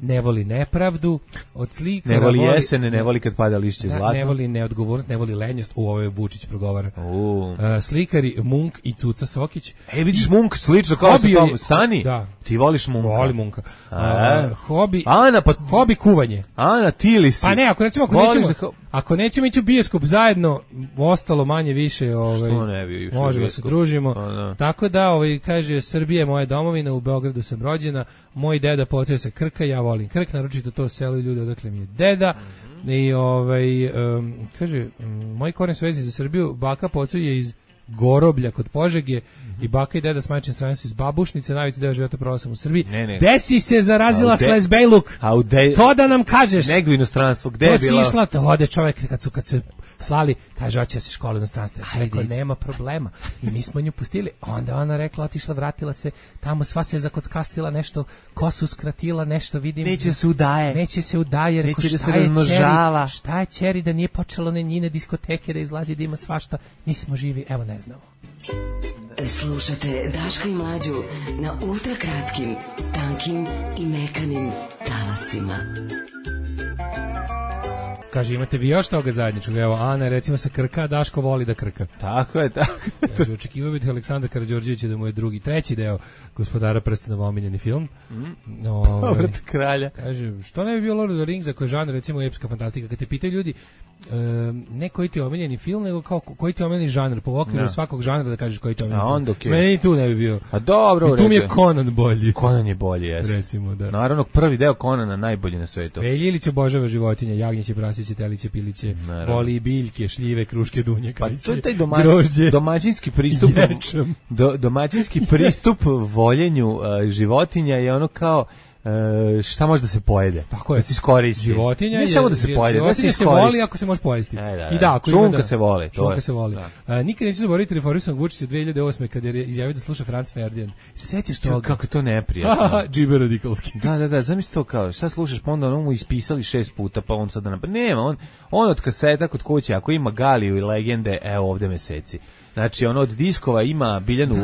ne voli nepravdu, od slika... Ne voli jesene, ne voli kad pada lišće zlatno. Ne voli neodgovornost, ne voli lenjost, u ovo je Vučić progovara. Uh. Slikari Munk i Cuca Sokić. E, vidiš Munk, slično kao sa tom, stani. Da. Ti voliš Munka. Voli Munka. Uh, hobi, Ana, pa... hobi kuvanje. Ana, ti li si? Pa ne, ako recimo, ako nećemo, da... ako nećemo ići u bioskop zajedno, ostalo manje više, ovaj, što ne bi išli možemo se družimo. Pa, da. Tako da, ovaj, kaže, Srbija je moja domovina, u Beogradu sam rođena, moj deda potresa Krka, ja volim Krk, naročito to selo i ljude odakle mi je deda. I ovaj, um, kaže, um, moj koren su vezi za Srbiju, baka pocu je iz Goroblja kod Požege i baka i deda s majčine strane su iz Babušnice, najveći deo života proveo sam u Srbiji. Ne, ne. Desi se zarazila de... Sles Bejluk. De... To da nam kažeš. Negdje u inostranstvu, gde to je bila? To si išla, to ode čovjek kad su, kad su slali, kaže, hoće se škole u inostranstvu. Ja sam rekao, nema problema. I mi smo nju pustili. Onda ona rekla, otišla, vratila se, tamo sva se zakockastila, nešto, kosu skratila, nešto vidim. Neće se udaje. Neće se udaje. Rekao, neće da se razmnožava. Šta je ćeri da nije počelo ne njine diskoteke, da izlazi, da ima svašta. Nismo živi, evo ne znamo. Slušate Daška i Mlađu na ultrakratkim, tankim i mekanim talasima. Kaže, imate vi još toga zajedničkog? Evo, Ana, recimo se krka, Daško voli da krka. Tako je, tako je. Kaže, očekivao biti Aleksandar Karađorđević da mu je drugi, treći deo Gospodara prstenova omiljeni film. Mm. Ove, Povrat kralja. Kaže, što ne bi bio Lord of the Rings za koji žanr, recimo, epska fantastika? Kad te pitaju ljudi, e, ne koji ti je omiljeni film, nego kao koji ti je omiljeni žanr, po okviru ja. svakog žanra da kažeš koji ti je omiljeni film. Onda, okay. Meni tu ne bi bio. A dobro, tu mi je Conan bolji. Conan je bolji, jeste. Recimo, da. Naravno, prvi deo Conana najbolji na svetu. Velji Ilić obožava životinje, jagnjeće, prasiće, teliće, piliće, naravno. Voli biljke, šljive, kruške, dunje, kajse, pa to je taj domaćin, domaćinski pristup, do, domaćinski pristup voljenju uh, životinja je ono kao Uh, šta može da se pojede? Tako je. Da se iskoristi. Životinja ne je, samo da se pojede, da se iskoristi. se voli ako se može pojesti. E, da, da. I da, ako čunka da, se voli. Čunka je. se voli. Uh, nikad neću zaboraviti reformisanog Vučića dve hiljade osme kad je izjavio da sluša Franz Ferdinand. Se sećaš toga? Kako je to neprijatno. Džiber radikalski. Da, da, da, zamisli to kao, šta slušaš, pa onda ono mu ispisali šest puta, pa on sad da napad. Nema, on, on od kaseta kod kuće, ako ima Galiju i legende, evo ovde meseci. Znači, ono od diskova ima Biljanu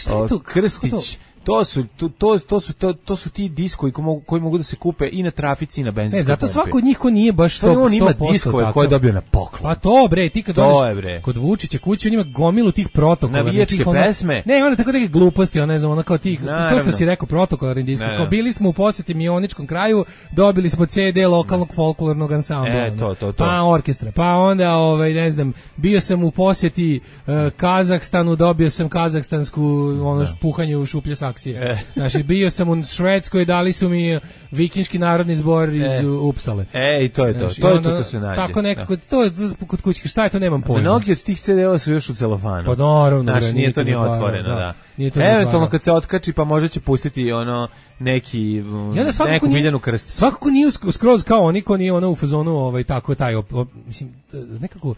da, o, Krstić. To su to to to su to, to su ti diskovi koji mogu koji mogu da se kupe i na trafici i na benzinskoj. Ne, zato svako od njih ko nije baš sto posto. On ima diskove koje je dobio na poklon. Pa to bre, ti kad dođeš kod Vučića kući, on ima gomilu tih protokola, navijačke pesme. Ne, onda tako neke gluposti, ona ne znam, ona kao tih, to što si rekao protokolarni disko. Kao bili smo u poseti Mioničkom kraju, dobili smo ce de lokalnog folklornog ansambla. E, to, to, to. Pa orkestra, pa onda ovaj ne znam, bio sam u poseti uh, Kazahstanu, dobio sam kazahstansku ono puhanje u šuplje saksije. E. Znači, bio sam u Švedskoj, dali su mi vikinški narodni zbor iz e. Upsale. E, i to je to. Znači, to je to, to se nađe. Tako nekako, to je kod kućke, šta je to, nemam pojma. Mnogi od tih ce de-ova su još u celofanu. Pa naravno. Znači, nije to ni otvoreno, da. da. Nije to eventualno kad se otkači, pa možda će pustiti ono neki, neku Biljanu Krstić. Svakako nije skroz kao oni, ko nije ono u fazonu, ovaj, tako taj, op, op, mislim, nekako,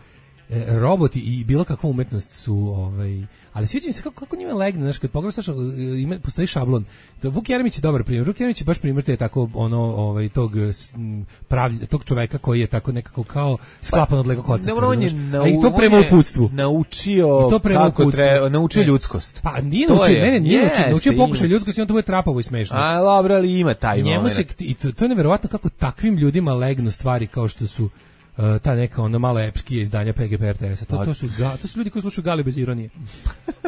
roboti i bilo kakva umetnost su ovaj, ali sviđa mi se kako, kako njima legne, znaš, kad pogledaš, ima, postoji šablon. To, Vuk Jeremić je dobar primjer. Vuk Jeremić je baš primjer te tako ono ovaj tog pravlja, tog čoveka koji je tako nekako kao sklapan od Lego koncepta. Ne, on je nau, i to prema uputstvu. Naučio to prema kako treba, naučio ne. ljudskost. Pa nije naučio, ne, ne, nije naučio, naučio pokušaj ljudskosti, on to bude trapavo i smešno. A dobro, ali ima taj njemu se, i to, to je neverovatno kako takvim ljudima legnu stvari kao što su Uh, ta neka ono malo epskije izdanja pe ge pe er te esa. To, to, su, ga, to su ljudi koji slušaju Galiju bez ironije.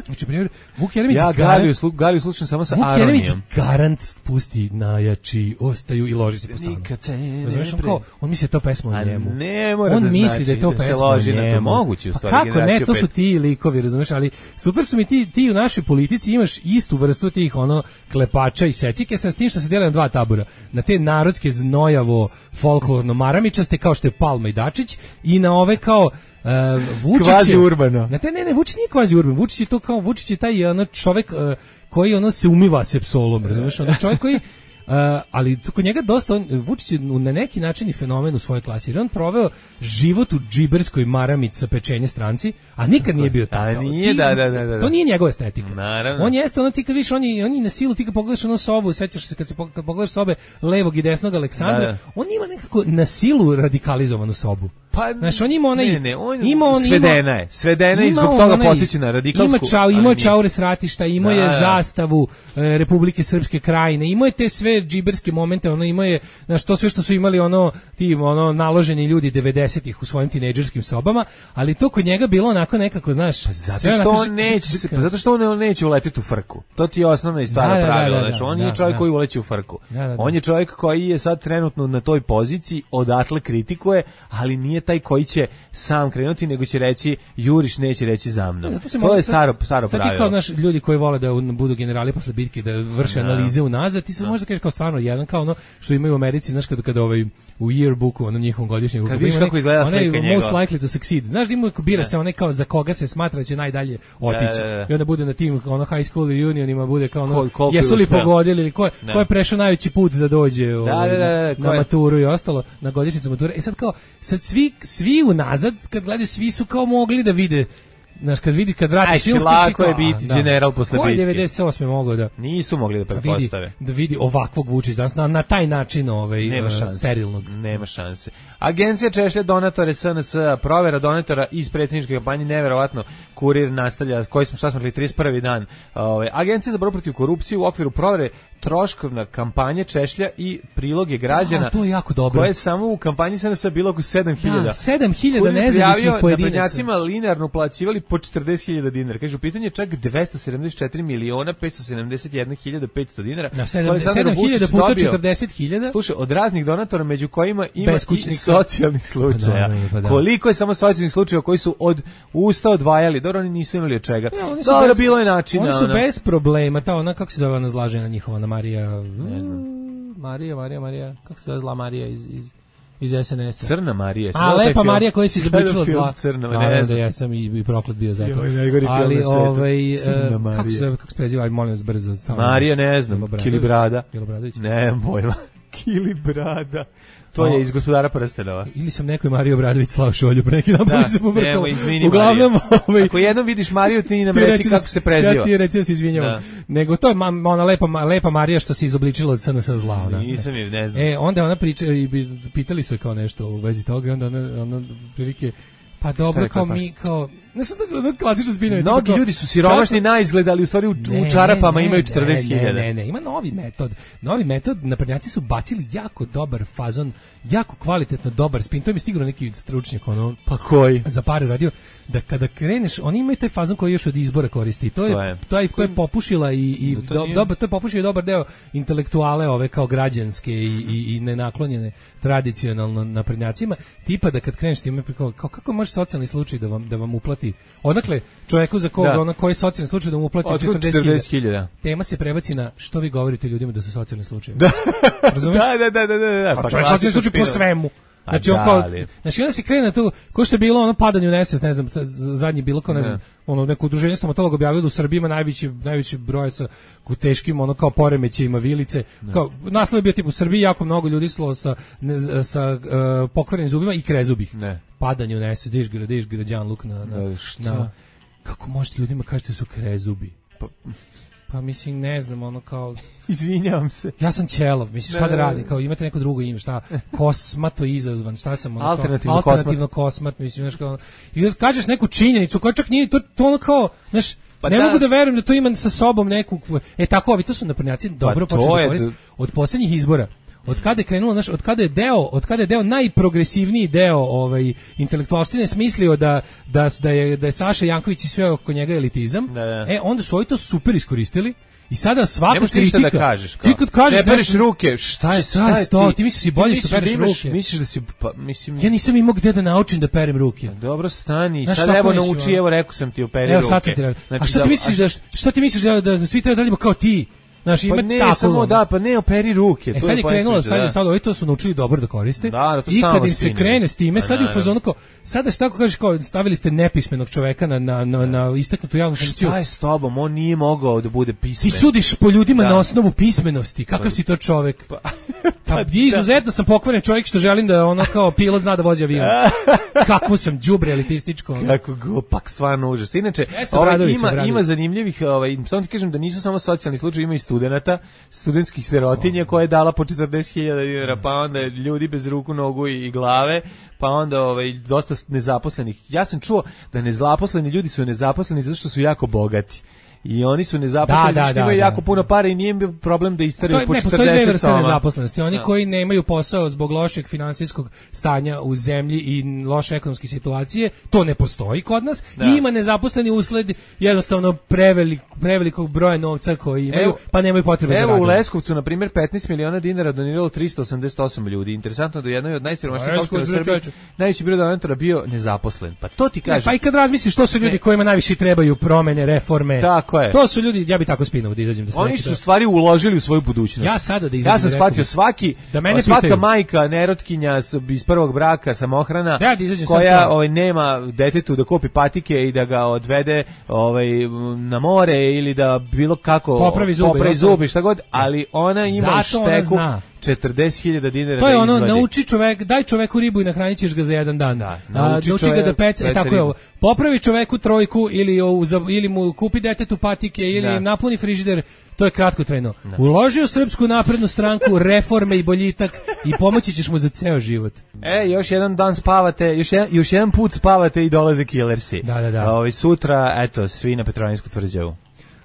Znači, primjer, Vuk Jeremić... Ja Galiju, slu, Galiju slušam samo sa aronijom. Vuk Jeremić garant pusti najjači, ostaju i loži se po stanu. Nikad se ne Znaš, on, kao, on misli da je to pesma o njemu. Ne mora on da misli znači da je to da pesma se loži o njemu. Na to moguće, u stvari, pa kako ne, to su ti likovi, razumeš, ali super su mi ti, ti u našoj politici imaš istu vrstu tih ono klepača i secike, sam s tim što se dele na dva tabora. Na te narodske znojavo, folklorno maramičaste kao što je Palma i Dačić i na ove kao uh, Vučić kvazi urbano. Na te ne ne Vučić nije kvazi urbano. Vučić je to kao Vučić je taj ono čovjek uh, koji ono se umiva sepsolom, razumiješ? Ono čovjek koji Uh, ali tu kod njega dosta on, Vučić je na neki način i fenomen u svojoj klasi, jer on proveo život u džiberskoj maramici sa pečenje stranci, a nikad nije bio takav. A nije, ti, da, da, da, da. To nije njegova estetika. Naravno. On jeste ono, ti kad viš, on je, on je na silu, ti kad pogledaš ono sobu, sećaš se kad, se, kad pogledaš sobe levog i desnog Aleksandra, da, da. On ima nekako na silu radikalizovanu sobu. Pa, znaš, on ima onaj, ne, ne, on ima on, svedena je, svedena je i zbog toga podsjeća na radikalsku. Ima čau, ima čaure s ratišta, ima je da, zastavu e, Republike Srpske krajine, ima je te sve džiberske momente, ono ima je, znaš, to sve što su imali ono, ti ono naloženi ljudi devedesetih u svojim tinejdžerskim sobama, ali to kod njega bilo onako nekako, znaš, pa zato što onako, on neće, pa zato što on neće uletiti u frku. To ti je osnovna i stvarno da, pravilo, da, da, znaš, on da, je čovjek da, koji uleće u frku. Da, da, da. On je čovjek koji je sad trenutno na toj poziciji, odatle kritikuje, ali nije taj koji će sam krenuti, nego će reći juriš, neće reći za mnom. Zato se to mogu, je staro, staro sad pravilo. Sad ti kao, znaš, ljudi koji vole da budu generali posle bitke, da vrše da. analize unazad, ti se da. možda kažeš kao stvarno jedan, kao ono što imaju u Americi, znaš, kada, kada ovaj, u yearbooku, onom njihovom godišnjem, kad vidiš kako izgleda slika njega. Most likely to succeed. Znaš, ima bira se onaj kao za koga se smatra da će najdalje otići. Da, da, da. I onda bude na tim ono high school reunionima, bude kao ono, Ko, jesu li pogodili, ili ko, ko je prešao najveći put da dođe da, ovaj, da, da, da, na maturu i ostalo, na godišnjicu mature. E sad kao, sad svi, svi unazad, kad gledaju, svi su kao mogli da vide. Znaš, kad vidi, kad vratiš filmski... Lako je biti da. general posle bitke. Ko je devedeset osme mogao da... Nisu mogli da pretpostave. Da vidi ovakvog Vučića danas, na, na taj način ovaj, Nema uh, šanse. sterilnog. Nema šanse. Agencija češlja donatore S N S, provera donatora iz predsjedničke kampanje, neverovatno, Kurir nastavlja, koji smo, šta smo rekli, trideset prvi dan. Ove, Agencija za borbu protiv korupcije u okviru provere troškovna kampanje češlja i priloge građana. A, to je jako dobro. Koje je samo u kampanji S N S bilo oko sedam hiljada. Da, sedam hiljada nezavisnih pojedinaca. Naprednjacima linearno plaćivali po četrdeset hiljada dinara. Kaže, u pitanju je čak dvesta sedamdeset četiri miliona petsto sedamdeset jedna hiljada petsto dinara. Na sedam hiljada puta četrdeset hiljada. Slušaj, od raznih donatora, među kojima ima i socijalnih slučaja. Pa da, pa da. Koliko je samo socijalnih slučaja koji su od usta odvajali? Dobro, oni nisu imali od čega. Ja, Dobro, bez, bilo je načina. Oni su ona. bez problema. Ta ona, kako se zove ona zlažena njihova, ona Marija... Ne znam. Marija, Marija, Marija, kako se zove zla Marija iz... iz iz S N S-a. Crna Marija. A lepa Marija koja se izobličila od zla. Crna, ne, ne znam. Da ja sam i, i proklet bio zato. Joj, ali ovaj uh, kako se kako se preziva, aj molim vas brzo. Marija, ne znam, Kilibrada. Kilobradović. Ne, pojma. Kilibrada. To je iz Gospodara prstenova. Ili sam nekoj Mariju Obradović slao šolju pre neki dan, pa se pobrkao. Uglavnom, ovaj ako jednom vidiš Mariju, ti nam reci kako se preziva. Ja ti reci da se izvinjavam. Nego to je ona lepa lepa Marija što se izobličila od S N S zla, ona. Nisam je, ne znam. E, onda ona priča i pitali su je kao nešto u vezi toga, onda ona ona prilike pa dobro, kao mi, kao... Znaš, ono klasično zbiljanje. Mnogi ljudi su siromašni na izgled, ali u stvari u, ne, u čarapama ne, imaju četrdeset hiljada. Ne, ne, ne, ima novi metod. Novi metod, naprednjaci su bacili jako dobar fazon, jako kvalitetno dobar spin. To je mi sigurno neki stručnjak, ono... Pa koji? Za pare radio. Da kada kreneš, oni imaju taj fazon koji još od izbora koristi. To je, to je, to je, to je popušila i, i to, do, dobar, to je popušio dobar deo intelektuale ove kao građanske i, i, i nenaklonjene tradicionalno naprednjacima. Tipa da kad kreneš time, kao, kao kako može socijalni slučaj da vam, da vam uplati. Odakle čovjeku za koga, ono koji je socijalni slučaj da mu uplati četrdeset hiljada. Tema se prebaci na što vi govorite ljudima da su socijalni slučajevi. Da. Razumeš? Da, da, da, da, da. Pa čovjek socijalni slučaj po svemu. Znači, on kao, znači onda se krene na to, ko što je bilo ono padanje u nesvest, ne znam, zadnji bilo kao, ne znam, ono neko udruženje stomatologa objavilo da u Srbiji ima najveći, najveći broj sa teškim, ono kao poremećajima vilice, kao, naslov je bio tipu u Srbiji jako mnogo ljudi slo sa, ne, sa uh, pokvarenim zubima i krezubih. Ne. Padanje u nesvest, diš gra, diš građan luk na, na, na, kako možete ljudima kažete su krezubi? Pa, pa mislim, ne znam, ono kao... Izvinjavam se. Ja sam Ćelov, mislim, šta da radim, kao imate neko drugo ime, šta, kosmato izazvan, šta sam, ono, alternativno, kao, alternativno kosmat. kosmat, mislim, znaš, kao, i da kažeš neku činjenicu, koja čak nije, to, to ono kao, znaš, pa ne da. mogu da verujem da to ima sa sobom neku, e tako, ovi, to su naprednjaci dobro pa počeli da koriste, od posljednjih izbora. Od kada je krenulo, znaš, od kada je deo, od kada je deo najprogresivniji deo ovaj intelektualštine smislio da da da je da je Saša Janković i sve oko njega elitizam. Da, da. E onda su oni to super iskoristili. I sada svaka kritika da kažeš, kao, ti kad kažeš ne pereš ruke, šta je, šta je to? Ti misliš si bolje što pereš da imaš, ruke? Misliš da si, pa, mislim... Ja nisam imao gde da naučim da perem ruke. Dobro, stani, sad evo nauči, evo rekao sam ti, operi ruke. Evo sad sam ti rekao. Znači, a šta ti misliš da, šta ti misliš da, da svi treba da radimo kao ti? Znaš, ima pa ne, tako, samo da, pa ne operi ruke. E sad je krenulo, sad je sad, ovi to su naučili dobro da koriste. Da, to i kad im se spinjeni. krene s time, pa, sad je u fazonu kao, sada šta ako kažeš kao, stavili ste nepismenog čoveka na, na, na, na istaknutu javnu funkciju. Šta je s tobom? On nije mogao da bude pismen. Ti sudiš po ljudima da. na osnovu pismenosti. Kakav si to čovek? Pa, pa da. Izuzetno sam pokvaren čovjek što želim da ono kao pilot zna da vozi avion. Kako sam đubre elitističko. Kako glupak, stvarno užas. Inače, ovaj, ima, ima zanimljivih, ovaj, samo ti kažem da nisu samo socijalni slučaj, ima i studenata, studentskih sirotinja koja je dala po četrdeset hiljada dinara, pa onda ljudi bez ruku, nogu i, i glave, pa onda ovaj, dosta nezaposlenih. Ja sam čuo da nezaposleni ljudi su nezaposleni zato što su jako bogati. i oni su nezaposleni, da, da, što imaju da, jako da. puno para i nije im bio problem da istaraju po ne, četrdeset postoje dve vrste soma. nezaposlenosti. Oni da. koji nemaju posao zbog lošeg finansijskog stanja u zemlji i loše ekonomske situacije, to ne postoji kod nas. Da. I ima nezaposleni usled jednostavno prevelik, prevelikog broja novca koji imaju, Evo, pa nemaju potrebe za Evo radom. u Leskovcu, na primjer, petnaest miliona dinara doniralo tristo osamdeset osam ljudi. Interesantno da je jednoj od najsiromašnijih opština u Srbiji najveći broj donatora bio nezaposlen. Pa to ti Ne, kažem. pa i kad razmisliš, što su ljudi Ne. kojima najviše trebaju promene, reforme. Tako je. To su ljudi, ja bi tako spinuo da izađem da se Oni neki su to- stvari uložili u svoju budućnost. Ja sada da izađem. Ja sam i rekao shvatio bih- svaki, da mene svaka pitaju. majka, nerotkinja s- iz prvog braka, samohrana, Da, da izađem sad koja to. ovaj, nema detetu da kupi patike i da ga odvede ovaj, na more ili da bilo kako Popravi zube, popravi i ostalo. zubi, šta god, ali ona ima u Zato ona šteku zna. četrdeset hiljada dinara To je da ono, izvadi. nauči čovek, daj čoveku ribu i nahranit ćeš ga za jedan dan. Da, A, nauči nauči ga čovek da peca, e, peca tako je ribu. ovo. Popravi čoveku trojku ili, o, za- ili mu kupi detetu patike ili Da. im napuni frižider, to je kratkotrajno. Uloži u Srpsku naprednu stranku, reforme i boljitak i pomoći ćeš mu za ceo život. E, još jedan dan spavate, još jedan, još jedan put spavate i dolaze killersi. Da, da, da. A, ovaj, sutra, eto, svi na Petroninsku tvrđavu.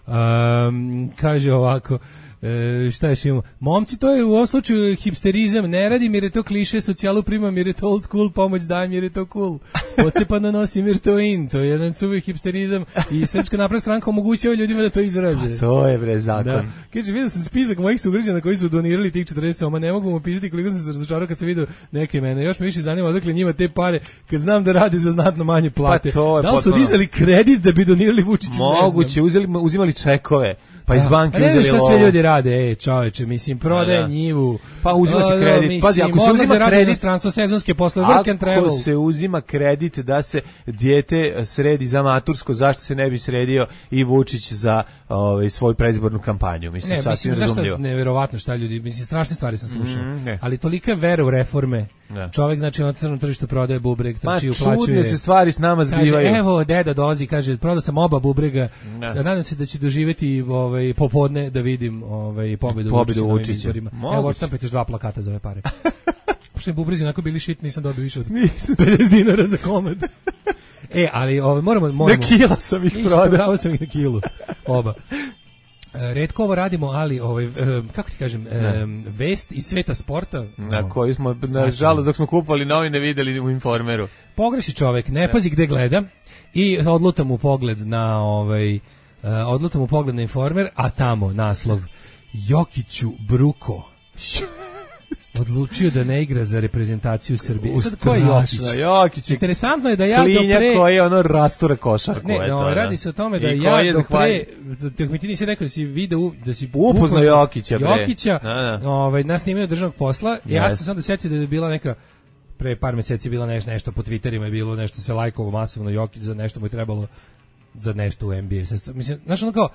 Um, kaže ovako, e, šta još imamo? Momci, to je u ovom slučaju hipsterizam, ne radim jer je to kliše, socijalu primam jer je to old school, pomoć dajem jer je to cool. Ocepano nosim jer to in, to je jedan suvi hipsterizam i Srpska napredna stranka omogućava ljudima da to izraze. To je bre zakon. Da. Kaže, vidio sam spisak mojih sugrađana koji su donirali tih četrdeset soma, ne mogu mu opisati koliko sam se razočarao kad sam vidio neke mene. Još me više zanima odakle njima te pare kad znam da rade za znatno manje plate. Pa to je da li su potpuno- dizali kredit da bi donirali Vučiću? Moguće, uzeli, uzimali čekove, pa iz banke ne uzeli znaš šta sve lovu. ljudi rade, e, čoveče, mislim, prodaje Da, da. njivu. Pa uzima se A, kredit. mislim, Pazi, ako se odlaze uzima rade u kredit- inostranstvo, sezonske poslove, work and travel. Ako se uzima kredit da se dijete sredi za matursko, zašto se ne bi sredio i Vučić za ovaj, svoju predizbornu kampanju? Mislim, Ne, sasvim mislim, znaš razumljivo. šta, neverovatno šta ljudi, mislim, strašne stvari sam slušao, Mm, ne. ali tolika vera u reforme, Da. čovjek, znači, na crnom tržištu prodaje bubreg, Ma, trči, uplaćuje. čudne se stvari s nama Kaže, zbivaju. evo, deda dolazi, kaže, prodao sam oba bubrega, Da. sad nadam se da će doživjeti ovaj, popodne da vidim ovaj, pobedu, Pobedu Vučića na ovim Vučića. izborima. Moguće. Evo, odštampajte još dva plakata za ove pare. Pošto mi bubrezi onako bili šit, nisam dobio više od pedeset dinara za komad. E, ali ovaj, moramo... moramo Na kilo sam ih Nisam, prodao. prodavao sam ih na kilu, oba. E, retko ovo radimo, ali ovaj, e, kako ti kažem, e, vest iz sveta sporta. Na no, koji smo, Znači. nažalost, dok smo kupovali novine, videli u Informeru. Pogreši čovek, ne pazi gde gleda i odluta mu pogled na ovaj, e, odluta mu pogled na Informer, a tamo naslov Jokiću bruko. Odlučio da ne igra za reprezentaciju Srbije. Sad ko je Jokić? Strašno, Jokić je Interesantno je da ja do klinjak pre... koji ono rastura košarku. Ne, eto, no, da. radi se o tome da I ja koji je do zahvalj- pre, dok mi ti nisi rekao da si video, da si Upoznao Jokića, bre. Jokića, Da, da. ovaj, nas snimaju državnog posla, ja Yes. sam sam da sjetio da je bila neka, pre par meseci je bila neš, nešto po Twitterima je bilo nešto se lajkovo masovno Jokić za nešto mu je trebalo za nešto u N B A. Sad, mislim, znaš ono kao,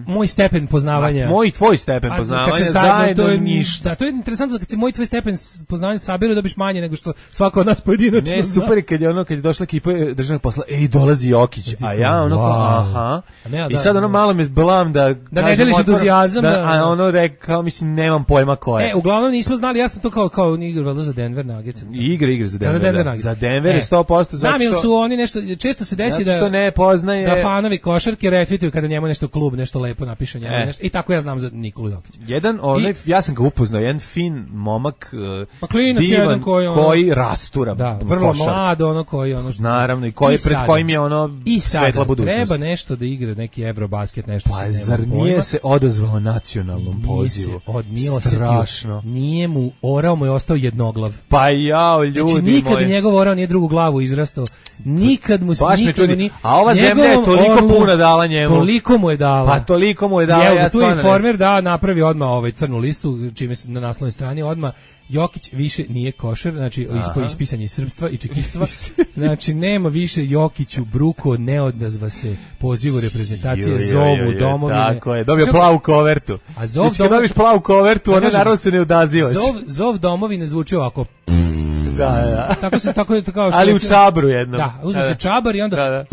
moj stepen poznavanja... Ma, moj i tvoj stepen A, poznavanja kad se zajedno to je ništa. Da, to je interesantno da kad se moj i tvoj stepen s- poznavanja saberu dobiš manje nego što svako od nas pojedinačno Ne, zna. super je kad je ono, kad je došla ekipa državnog posla, ej, dolazi Jokić, a ja ono kao, Wow. aha. A ne, a I da, sad ono da. malo me zblam da... Da ne kažem deliš otvoreno, entuzijazam, Da, da. a ono rekao, mislim, nemam pojma ko je. E, uglavnom nismo znali, ja sam to kao kao ni igrao valjda za Denver Nuggets. Igra, igra za Da, Denver. za Denver da. Nuggets. Za Denver je E, sto posto zato znam, jer što... su oni nešto, često se desi Zato što da ne poznaje... da fanovi košarke retvituju kada njemu nešto klub nešto lepo napiše njemu E. nešto. I tako ja znam za Nikolu Jokića. Jedan, onaj, ja sam ga upoznao, jedan fin momak, uh, Pa klinac divan, jedan koji ono- koji rastura Da, vrlo košarku. mlad, ono koji ono što Naravno, i koji I pred sada. kojim je ono I svetla sada budućnost. treba nešto da igra neki Eurobasket, nešto Pa se nema zar pojma. nije se odazvao nacionalnom Nije pozivu? se od, nije osetio. Strašno. Nije mu, orao mu je ostao jednoglav. Pa jao, ljudi Znači nikad moji. njegov orao nije drugu glavu izrastao. Nikad mu se Baš me nikad mu čudi. ni. A ova zemlja je njegovom toliko orlu puno dala njemu. Toliko mu je dala. Pa toliko mu je dala, Evo, ja tu je stvarno ne- Informer da napravi odmah ovaj crnu listu, čime se na naslovnoj strani odmah Jokić više nije košer, znači ispo ispisanje srpstva i čekitstva. Znači nema više Jokiću bruko, ne odazva se pozivu reprezentacije, Ju, ju, ju, zovu ju, domovine. Tako je, dobio Što- plavu kovertu. A zov Mislim, kad domo- dobiš plavu kovertu, Da onda kažem, naravno se ne odazivaš. Zov, zov domovine zvuči ovako. Da, da. Tako se tako je kao što Ali u recimo- čabru jednom. Da, uzme Da, se da. čabar i onda Da, da.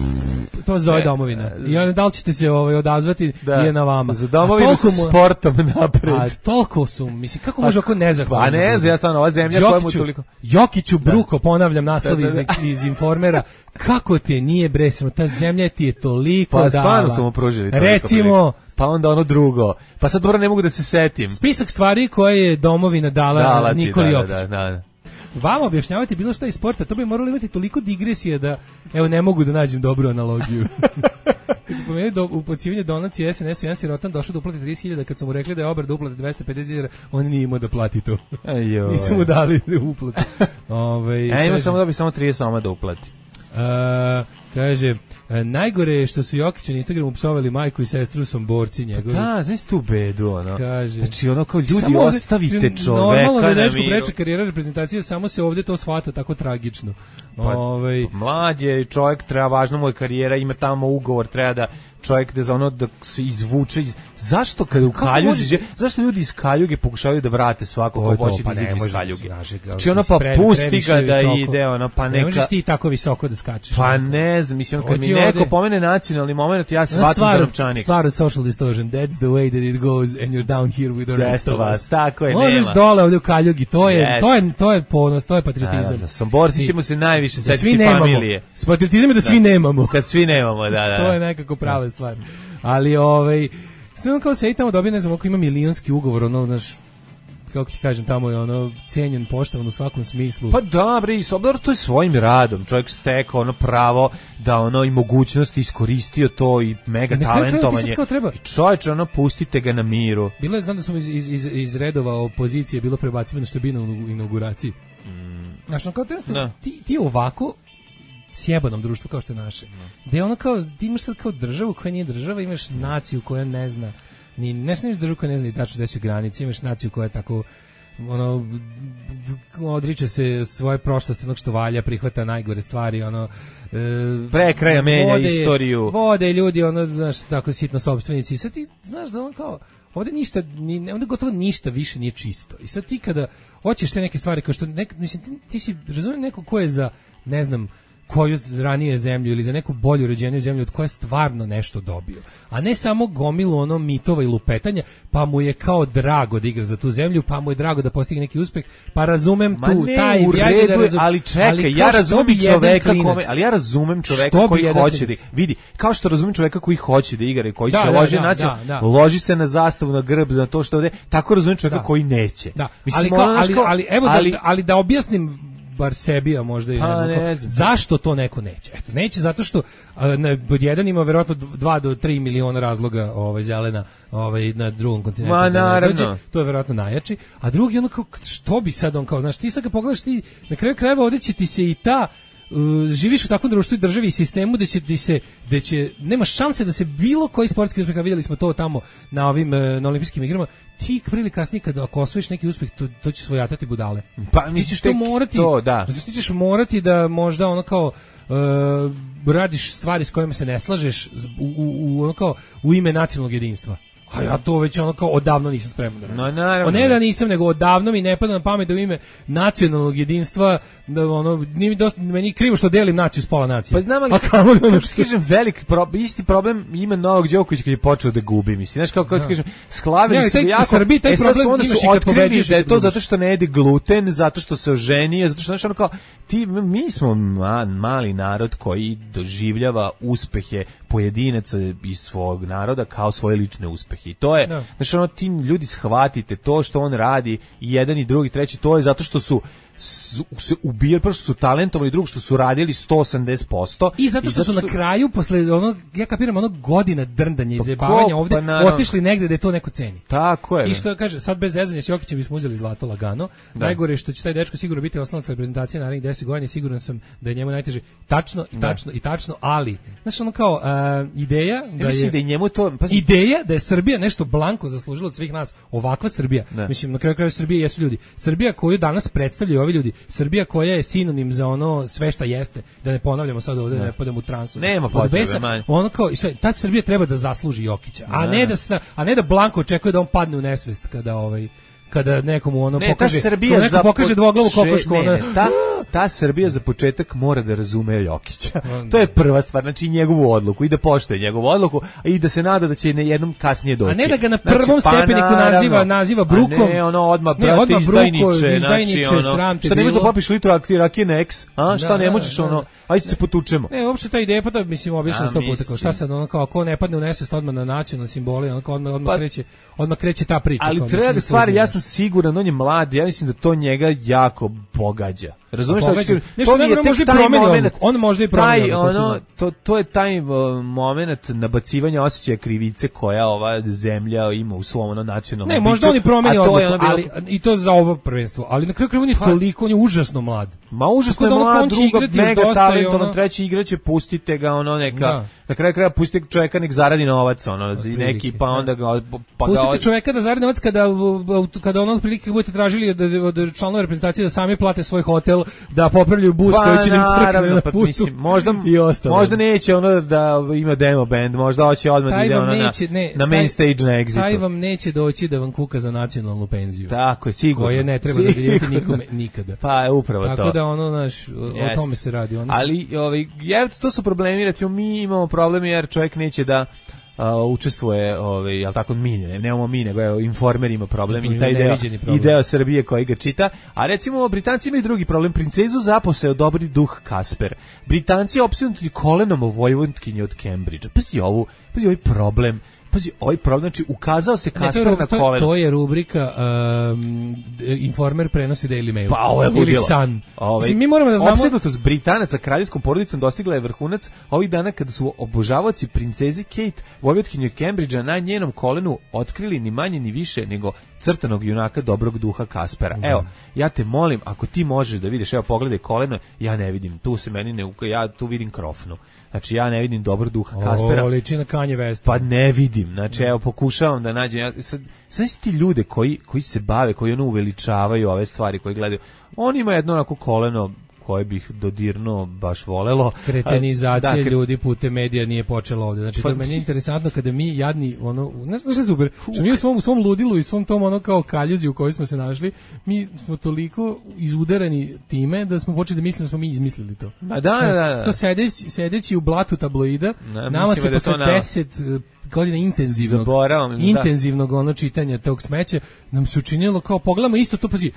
to zove domovina. I onda da li ćete se ovaj, odazvati da. je na vama. Za domovinu mu, sportom napred. A toliko su, mislim, kako može oko nezahvalno? Pa ne znam, ja stvarno, ova zemlja koja mu toliko... Jokiću Bruko, ponavljam naslov iz, iz Informera, kako te nije bresno, ta zemlja ti je toliko pa, dala. Pa stvarno su mu pružili toliko. Recimo... Pa onda ono drugo. Pa sad dobro ne mogu da se setim. Spisak stvari koje je domovina dala, dala ti, Nikoli Jokiću. Da, da, da. Vama objašnjavati bilo šta iz sporta, to bi moralo imati toliko digresije da, evo, ne mogu da nađem dobru analogiju. Kad su pomenuli do, upocivanje donacije S N S-u, jedan sirotan došao da uplati trideset hiljada, kad su mu rekli da je obar da uplati dvesta pedeset dinara, on nije imao da plati to. Nisu mu dali da uplati. Ove, ja imam samo da bi samo trideset soma da uplati. A, kaže, najgore je što su Jokića na Instagramu psovali majku i sestru Somborci njegovi. Da, znaš tu bedu, ono. Kaže. Znači, ono kao ljudi, samo ostavite ovdje, čoveka normalno da je na dečko miru. preče karijera reprezentacije, samo se ovdje to shvata tako tragično. Pa, Ove, mlad je čovjek, treba, važno mu je karijera, ima tamo ugovor, treba da čovjek da za ono da se izvuče iz... Zašto kada u Kaljuzi može... zašto ljudi iz Kaljuge pokušavaju da vrate svako ko hoće da izađe iz Kaljuge? Znači ono pa pusti ga da ide, ono pa neka... Ne možeš ti tako visoko da skačeš. Pa ne znam, mislim kad mi neko pomene nacionalni moment, ja se shvatim za novčanik. Stvar od social distortion, that's the way that it goes and you're down here with the rest of us. Tako je, možeš nema. Dole ovdje u Kaljugi, to je, to je, to je ponos, to je patriotizam. Da, Somborci ćemo se najviše da setiti familije. S patriotizam je da svi nemamo. Kad svi nemamo, da, da. To je nekako prava stvar. Ali ovaj sve on kao se i tamo dobije, ne znam, ako ima milionski ugovor, ono, znaš, kako ti kažem, tamo je ono cenjen, poštovan u svakom smislu. Pa dobro, i dobro, to je svojim radom. Čovjek stekao ono pravo da ono i mogućnost iskoristio to i mega I talentovanje. I čovječe, ono, pustite ga na miru. Bilo je, znam da smo iz, iz, iz, iz redova opozicije bilo prebacivano što je bilo u inauguraciji. Mm. Znaš, no, kao no. ti, ti ovako sjebanom društvu kao što je naše. No. Gde ono kao, ti imaš sad kao državu koja nije država, imaš naciju koja ne zna, ni, ne imaš državu koja ne zna i tačno gde su granice, imaš naciju koja je tako, ono, odriče se svoje prošlosti, onog što valja, prihvata najgore stvari, ono, e, prekraja menja vode, istoriju. Vode ljudi, ono, znaš, tako sitno sopstvenici. I sad ti znaš da on kao, ovdje ništa, ni, ovdje gotovo ništa više nije čisto. I sad ti kada hoćeš te neke stvari, kao što, nek, mislim, ti, ti si, razumijem neko ko je za, ne znam, koju ranije zemlju ili za neku bolju uređeniju zemlju od koje stvarno nešto dobio. A ne samo gomilu ono mitova i lupetanja, pa mu je kao drago da igra za tu zemlju, pa mu je drago da postigne neki uspeh, pa razumem Ma tu, ne, taj... U redu, da razum, ali čekaj, ali ja razumem čoveka kome, ali ja razumem čoveka koji hoće klinac? da... Vidi, kao što razumem čoveka koji hoće da igra i koji da, se da, loži, da, naći, da, da. loži se na zastavu, na grb, za to što ovde, tako razumem čoveka da. koji neće. Da. Mislim, ali, kao, ali, kao, ali, evo ali, da, ali da objasnim bar sebi, a možda i ne znam, ne znam. Zašto to neko neće? Eto, neće zato što na jedan ima verovatno dva do tri miliona razloga ovaj zelena ovaj na drugom kontinentu. Ma naravno. To je verovatno najjači, a drugi ono kao što bi sad on kao, znaš, ti sad kad pogledaš ti na kraju krajeva ovdje će ti se i ta Uh, živiš u takvom društvu i državi i sistemu da će, da će, da će nema šanse da se bilo koji sportski uspeh, a vidjeli smo to tamo na ovim na olimpijskim igrama, ti prili kasnije kada ako osvojiš neki uspeh, to, to će svojatati budale. Pa ti ćeš to morati, to, da. Ti ćeš morati da možda ono kao uh, radiš stvari s kojima se ne slažeš u, u, u, ono kao, u ime nacionalnog jedinstva. A ja to već ono kao odavno nisam spreman da radim. No, naravno. O ne da nisam, nego odavno mi ne pada na pamet da u ime nacionalnog jedinstva, da ono, nije mi dosta, meni krivo što delim naciju s pola nacije. Pa znam, ali, a kamo da ono što kažem, velik pro, isti problem ima Novak Đoković kad je počeo da gubi, mislim. Znaš, kao kao ti kažem, sklavili ne, su ga jako, u Srbiji taj e, problem onda imaš su i kad otkrili pobeđuješ. Da je to zato što ne jede gluten, zato što se oženio, zato što, znaš, ono kao, ti, mi smo ma, mali narod koji doživljava uspehe pojedinaca iz svog naroda kao svoje lične uspehe. I to je, no. Znači, ono, ti ljudi shvatite to što on radi i jedan i drugi, treći, to je zato što su se ubijali, prvo što su talentovali, drugo što su radili sto osamdeset posto i zato što, I zato što su na kraju posle onog, ja kapiram, onog godina drndanja i zajebavanja ovde pa otišli negde da je to neko ceni. Tako je. I što kaže, sad bez zezanja s Jokićem bismo uzeli zlato lagano. Da. Najgore je što će taj dečko sigurno biti oslonac reprezentacije narednih deset godina, siguran sam da je njemu najteže. Tačno i tačno da. i tačno, ali znači ono kao uh, ideja da ja je da je njemu to pa ideja da je Srbija nešto blanko zaslužila od svih nas, ovakva Srbija. Da. Mislim, na kraju krajeva Srbija jesu ljudi. Srbija koju danas predstavljaju ovi ljudi, Srbija koja je sinonim za ono sve šta jeste, da ne ponavljamo sad ovdje, ne, ne padamo u transu. Nema potrebe, manje. Ono kao, ta Srbija treba da zasluži Jokića, a ne, ne da a ne da blanko očekuje da on padne u nesvest kada ovaj kada nekomu ono ne, pokaže, Srbija neko pokaže dvoglavu kokošku, ona, ne, ta, ta Srbija za početak mora da razume Jokića. To je prva stvar, znači njegovu odluku i da poštuje njegovu odluku i da se nada da će na jednom kasnije doći. A ne da ga na prvom znači, stepeniku pa naziva naziva brukom. A ne, ono odmah brate izdajniče, izdajniče, znači ono. sram te šta ne možeš da popiš litru rakije na X, a šta da, ne možeš da, ono, ajde se potučemo. Ne, uopšte ta ideja pa da mislim obično sto puta kao šta sad ono kao ko ne padne u nesvest odmah na nacionalne simbole, ono kao odmah odmah pa, kreće, odmah kreće ta priča. Ali treba da stvari, ja sam siguran, on je mlad, ja mislim da to njega jako pogađa. Razumeš šta hoćeš? Nešto ne može promeniti, on može i promeniti. Ono to to je taj uh, momenat nabacivanja osećaja krivice koja ova zemlja ima u svom ono nacionalnom. Ne, možda on i promeni odluku, ali i to za ovo prvenstvo, ali na kraju krajeva on je toliko, on je užasno mlad. Ma užasno je mlad, druga mega talentovan, treći igraće, pustite ga ono neka. Na kraju krajeva pustite čovjeka nek zaradi novac, ono neki pa onda ga pa pustite čovjeka da zaradi novac kada kada ono otprilike budete tražili od od članova reprezentacije da sami plate svoj hotel, da popravljaju bus pa, koji će im crkne na putu. Mislim, možda, možda neće ono da ima demo band, možda hoće odmah da ide ono neće, na, ne, na main taj, stage na exitu. Taj vam neće doći da vam kuka za nacionalnu penziju. Tako je, sigurno. Koje ne treba sigurno. Da dijeliti nikome nikada. Pa je upravo Tako to. Tako da ono, naš, o tome se radi. Ono Ali, ovaj, je, to su problemi, recimo mi imamo problemi jer čovjek neće da Uh, učestvuje, ovaj, jel tako, mi, ne, nemamo mi, nego je Informer ima problem i taj deo, i deo Srbije koji ga čita, a recimo Britanci imaju drugi problem, princezu zaposeo dobri duh Kasper, Britanci opsjednuti kolenom o Vojvodkinji od Cambridgea, pazi ovu, pazi ovaj problem, pazi, ovaj problem, znači ukazao se Kasper ne, to je, na koleno. To je rubrika um, Informer prenosi Daily Mail. Pa ovo je ili Sun. Ovaj, Mislim, mi moramo da znamo... Opsednutost Britanaca kraljevskom porodicom dostigla je vrhunac ovih dana kada su obožavaoci princezi Kate, Vojvodkinju Cambridgea, na njenom kolenu otkrili ni manje ni više nego crtanog junaka dobrog duha Kaspera. Mm. Evo, ja te molim, ako ti možeš da vidiš, evo pogledaj koleno, ja ne vidim, tu se meni ne, ja tu vidim krofnu. Znači ja ne vidim dobro duha Kaspera. O, liči na Kanye West. Pa ne vidim. Znači evo pokušavam da nađem. Ja, sad, sad ti ljude koji koji se bave, koji ono uveličavaju ove stvari, koji gledaju. On ima jedno onako koleno koje bih dodirnuo baš volelo. Kretenizacija da, kre... ljudi putem medija nije počela ovdje. Znači to je meni interesantno kada mi jadni ono, znaš što je super, što mi u svom, u svom ludilu i svom tom ono kao kaljuzi u kojoj smo se našli, mi smo toliko izudarani time da smo počeli da mislimo da smo mi izmislili to. Da, da, da. da. To sedeći, sedeći u blatu tabloida, ne, nama se posle deset godina intenzivnog, Zaboravam, intenzivnog ono čitanja tog smeća, nam se učinilo kao pogledamo isto to, pazi,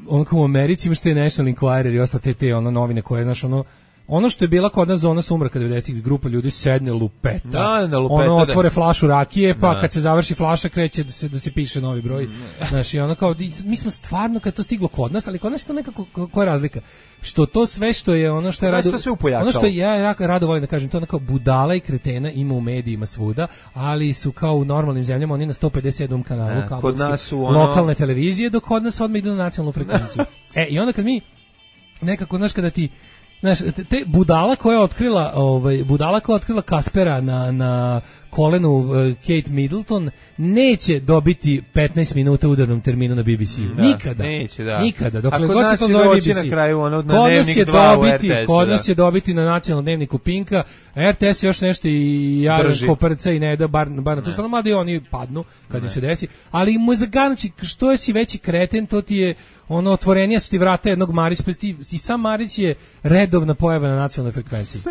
ono kao u Americi imaš te National Enquirer i ostale te, te ono novine koje, znaš, ono, ono što je bila kod nas zona sumraka devedesetih, grupa ljudi sedne lupeta, da, da, lupeta ono otvore da. flašu rakije, pa da. kad se završi flaša kreće da se, da se piše novi broj, znaš, i ono kao, mi smo stvarno kad to stiglo kod nas, ali kod nas je to nekako, koja je razlika? Što to sve što je ono što je rado, ono što ja rado volim da kažem, to ono kao budala i kretena ima u medijima svuda, ali su kao u normalnim zemljama oni na sto pedeset sedmom kanalu ne, kod nas su ono... lokalne televizije, dok kod nas odmah idu na nacionalnu frekvenciju. E, i onda kad mi nekako, znaš, kada ti znaš, te budala koja je otkrila, ovaj, budala koja je otkrila Kaspera na, na kolenu uh, Kate Middleton neće dobiti petnaest minuta u udarnom terminu na B B C-u. Da, nikada. Neće, da. Nikada. Dokle god se to zove B B C. Na kraju, ono, na kod nas će dobiti, R T S, kod nas će dobiti na nacionalnom dnevniku Pinka, a R T S još nešto i jaran koprca i ne da bar, bar na to stranu, mada i oni padnu kad ne. im se desi. Ali mu je zaganući, što je si veći kreten, to ti je ono otvorenija su ti vrata jednog Marića, pa ti, i sam Marić je redovna pojava na nacionalnoj frekvenciji.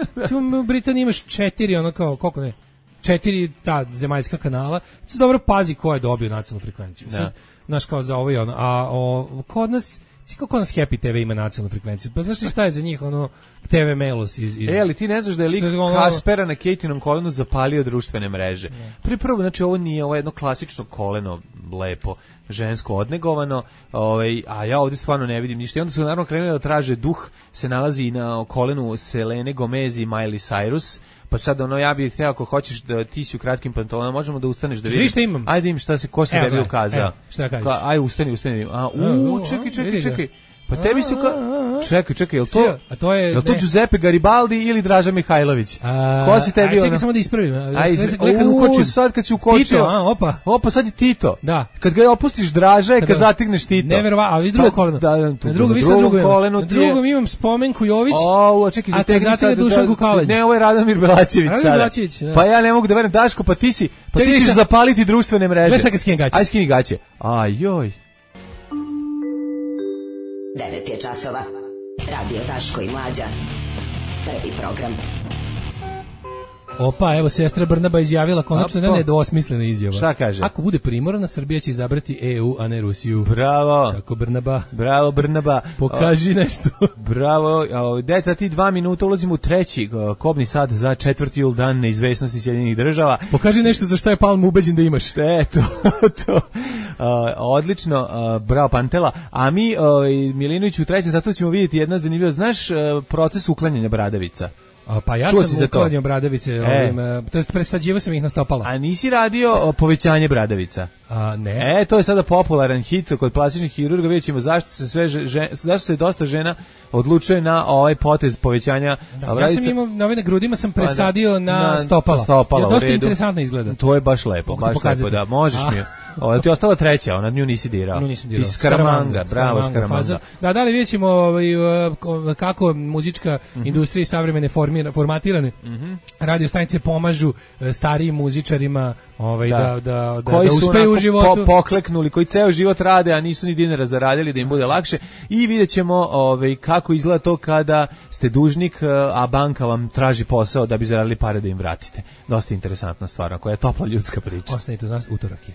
U Britaniji imaš četiri, ono kao, koliko ne, četiri ta zemaljska kanala, se dobro pazi ko je dobio nacionalnu frekvenciju. Da. Sad, znaš, kao za ovo i ono, a o, kod nas, kako kod nas Happy T V ima nacionalnu frekvenciju, pa znaš li šta je za njih, ono, T V Melos iz... iz e, ali ti ne znaš da je lik ono... Kaspera na Kejtinom kolenu zapalio društvene mreže. Prvi prvo, znači ovo nije, ovo je jedno klasično koleno, lepo, žensko odnegovano, ovaj, a ja ovdje stvarno ne vidim ništa. I onda su naravno krenuli da traže duh, se nalazi na kolenu Selene Gomez i Miley Cyrus, pa sad ono, ja bih htio, ako hoćeš da ti si u kratkim pantalonama, možemo da ustaneš da vidiš. Imam. Ajde im šta se, ko se tebi ukazao. Šta kažeš? Ka, aj, ustani, ustani. A, u, čekaj, čekaj, čekaj. Pa tebi su ka... Čekaj, čekaj, je li to, a to je, je li to Giuseppe Garibaldi ili Draža Mihajlović? A, ko si tebi aj, ono? Čekaj samo da ispravim. Aj, u, sad kad si ukočio. Tito, a, opa. Opa, sad je Tito. Da. Kad ga opustiš Draža je kad, kad zategneš Tito. Neverovatno, ali drugo koleno. Da, da, tu, na drugom, na drugom kolenu na drugom imam Spomenku Jović. O, čekaj, zategni sad Dušanku Kalenj. Ne, ovo je Radomir Belačević sada. Radomir Belačević, da. Pa ja ne mogu da verujem, Daško, pa ti si, pa ti ćeš zapaliti društvene mreže. Gledaj sad kad skinem gaće. Aj, skini gaće. Aj, joj. devet je časova. Radio Daško i Mlađa. Prvi program. Opa, evo, sestra Brnaba izjavila konačno da nedvosmislena izjava. Šta kaže? Ako bude primorana, Srbija će izabrati E U, a ne Rusiju. Bravo. Tako, Brnaba. Bravo, Brnaba. Pokaži o, nešto. Bravo. Deca, ti dva minuta ulazimo u treći kobni sad za četvrti jul, dan neizvesnosti Sjedinjenih država. Pokaži nešto za šta je Palma ubeđen da imaš. E, to, to. Uh, odlično, uh, bravo Pantela. A mi, uh, Milinović, u trećem, zato ćemo vidjeti jedna zanimljiva. Znaš uh, proces uklanjanja bradavica? A, pa ja Čuo sam uklanjao bradavice, e. ovim, to jest presađivao sam ih na stopala. A nisi radio povećanje bradavica? A, ne. E, to je sada popularan hit kod plastičnih hirurga, vidjet ćemo zašto se sve žen, zašto se dosta žena odlučuje na ovaj potez povećanja da, bradavica. Ja sam imao, na ovim grudima sam presadio na, na stopala. stopala. Ja, dosta interesantno izgleda. To je baš lepo, baš lepo, da, možeš mi. Ovo ti je ostala treća, ona nju nisi dirao. Nju nisam dirao. Ti Skaramanga, bravo Skaramanga. Da, da li vidjet ćemo ovaj, kako muzička mm -hmm. industrija i savremene formira, formatirane mm -hmm. radio stanice pomažu starijim muzičarima ovaj, da, da, da, da, koji da uspeju u životu. Po, pokleknuli, koji ceo život rade, a nisu ni dinara zaradili da im bude lakše. I vidjet ćemo ovaj, kako izgleda to kada ste dužnik, a banka vam traži posao da bi zaradili pare da im vratite. Dosta interesantna stvar, koja je topla ljudska priča. Ostanite uz nas, utorak je.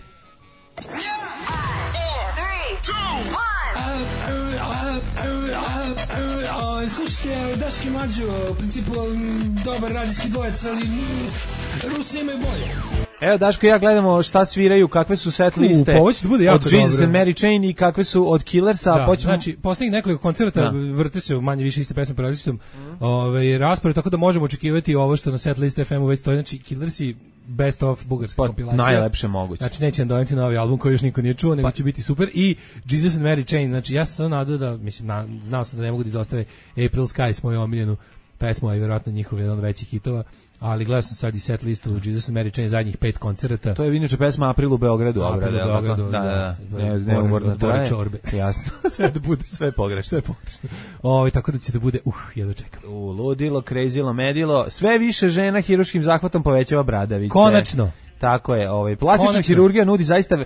Slušajte, Daški Mlađo, u principu dobar radijski dvojec, ali Rusi imaju bolje. Evo, Daško i ja gledamo šta sviraju, kakve su set liste U, pa bude od Jesus and Mary Chain i kakve su od Killersa. Da, počemo... Znači, posljednjih nekoliko koncerta da. vrte se u manje više iste pesme po različitom mm. ove, raspored, tako da možemo očekivati ovo što na set liste F M-u već stoji. Znači, Killersi best of bugarska pa, kompilacija. Najlepše moguće. Znači, neće nam doneti novi album koji još niko nije čuo, nego pa. će biti super. I Jesus and Mary Chain, znači, ja sam nadao da, mislim, na, znao sam da ne mogu da izostave April Skies, moju omiljenu pesmu, a i vjerojatno njihov jedan od većih hitova. Ali gledao sam sad i set listu Jesus and Mary Chain zadnjih pet koncerata. To je inače pesma April u Beogradu. April u Beogradu, da, da. da. Ne, ne umorno traje. Čorbe. Jasno. Sve da bude. Sve pogrešno. Sve pogrešno. Ovo, tako da će da bude, uh, jedno čekam. U, ludilo, krezilo, medilo. Sve više žena hiruškim zahvatom povećava bradavice. Konačno. Tako je, ovaj plastična Konačno. Hirurgija nudi zaista uh,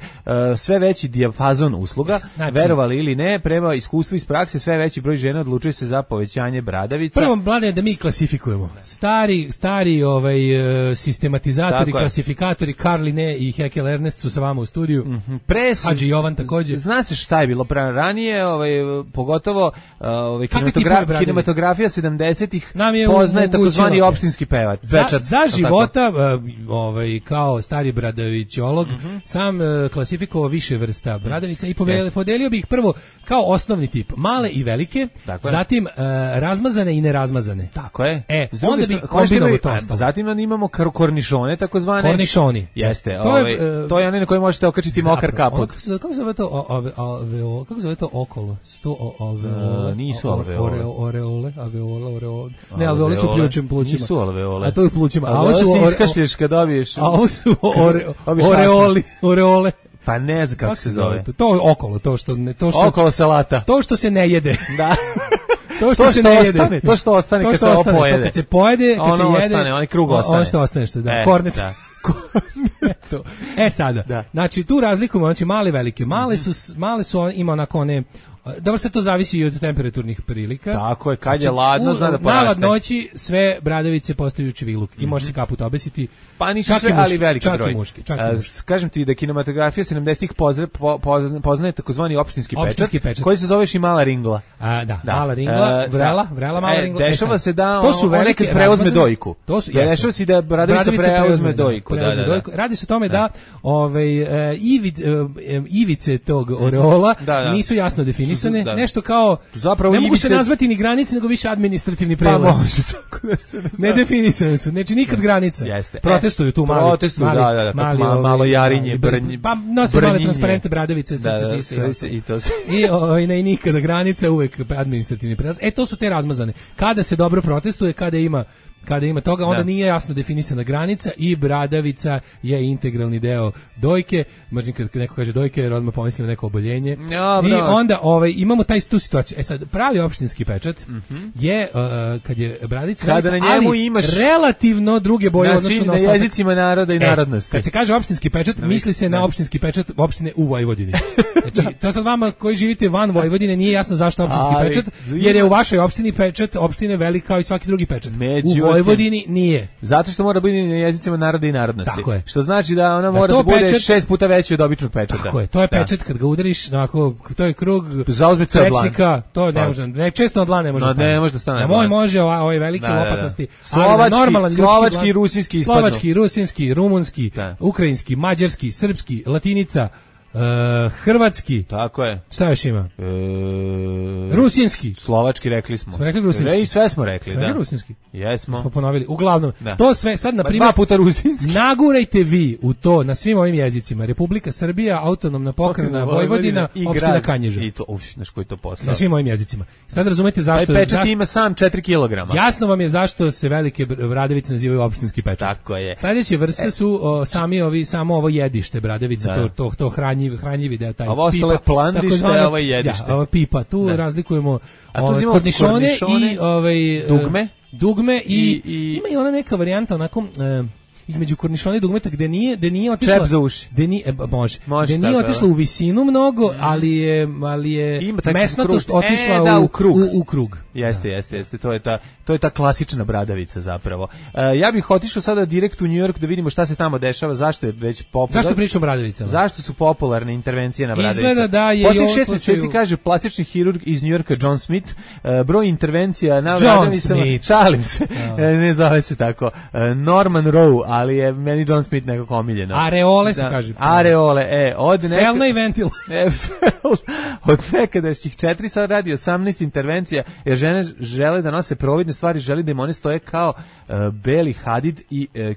sve veći dijapazon usluga, znači, verovali ili ne, prema iskustvu iz prakse sve veći broj žena odlučuje se za povećanje bradavica. Prvo, mlade, da mi klasifikujemo. Stari, stari ovaj uh, sistematizatori, tako klasifikatori, Karl Linné i Haeckel Ernst su sa vama u studiju. Mm -hmm. Pres, Hadži Jovan takođe. Zna se šta je bilo pre ranije, ovaj pogotovo ovaj kinematogra kinematografija sedamdesetih poznaje takozvani opštinski pevač. Za, za života uh, ovaj kao stari bradavićolog, mm -hmm. sam uh, klasifikovao više vrsta bradavica i podelio, podelio bih prvo kao osnovni tip, male i velike, dakle. zatim uh, razmazane i nerazmazane. Tako je. E, onda bi kombinovao to ostalo. Zatim imamo kornišone, takozvane. Kornišoni. Jeste, to, ovaj, je, uh, to je onaj na koji možete okačiti zapravo, mokar kaput. Kako se, kako se zove to, ove, ove, kako se zove to okolo? Sto alveole. Uh, nisu alveole. Oreole, alveole, oreole. Ne, alveole su pljučim plućima. Nisu alveole. A to je plućima. A ovo su iskašlješ kad dobiješ. A ovo su Ore, oreoli, oreole. Pa ne znam kako, kako se zove. To, to okolo, to što ne, to što okolo salata. To što se ne jede. Da. To što, to što se ne ostane, jede. To što ostane to što kad se ostane, pojede. Kad se pojede, kad ono se jede, ostane, onaj krug ostane. Ono što ostane što, da, e, kornet. Da. Korneto. E sada, da. Znači tu razlikujemo, znači male i velike. Male su, male su, ima onako one, dobro, sve to zavisi i od temperaturnih prilika. Tako je, kad je ladno, zna da poraste. Na ladnoći sve bradavice postaju čviluk i mm -hmm. može se kaput obesiti. Pa nisu sve, ali veliki čak broj. I muški, čak i muški. Kažem ti da kinematografija sedamdesetih poznaje, poznaje takozvani opštinski, opštinski pečat, pečat, koji se zove Šimala ringla. A, da, da, mala ringla, vrela, vrela mala e, ringla. Dešava e, se da to su on nekad preuzme dojku. To su, ja dešava se da bradavica preuzme dojku. Da, da, da. Radi se o tome da ovaj, ivid, ivice tog oreola nisu jasno definisane, nešto kao zapravo ne mogu se nazvati ni granice, nego više administrativni prelaz. Pa može tako da se ne ne definisane su, znači nikad granica. Jeste. Protestuju tu mali, protestuju, mali, da, da, da, mali, malo, malo jarinje, brnje, pa nose male transparente bradavice, srce, da, sise da, i to se. I ovaj ne nikada granica, uvek administrativni prelaz. E to su te razmazane. Kada se dobro protestuje, kada ima kada ima toga, onda da. nije jasno definisana granica i bradavica je integralni deo dojke. Mrzim kad neko kaže dojke jer odmah pomislim na neko oboljenje. Ja, I onda ovaj, imamo taj tu situaciju. E sad, pravi opštinski pečat mm-hmm. je uh, kad je bradica kada velika, na njemu ali imaš relativno druge boje na odnosu svim, na, na jezicima naroda i e, narodnosti. Kad se kaže opštinski pečat, da, misli se da. na opštinski pečat opštine u Vojvodini. Znači, to sad vama koji živite van Vojvodine nije jasno zašto opštinski ali, pečat, jer je u vašoj opštini pečat opštine velik kao i svaki drugi pečat. Međutim, u Vojvodini nije. Zato što mora biti na jezicima naroda i narodnosti. Tako je. Što znači da ona da mora da bude pečat, šest puta veći od običnog pečata. Tako je, to je pečat da. Kad ga udariš, onako, to je krug prečnika, to ne može, ne, često od dlan ne može no, da stane. Ne može da stane. Na moj može ovaj veliki da, lopatasti. Da, da. Slovački, normalan slovački i rusinski ispadnu. Slovački, rusinski, rumunski, da. ukrajinski, mađarski, srpski, latinica, Uh, hrvatski. Tako je. Šta još ima? E, rusinski. Slovački rekli smo. Smo rekli rusinski. I sve smo rekli, smo da. Rusinski. Jesmo. Smo ponovili. Uglavnom, da. To sve sad na primjer dva puta rusinski. Nagurajte vi u to na svim ovim jezicima. Republika Srbija, autonomna pokrajina Vojvodina, opština Kanjiža. I to, uf, znaš koji to posao. Na svim ovim jezicima. Sad razumete zašto taj pečat zašto, ima sam četiri kilograma. Jasno vam je zašto se velike bradavice nazivaju opštinski pečat. Tako je. Sledeće vrste su o, sami ovi samo ovo jedište bradavice, da. to to to hranjivi hranjivi deo. Ovo ostalo je plandište, ovo je jedište. Ja, ovo pipa, tu da. razlikujemo ove, kornišone, kornišone i ovaj, dugme, dugme i, i, i ima i ona neka varijanta onako e, između kornišona i dugmeta gde nije gde nije otišla čep za uši. Gde nije e, može. može gde nije otišla u visinu mnogo, mm. ali je ali je mesnatost otišla e, da, u, u krug. U, u krug. Jeste, da. jeste, jeste. To je ta to je ta klasična bradavica zapravo. Uh, ja bih otišao sada direkt u New York da vidimo šta se tamo dešava, zašto je već popularno. Zašto pričamo o bradavicama? Zašto su popularne intervencije na bradavice? Izgleda da je posljednjih šest mjeseci kaže plastični hirurg iz New Yorka John Smith, uh, broj intervencija na John bradavicama. Smith. Šalim se. No. Ne zove se tako. Uh, Norman Rowe, ali je meni John Smith nekako omiljeno. Areole se da, kaže. Areole, e, od neka... Felna i ventil. E, od nekadašnjih četiri sad radi osamnaest intervencija, jer žene žele da nose providne stvari, želi da im one stoje kao uh, Beli Hadid i uh,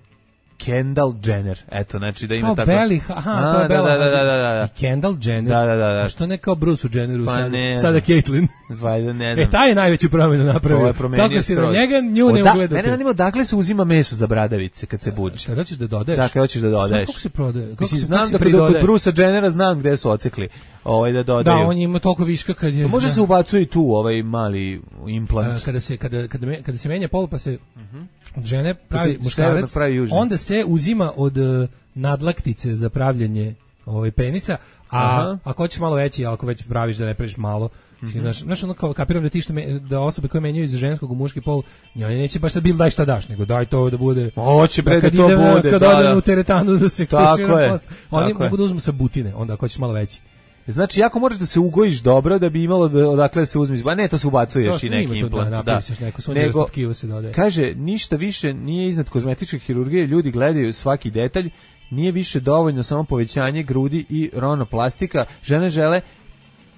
Kendall Jenner. Eto, znači da ima kao tako. Beli, aha, a, to je Bela. Da, da, da, da, da. I Kendall Jenner. Da, da, da, da. A što ne kao Bruce Jenneru pa sada, ne sada Caitlyn. Valjda ne znam. E, taj je najveću promjenu napravio. Kako se na njega nju ne ugledate. Mene zanima odakle se uzima meso za bradavice kad se buči. Kada ćeš da dodaješ? Da, kada hoćeš da dodaješ. Kako se prodaje? Kako Mislim, se znam da kod Brucea Jennera znam gde su ocekli ovaj da dodaju. Da, on ima toliko viška kad je. To može da se ubacuje i tu ovaj mali implant. Kada se kada kada me, kada se menja pol pa se uh-huh. od žene pravi muškarac, pravi onda se uzima od uh, nadlaktice za pravljenje ovaj penisa, a Aha. ako hoćeš malo veći, ako već praviš da ne praviš malo, mm-hmm. znaš, znaš ono kao kapiram da ti što me, da osobe koje menjaju iz ženskog u muški pol, njoj neće baš sad bil daj šta daš, nego daj to da bude. Hoće bre da, da to idem, bude. Kad da, odem da. u teretanu da se ključi na post. Oni tako mogu da uzmu sa butine, onda ako hoćeš malo veći. Znači, jako moraš da se ugojiš dobro da bi imalo da, odakle da se uzme. Ba ne, to se ubacuješ i neki implant. Da, da. Neko sunđerasto tkivo se dodaje. Kaže, ništa više nije iznad kozmetičke hirurgije, ljudi gledaju svaki detalj, nije više dovoljno samo povećanje grudi i ronoplastika, žene žele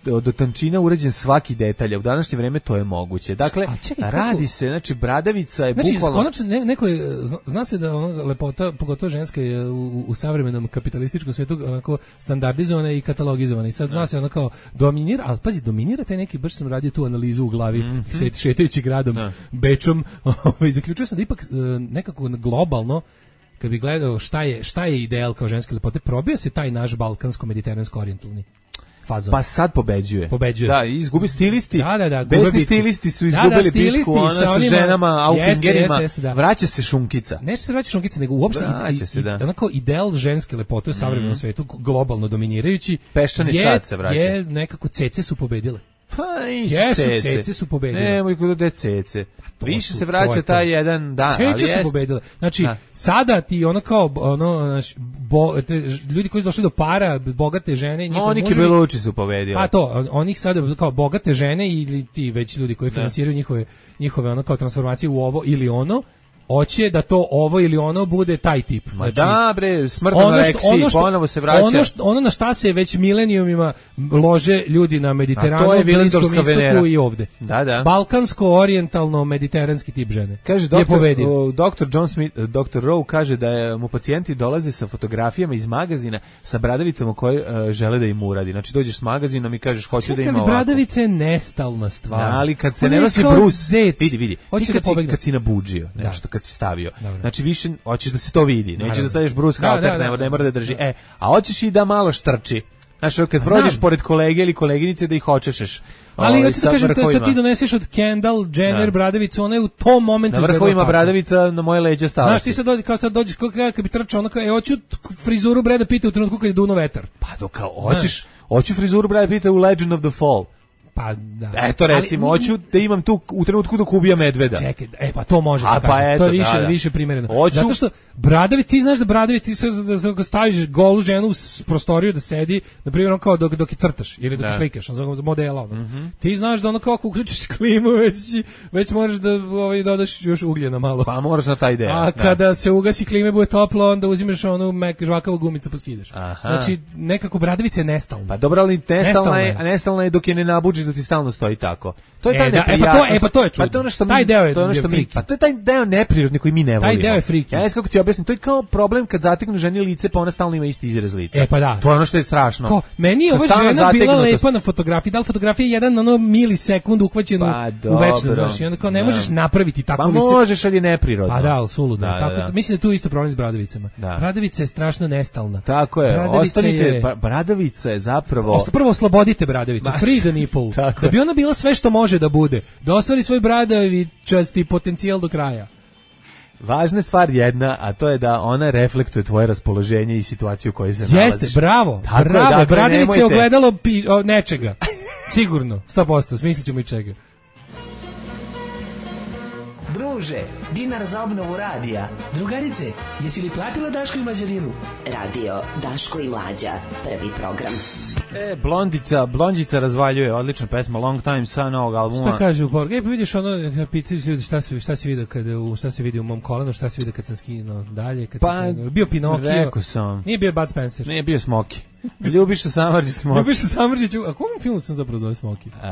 do tančina uređen svaki detalj, u današnje vreme to je moguće. Dakle, čekaj, radi kako? se, znači bradavica je znači, bukvalno... Konačno, ne, neko je, zna, zna se da ona lepota, pogotovo ženska je u, u savremenom kapitalističkom svijetu onako standardizovana i katalogizovana. I sad zna se ona kao dominira, ali pazi, dominira taj neki, baš sam radio tu analizu u glavi, mm-hmm. šetajući gradom, da. Bečom, i zaključio sam da ipak nekako globalno kad bi gledao šta je, šta je ideal kao ženske lepote, probio se taj naš balkansko-mediteransko-orijentalni fazon. Pa sad pobeđuje. Pobeđuje. Da, izgubi stilisti. Da, da, da. Besni stilisti su izgubili da, da, bitku, ona sa, sa ženama, aufingerima. Da. Vraća se šunkica. Neće se vraća šunkica, nego uopšte vraća se, da. Onako ideal ženske lepote u savremenom mm. svetu, globalno dominirajući, peščani je, sad se vraća. Je nekako cece su pobedile. Pa nisu Jesu, cece. cece su pobedile. Nemoj kod de cece. Pa više se vraća taj jedan dan. Cece ali su jest. pobedile. Znači, da. sada ti ono kao, ono, naš, bo, te, ljudi koji su došli do para, bogate žene, no, oni kibeluči su pobedili. Pa to, onih sada kao bogate žene ili ti već ljudi koji finansiraju njihove, njihove ono kao transformacije u ovo ili ono, hoće da to ovo ili ono bude taj tip. Ma znači, da bre, smrtno ono reksiji, ono ponovo se vraća. Ono, što, ono na šta se već milenijumima lože ljudi na Mediteranu, Bliskom istoku i ovde. Da, da. Balkansko-orijentalno-mediteranski tip žene. Kaže doktor, doktor John Smith, doktor Rowe kaže da je, mu pacijenti dolaze sa fotografijama iz magazina sa bradavicama koje uh, žele da im uradi. Znači dođeš s magazinom i kažeš hoću da ima ovako. Bradavica je nestalna stvar. Da, ali kad se ne nosi brus, vidi, vidi. Ti kad, si, kad si nabuđio, nešto, kad si stavio. Dobro. Znači više hoćeš da se to vidi. Nećeš Naravno. da staviš Bruce Da, Halter, da, da, ne, ne mora da drži. da. E, a hoćeš i da malo štrči. Znaš, kad A prođeš znam. pored kolege ili koleginice da ih očešeš. Ali ovaj, ja ti sa kažem, to vrhovima. ti doneseš od Kendall, Jenner, Da. bradavicu, ona je u tom momentu Na izgledala vrhovima tako. bradavica na moje leđa stala. Znaš, ti sad dođeš, kao sad dođeš, kao kad bi trčao, ono kao, e, hoću frizuru Brada Pitta u trenutku kad je duno vetar. Pa do kao, hoćeš, hoću frizuru Brad Pitta u Legend of the Fall. Pa da. Eto recimo, Ali, hoću da imam tu u trenutku dok ubija medveda. Čekaj, e pa to može A, se pa kaže. eto, To je više, da, da. više primereno. Hoću- Zato što Bradovi, ti znaš da Bradovi, ti sad da, da staviš golu ženu u s- prostoriju da sedi, na primjer ono kao dok, dok je crtaš ili dok Da. je slikaš, ono za modela. Ono. Ti znaš da ono kao ako uključiš klimu, već, si- već moraš da ovaj, dodaš još ugljena malo. Pa moraš na taj deo. A da. kada se ugasi klime, bude toplo, onda uzimaš onu mek, žvakavu gumicu pa skidaš. Aha. Znači, nekako Bradovica je nestalna. Pa dobro, ali nestalna Nestalna je, je. a nestalna je dok je ne nabuđiš da ti stalno stoji tako. To je E, taj da, e, pa to- neprijatnost. e, pa to je čudno. Pa to je ono što mi, Taj deo je- to je ono što je mi, friki. pa to je taj deo neprirodni koji mi ne Taj volimo. deo je friki. Ja ne znam kako ti objasnim, to je kao problem kad zateknu ženi lice, pa ona stalno ima isti izraz lica. E, pa da. To je ono što je strašno. Ko, meni je Kad ova stalna žena bila zategnutost. lepa na fotografiji, da li fotografija je jedan ono milisekund uhvaćen Pa, u dobro. večnost, znaš, i onda kao ne Da. možeš napraviti Pa takvo lice. možeš, ali je neprirodno. Pa da, ali suludo. Da, da, Tako, da. mislim da je tu isto problem s Bradovicama. Da. Bradavica je strašno nestalna. Tako je, Bradavica ostanite, je- pa, Bradavica je zapravo... Os- Prvo oslobodite Bradavicu, Ma, free the nipple, tako da bi je. ona bila sve što može da bude, da ostvari svoj bradavičasti potencijal do kraja. Važna stvar jedna, a to je da ona reflektuje tvoje raspoloženje i situaciju u kojoj se nalaziš. Jeste, bravo, Tako je, bravo, dakle, Bradavica je nemojte- ogledalo pi, o, nečega. Sigurno, sto posto, smislit ćemo i čega. Druže, dinar za obnovu radija. Drugarice, jesi li platila Daško i Mlađarinu? Radio Daško i Mlađa, prvi program. E, Blondica, Blondica razvaljuje, odlična pesma, Long Time sa novog albuma. Šta kaže u poruku? E, pa vidiš ono, pitaš ljudi šta se šta se vidi kada u šta se vidi u mom kolenu, šta se vidi kad sam skinuo dalje, kad Pa, sam skinuo. Bio Pinokio. rekao sam. Nije bio Bud Spencer. Nije bio Smoki. Ljubiša Samardžić Smoki. Ljubiša Samardžić, a kom filmu sam zapravo zove Smoki? E,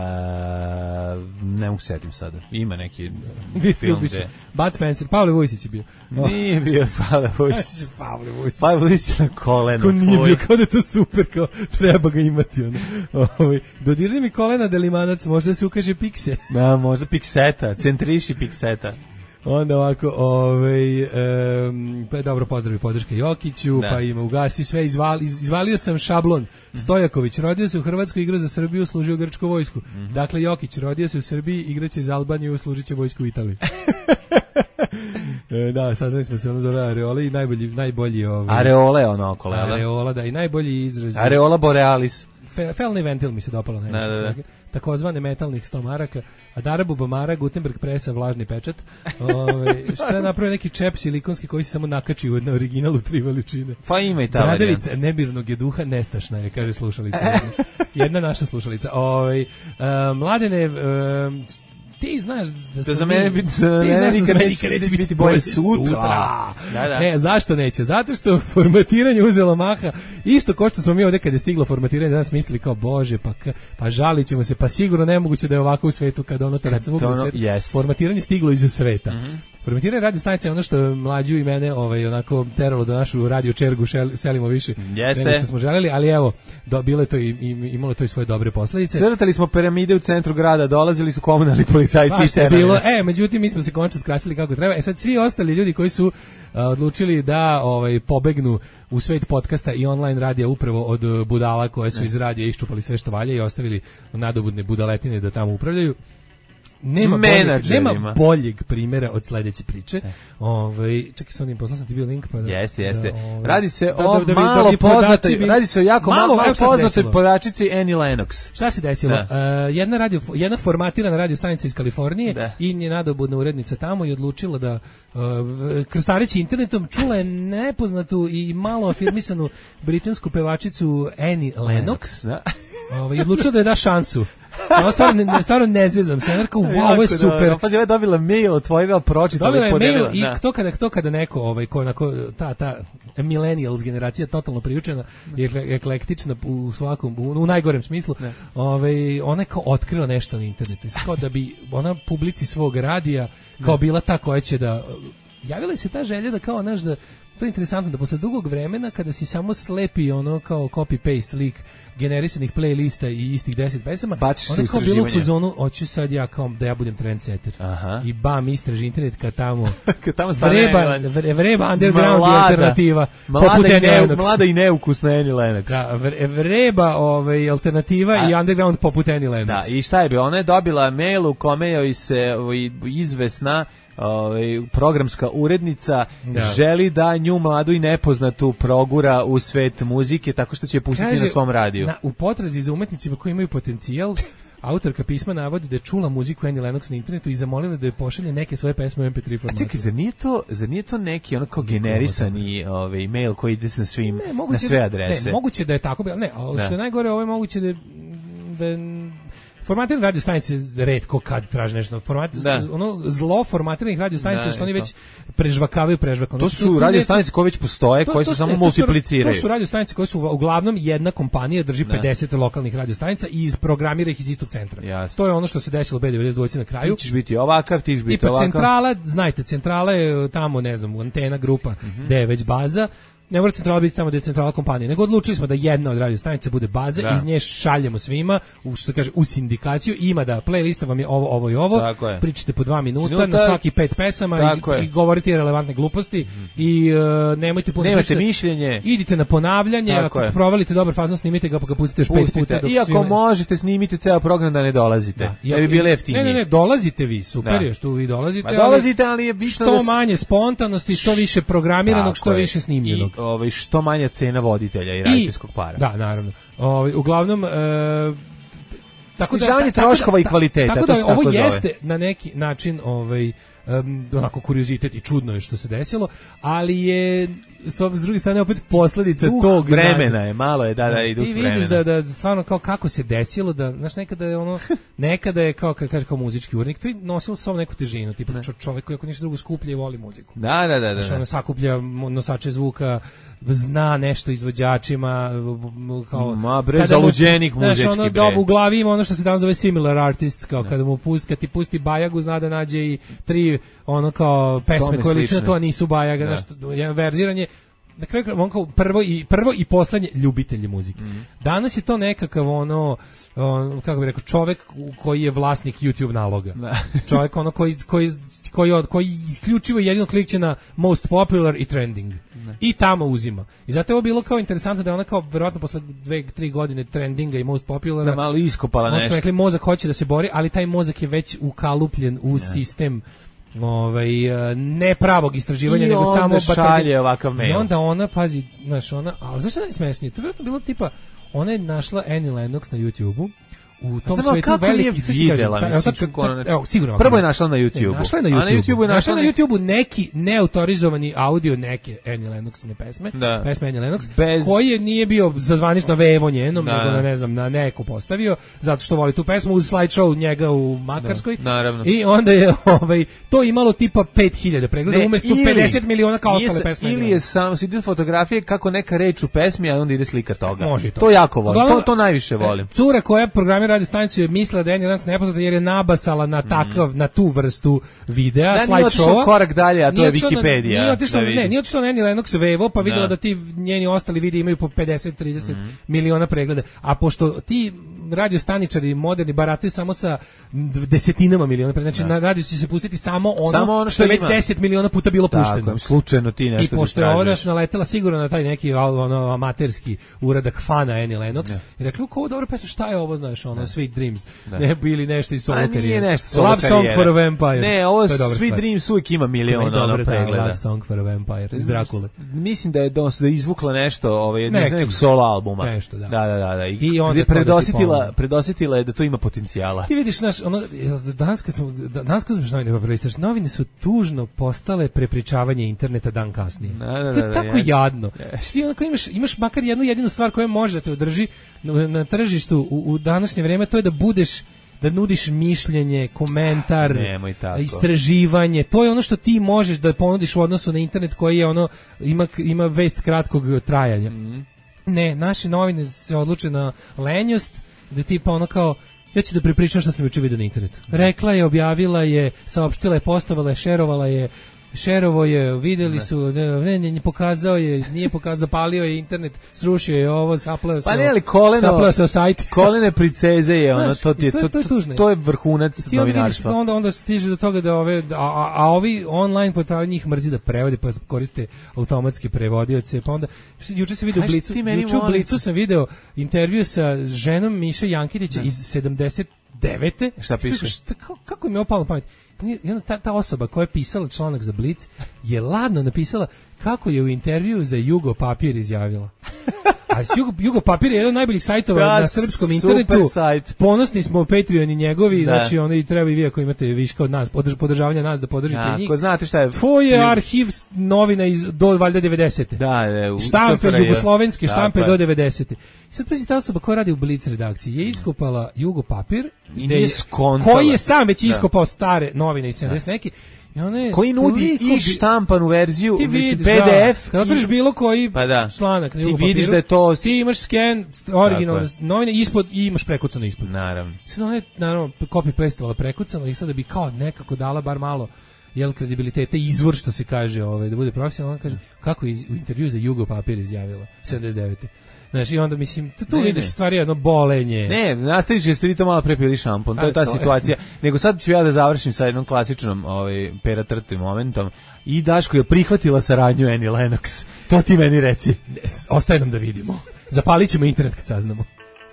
ne mogu setim sada. Ima neki Bio film Ljubiša. gde... Bud Spencer, Pavle Vujsić je bio. Nije bio Pavle Vujsić. Pavle Vujsić. Pavle Vujsić na kolenu. Ko nije tvoj. bio, kao da je to super, kao treba ga imati. Ono. Ovaj, dodirni mi kolena delimanac, možda se ukaže pikse. Da, možda Pikseta, centriši Pikseta. Onda ovako, ovaj, um, pa je dobro, pozdrav i podrška Jokiću, Da. pa ima ugasi sve, izvali, iz- izvalio sam šablon. Stojaković, rodio se u Hrvatskoj, igrao za Srbiju, služio u grčku vojsku. Dakle, Jokić, rodio se u Srbiji, igraće za Albaniju, služit će vojsku u Italiji. E, da, saznali smo se, ono zove Areola i najbolji, najbolji ovaj, Areole ono okolo, jel da? Areola, da, i najbolji izraz. Areola borealis. Fe, felni ventil mi se dopalo najviše Da, da, da. svega. Takozvane metalnih sto maraka, a Darabu Bamara, Gutenberg presa, vlažni pečat. Ove, šta je napravio neki čep silikonski koji se samo nakači na originalu tri veličine. Pa ima i ta Bradavica varijanta. nebirnog je duha, nestašna je, kaže slušalica. Jedna naša slušalica. Ove, uh, mladene, uh, ti znaš da smo za mi- mene biti- za ti mene znaš da nikad za mene neće nikad neće biti biti bolje bolje sutra. sutra. Da, da. Ne, zašto neće? Zato što formatiranje uzelo maha. Isto kao što smo mi ovdje kad je stiglo formatiranje, danas mislili kao bože, pa k- pa žalit ćemo se, pa sigurno nemoguće da je ovako u svetu kada ono kad to ono jest. formatiranje stiglo iz sveta. Formatiranje radio stanice je ono što mlađu i mene ovaj onako teralo da našu radio čergu šel, selimo više Jeste. nego što smo želeli, ali evo, do, bilo je to i, i imalo to i svoje dobre posledice. Crtali smo piramide u centru grada, dolazili su komunalni policajci i Svašta je terali bilo. nas. E, međutim mi smo se konačno skrasili kako treba. E sad svi ostali ljudi koji su a, odlučili da ovaj pobegnu u svet podcasta i online radija upravo od e, budala koje su iz radija iščupali sve što valja i ostavili nadobudne budaletine da tamo upravljaju. Nema boljeg, Menadžerima. nema boljeg primjera od sledeće priče. Ovaj čekaj, sa onim poslao sam ti bio link pa da. Jeste, jeste. da, ovaj, Radi se da- o da- da bi- malo da bi podaci poznatoj, bili- radi se o jako malo, malo evo šta se poznatoj desilo. podačici Annie Lennox. Šta se desilo? Da. E, jedna radio jedna formatirana radio stanica iz Kalifornije Da. i nje nadobudna urednica tamo je odlučila da uh, krstareći internetom čula je nepoznatu i malo afirmisanu britansku pevačicu Annie Lennox. Da. Ovaj odlučila da je da šansu. Ovo stvarno ne, stvarno ne zezam se. Nerka, wow, ovo je Jako super. dobro. Pazi, ova je dobila mail, otvorila, pročitala Dobila i je mail podelila. i Da. to kada, to kada neko, ovaj, ko, onako, ta, ta millennials generacija totalno priučena i ekle- eklektična u svakom, u, u najgorem smislu, ovaj, ona je kao otkrila nešto na internetu. I sad kao da bi ona publici svog radija kao bila ta koja će da... Javila se ta želja da kao, znaš, da to je interesantno da posle dugog vremena kada si samo slepi ono kao copy-paste lik generisanih playlista i istih deset pesama, onda kao bilo u fazonu, hoću sad ja kao da ja budem trendsetter. Aha. I bam, istraži internet kad tamo, kad tamo vreba, vreba underground i alternativa. Mlada i, ne, mlada i neukusna Annie Lennox. Da, vreba ovaj, alternativa A, i underground poput Annie Lennox. Da, i šta je bio? Ona je dobila mail u kome joj se izvesna ovaj programska urednica da. želi da nju mladu i nepoznatu progura u svet muzike tako što će je pustiti Kaže, na svom radiju. Na, u potrazi za umetnicima koji imaju potencijal, autorka pisma navodi da je čula muziku Annie Lennox na internetu i zamolila da je pošalje neke svoje pesme u em pe tri formatu. A čekaj, zar nije to, zar nije to neki ono kao generisani ovaj, mail koji ide na svim, ne, na sve adrese? Ne, moguće da je tako, ne, a što je najgore, ovo je moguće da, da formatirane radio stanice retko kad traže nešto. Format, ono zlo formatiranih radio stanica što oni već prežvakavaju prežvakano. To su radio stanice koje već postoje, to, koje to, se samo to, multipliciraju. To su radio stanice koje su uglavnom jedna kompanija drži ne. pedeset lokalnih radio stanica i izprogramira ih iz istog centra. Jasne. To je ono što se desilo u be devedeset dva na kraju. Ti ćeš biti ovakav, ti ćeš biti ovakav. Centrala, znajte, centrala je tamo, ne znam, Antena grupa, mm-hmm. gde je već baza. Ne mora centrala biti tamo gde je centrala kompanija, nego odlučili smo da jedna od radio stanica bude baza, da. iz nje šaljemo svima, u, što kaže, u sindikaciju, ima da playlista vam je ovo, ovo i ovo, pričate po dva minuta, minuta na svaki pet pesama i, i govorite relevantne gluposti mm. i uh, nemojte puno Nemate pričati, mišljenje. Idite na ponavljanje, tako ako je. provalite dobar fazon, snimite ga pa ga pustite još pet puta. Dok I ako svima... možete, snimite ceo program da ne dolazite, da, ja, da bi bili jeftiniji. Ne, ne, ne, dolazite vi, super je što vi dolazite, pa dolazite, ali je bitno što da... manje spontanosti, što više programiranog, što više snimljenog. I, ovaj, što manja cena voditelja i radijskog para. Da, naravno. Ovaj uglavnom e, tako da ta, troškova tako i kvaliteta, tako da, to se ovo tako jeste zove. Na neki način ovaj um, onako kuriozitet i čudno je što se desilo, ali je s druge strane opet posledica uh, tog vremena je, malo je, da, da, i duh vremena. Ti vidiš da, da stvarno kao kako se desilo, da, znaš, nekada je ono, nekada je kao, kad kaže kao muzički urednik, to je nosilo sa neku težinu, tipa čovjek koji ako ništa drugo skuplja i voli muziku. Da, da, da. da. Znaš, ono sakuplja nosače zvuka, zna nešto izvođačima, kao... Ma bre, zaluđenik muzički, znaš, ono, bre. U glavi ima ono što se danas zove similar artists, kao da. kada mu pusti, kad ti pusti Bajagu, zna da nađe i tri, ono kao, pesme koje liče na to, a nisu Bajaga, da. znaš, verziranje. Na kraju on kao prvo i prvo i poslednje ljubitelji muzike. Mm. Danas je to nekakav ono, on, kako bih rekao, čovjek koji je vlasnik YouTube naloga. Da. Čovjek ono koji koji koji od koji isključivo jedino klikće na most popular i trending. Ne. I tamo uzima. I zato je ovo bilo kao interesantno da ona kao verovatno posle dve tri godine trendinga i most populara da malo iskopala nešto. Rekli mozak hoće da se bori, ali taj mozak je već ukalupljen u ne. sistem ovaj ne pravog istraživanja, nego samo šalje ovakav mail. I onda ona pazi, znaš, ona, a zašto je najsmešnije? To je vjerojatno bilo tipa, ona je našla Annie Lennox na YouTubeu. U tom Znamo, svetu veliki se videla, kažem, mislim, ta, kako ona, evo, sigurno. Prvo je našla na YouTubeu. Našla je na YouTubeu. A na YouTubeu je našla, našla na YouTubeu neki neautorizovani audio neke Annie Lennoxine pesme, da. pesme Annie Lennox, Bez... koji nije bio za zvanično vevo njenom, da. nego na, ne znam, na neko postavio, zato što voli tu pesmu uz slideshow njega u Makarskoj. Da, naravno. I onda je ovaj, to imalo tipa pet hiljada pregleda, umjesto ili, pedeset miliona kao ostale pesme. Ili je samo, si fotografije kako neka reč u pesmi, a onda ide slika toga. Može to. To jako volim, to, to najviše volim. Cura koja programira radio stanicu je mislila da je Annie Lennox nepoznata jer je nabasala na takav, mm. na tu vrstu videa, da, slide showa. Korak dalje, a to je Wikipedija. Nije otišla, ne, nije otišla na Annie Lennox vevo, pa videla da. da ti njeni ostali videi imaju po pedeset trideset mm. miliona pregleda. A pošto ti radio staničari moderni barataju samo sa desetinama miliona pregleda, znači da. na radio će se pustiti samo ono, samo ono što, što je već deset miliona puta bilo tako, pušteno. Tako, slučajno ti nešto. I pošto je ona naletela sigurno na taj neki ono amaterski uradak fana Annie Lennox, da. I rekli, kao dobro pesma, šta je ovo, znaš, ono Sweet Dreams. Da. Ne bili nešto iz solo karijere. Love Song for a Vampire. Ne, ovo Sweet Dreams uvijek ima milion ono pregleda. Love Song for a Vampire iz Drakule. Mislim da je da izvukla nešto, ovaj jednog nekog solo albuma. Nešto, da. Da, da, da, da. I, I onda predosjetila, predosjetila je da to ima potencijala. Ti vidiš naš ono danas kad smo danas kad smo novine prelistaš, novine su tužno postale prepričavanje interneta dan kasnije. Da, da, da, to je tako ja. jadno. Yes. Ti onako imaš imaš makar jednu jedinu stvar koja može da te održi na, na tržištu u, u današnje vrijeme, to je da budeš da nudiš mišljenje, komentar, istraživanje. To je ono što ti možeš da ponudiš u odnosu na internet koji je ono ima ima vest kratkog trajanja. Mm. Ne, naše novine se odluče na lenjost, da tipa ono kao ja ću da pripričam što sam juče vidio na internetu. Rekla je, objavila je, saopštila je, postovala je, šerovala je, šerovo je, videli su, ne, ne, ne, pokazao je, nije pokazao, palio je internet, srušio je ovo, sapleo se. Pa ne, ali koleno, sapleo se o sajt. Kolene princeze je ono, to ti je, to, to, to, to je vrhunac novinarstva. Onda, onda stiže do toga da ove, a, a, a ovi online portali njih mrzi da prevode, pa koriste automatske prevodioce, pa onda, juče sam video u Blicu, juče u Blicu sam video intervju sa ženom Miše Jankitića iz sedamdeset devete. Šta piše? Šta, kako, kako mi je opalo na pamet? Ta, ta osoba koja je pisala članak za Blic je ladno napisala kako je u intervju za Jugo Papir izjavila. A Jugo, Jugo Papir je jedan od najboljih sajtova da, na srpskom internetu. Sajt. Ponosni smo Patreoni njegovi, da. Znači oni treba i vi ako imate viška od nas, podrž, podržavanja nas da podržite ja, njih. Ko znate šta je? Tvoj je arhiv novina iz do valjda devedesete. Da, je, u štampe jugoslovenske štampe da, do devedesete. I sad pazi, ta osoba koja radi u Blic redakciji je iskopala Jugo Papir, je, koji je sam već iskopao da. Stare novine iz sedamdeset neki. One, koji nudi i štampanu verziju, ti vidiš, P D F. Da, kad otvoriš bilo koji pa da. članak, ti vidiš papiru, da je to... Ti imaš scan, originalne novine, ispod, i imaš prekucano ispod. Naravno. Sad ona je, naravno, copy-pastovala prekucano i sad da bi kao nekako dala bar malo jel kredibilitete, izvor što se kaže, ovaj, da bude profesionalno, on kaže, kako je u intervju za Jugo Papir izjavila, sedamdeset devete. Znaš, i onda, mislim, tu, tu ne, vidiš ne. stvari jedno bolenje. Ne, nastavit će ste vi to malo prepili šampon, to je ta to situacija. Nego sad ću ja da završim sa jednom klasičnom ovaj, pera trti momentom. I Daško je prihvatila saradnju Annie Lennox. To ti meni reci. Ostaje nam da vidimo. Zapalit ćemo internet kad saznamo.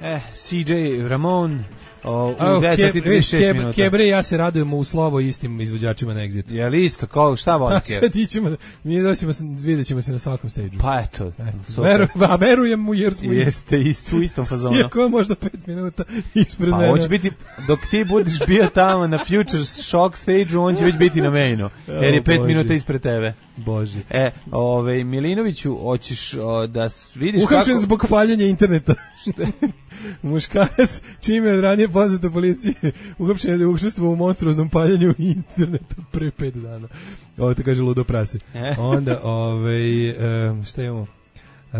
Eh, C J Ramon... O, u deset trideset šest minuta. Kebre, ja se radujemo u slovo istim izvođačima na Exitu. Je li isto? Ko, šta voli Kebre? Sad ićemo, mi doćemo, vidjet ćemo se na svakom stage-u. Pa eto. Veru, a verujem mu jer smo jeste isto, u istom fazonu. Iako je možda pet minuta ispred pa, mene. Pa hoće biti, dok ti budeš bio tamo na Future Shock stage-u, on će već biti na mainu. Jer je pet Boži. minuta ispred tebe. Bože. E, ovaj, Milinoviću, hoćeš o, da vidiš Uhapšen kako... zbog paljenja interneta. Muškarac, čime je od ranije poznato policije, uhapšen je da je učestvovao u monstruoznom paljenju interneta pre pet dana. Ovo to kaže ludo prase. E. Onda, ovaj, um, šta imamo? Uh,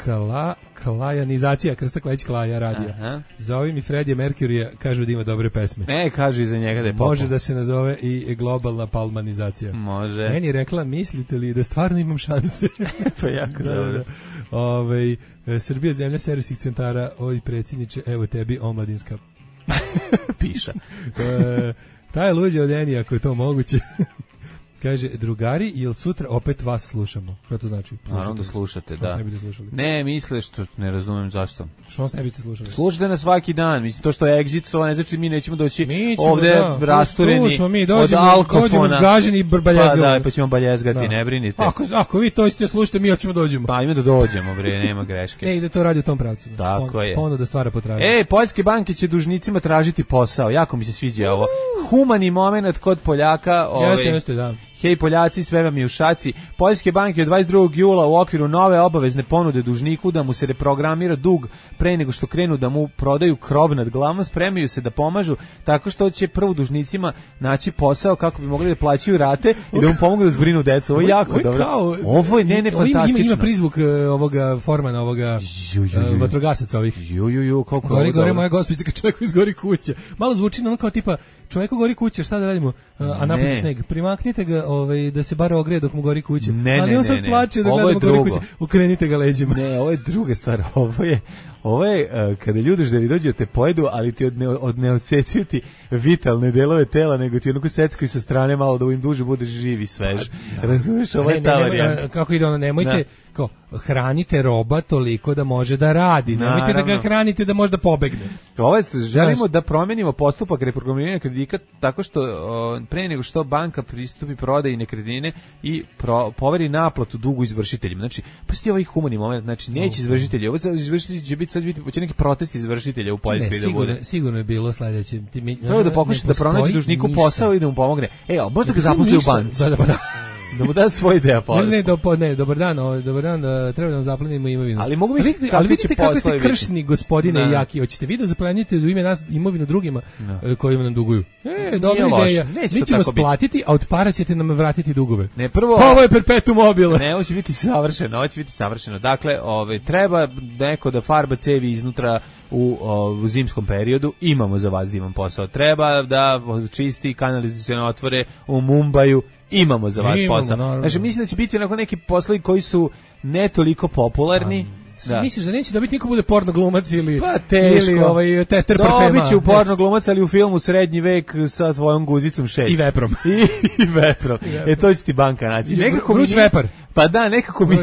kla, klajanizacija, Krsta Klejić Klaja radija. Aha. Zovi mi Freddie Mercury, kažu da ima dobre pesme. Ne, kažu iza njega da je popom. Može da se nazove i globalna palmanizacija. Može. Meni je rekla, mislite li da stvarno imam šanse? Pa jako da, dobro. Da. Ove, Srbija zemlja servisnih centara, oj predsjedniče, evo tebi omladinska piša. e, ta je luđa od Eni, ako je to moguće. Kaže, drugari, jel sutra opet vas slušamo? Što to znači? Naravno da slušate, što da. Ne biste slušali? Ne, misle što, ne razumem zašto. Što nas ne biste slušali? Slušate nas svaki dan, mislim, to što je Exit, to ne znači mi nećemo doći mi ćemo, ovde da, rastureni mi, dođemo, od alkofona. Dođemo zgaženi i baljezgati. Pa da, pa ćemo baljezgati, da. Ne brinite. Ako, ako vi to isto slušate, mi hoćemo dođemo. Pa ima da dođemo, bre, nema greške. Ne, ide to radi u tom pravcu. Tako pa, je. Pa onda da stvara potražnju. Ej, poljske banke će dužnicima tražiti posao, jako mi se sviđa ovo. Humani moment kod Poljaka. Ovaj, jeste, jeste, da. Hej Poljaci, sve vam je u šaci. Poljske banke od dvadeset drugog jula u okviru nove obavezne ponude dužniku da mu se reprogramira dug pre nego što krenu da mu prodaju krov nad glavom, spremaju se da pomažu tako što će prvo dužnicima naći posao kako bi mogli da plaćaju rate i da mu pomognu da zbrinu decu. Ovo je jako ovo je dobro. Kao, ovo je ne, ne, fantastično. Ima, ima prizvuk uh, ovoga Formana, ovoga uh, vatrogasaca ovih. Ju, ju, ju, koliko gori, gore, moja gospođa, kad čovjeku izgori kuća. Malo zvuči ono kao tipa, čovjeku gori kuća, šta da radimo? Uh, a napred sneg. Primaknite ga ovaj, da se bar ogreje dok mu gori kuća. Ne, ali ne, on sad ne, plače da ovo gleda mu gori drugo. kuća. Ukrenite ga leđima. Ne, ovo je druga stvar. Ovo je, ovo je uh, kada ljudi da li dođu te pojedu, ali ti od ne, od ne odsecuju ti vitalne delove tela, nego ti onako seckaju sa strane malo da im duže budeš živ i svež. Da. Razumiješ, ovo je ta varijanta. Kako ide ono, nemojte, kao, hranite roba toliko da može da radi. Nemojte da ga hranite da može da pobegne. Ovo je, želimo Znaš, da promenimo postupak reprogramiranja kredita tako što o, pre nego što banka pristupi prodaji nekretnine i pro, poveri naplatu dugu izvršiteljima. Znači, pa sti ovaj humani moment, znači neće izvršitelji, ovo izvršitelji će biti sad biti će neki protest izvršitelja u Poljskoj da bude. Sigurno je bilo sledeće. Ti mi prvo da pokuša da pronađe dužniku posao i da mu pomogne. E, a možda ga zaposli u banci. Da, da, da. Da mu da svoj deo posla. Ne, ne, do, ne, dobar dan, o, dobar dan, da, treba da nam zaplenimo imovinu. Ali mogu misliti ali vidite kako ste kršni, gospodine da. Jaki. Hoćete vi da zaplenite u ime nas imovinu drugima no. kojima nam duguju? E, dobra ideja. Mi ćemo splatiti, a od para ćete nam vratiti dugove. Ne, prvo... Ovo je perpetuum mobile. Ne, ovo će biti savršeno, ovo će biti savršeno. Dakle, ove, treba neko da farba cevi iznutra u, o, u zimskom periodu. Imamo za vas da imam posao. Treba da čisti kanalizacione otvore u Mumbaju. imamo za vas Imamo, posao. naravno. Znači, mislim da će biti onako neki poslovi koji su ne toliko popularni. Da. Misliš da neće dobiti niko bude porno glumac ili, pa teško. ili ovaj tester parfema? Dobit će u porno glumac, ali u filmu Srednji vek sa tvojom guzicom šest. I veprom. I, i veprom. I veprom. E, to će ti banka naći. Nekako Vruć mi nije, vepar. Pa da, nekako mi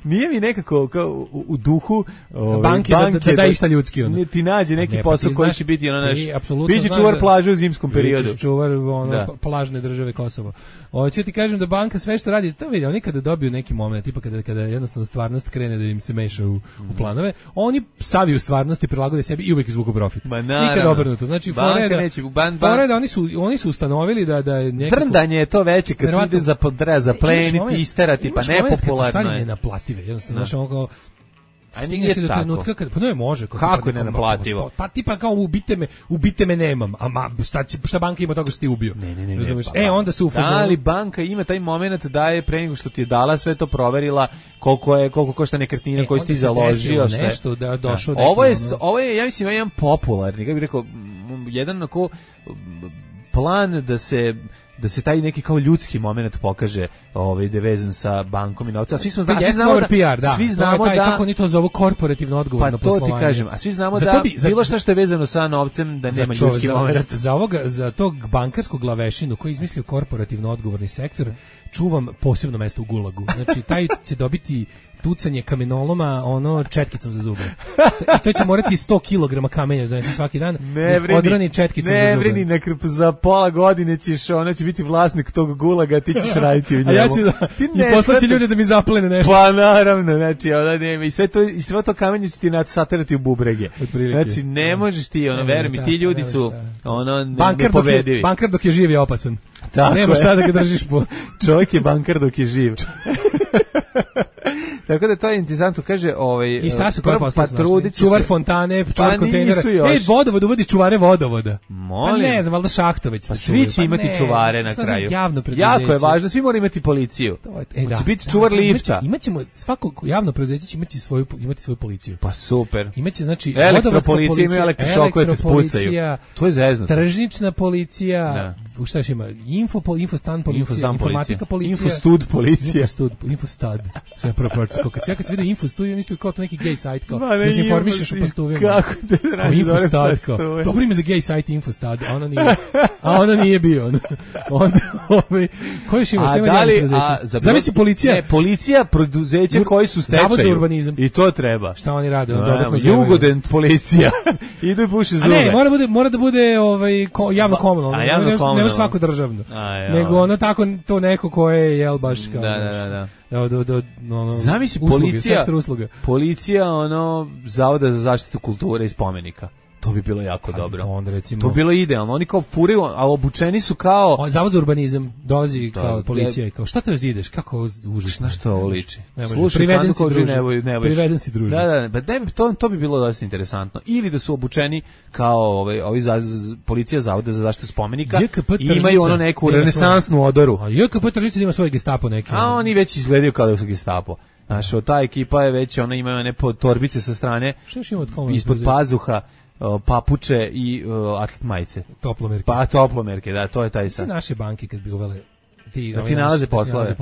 nije mi nekako kao u, u duhu ovaj, banke, banke da, da, da išta ljudski. Ono. Ne, ti nađe neki ne, posao koji će biti ono naš... Biće znaš, čuvar plaže u zimskom periodu. Biće čuvar ono, da. plažne države Kosovo. Hoću ti kažem da banka sve što radi, to vidi, oni kada dobiju neki moment, tipa kada, kada jednostavno stvarnost krene da im se meša u, u planove, oni saviju stvarnosti, prilagode sebi i uvek izvuku profit. Ma nikad obrnuto. Znači, foreda, neće, ban, ban. foreda, oni su, oni su ustanovili da, da je nekako... Trndanje je to veće kad ti ide za, za pleniti, isterati, pa nepopularno stvari nenaplative, jednostavno, znači ono kao stigne se do trenutka kad pa ne može kako, kako je nenaplativo, pa tipa kao ubite me, ubite me nemam, a ma, šta, šta banka ima toga što ti ubio, ne, ne, ne, razumiješ, pa, e onda se u fazonu, da li banka ima taj moment da je pre nego što ti je dala sve to proverila koliko je, koliko košta nekretnina e, koju si ti založio, sve nešto da došao neki, ovo je, ono... ovo je, ja mislim, jedan popularni, kako bih rekao, jedan onako plan da se da se taj neki kao ljudski moment pokaže, ovaj da je vezan sa bankom i novcem. A svi smo znamo, svi znamo da, P R, da, svi znamo taj, da kako ni to zovu korporativno odgovorno poslovanje. Pa to ti kažem, a svi znamo da bi, bilo šta što je vezano sa novcem da nema čo, ljudski za, moment. Za ovoga, za tog bankarskog glavešinu koji je izmislio korporativno odgovorni sektor, čuvam posebno mesto u Gulagu. Znači taj će dobiti tucanje kamenoloma ono četkicom za zube. I to će morati sto kilograma kamenja da donese svaki dan. Ne vrini, odrani četkicom ne za zube. Ne vrini, nek za pola godine ćeš, ono će biti vlasnik tog Gulaga, ti ćeš raditi u njemu. A ja ću da, ti ne i poslaći ljude da mi zaplene nešto. Pa naravno, znači, ona nema, i sve to, i sve to kamenje će ti saterati u bubrege. Znači, ne možeš ti, ono, veruj mi, ti ljudi su, ono, nepovedivi. Bankar dok je živ je opasan. Tako nema šta da ga držiš po... Čovjek je bankar dok je živ. Tako da to je interesantno, kaže, ovaj i šta su koje posle čuvar fontane, čuvar pa kontejnera. Ej, vodovod uvodi čuvare vodovoda. Molim. Pa ne znam, valjda Šahtoveć. Pa svi će imati pa čuvare na kraju. Jako je važno, svi moraju imati policiju. E, da, će biti čuvar da, lifta. Imaćemo svako javno preduzeće će imati svoju imati svoju policiju. Pa super. Imaće znači elektropolicija, ima elektrošokove te spucaju. To je zeznuto. Tržnična policija, u šta još ima? Info infostan policija, informatika policija, infostud policija, infostud, infostad. Sve proporcionalno. Kad ja kad vidim infostud, ja mislim kao to neki gay sajt kao. Da se informišeš o postuvima. Kako te radi infostad kao. Dobro ime za gay sajt infostad, a ona nije. A ona nije bio. Onda ovaj koji još ima, šta ima preduzeće? Zamisli policija. Ne, policija preduzeća koji su stečaju. Zavod za urbanizam. I to treba. Šta oni rade? Dodatno Jugodent policija. Idu i puše zube. Ne, mora bude mora da bude ovaj javno komunalno. Ne svako državno. Nego ono tako to neko ko je jel baš kao. Da, da, da. Do, do, do, no, zamisli policija, policija ono Zavoda za zaštitu kulture i spomenika. To bi bilo jako Aj, dobro. Onda recimo, to bi bilo idealno. Oni kao furaju, a obučeni su kao... O, Zavod za urbanizam dolazi da, kao policija i kao, šta to ideš? Kako užasno? Na što ovo liči? Slušaj, priveden si druže. Priveden si druže. Da, da, da, ne, to, to bi bilo dosta interesantno. Ili da su obučeni kao ovaj, ovi za, policija Zavoda za zaštitu spomenika i imaju ono neku renesansnu odoru. A J K P Tržica ima svoj gestapo neki. A oni već izgledaju kao da su gestapo. Znaš, ta ekipa je već, ona imaju one torbice sa strane, ispod pazuha, papuče i uh, atlet majice. Toplomerke. Pa toplomerke, da, to je taj sad. Sve naše banke kad bi uvele ti, da ti nalaze poslove.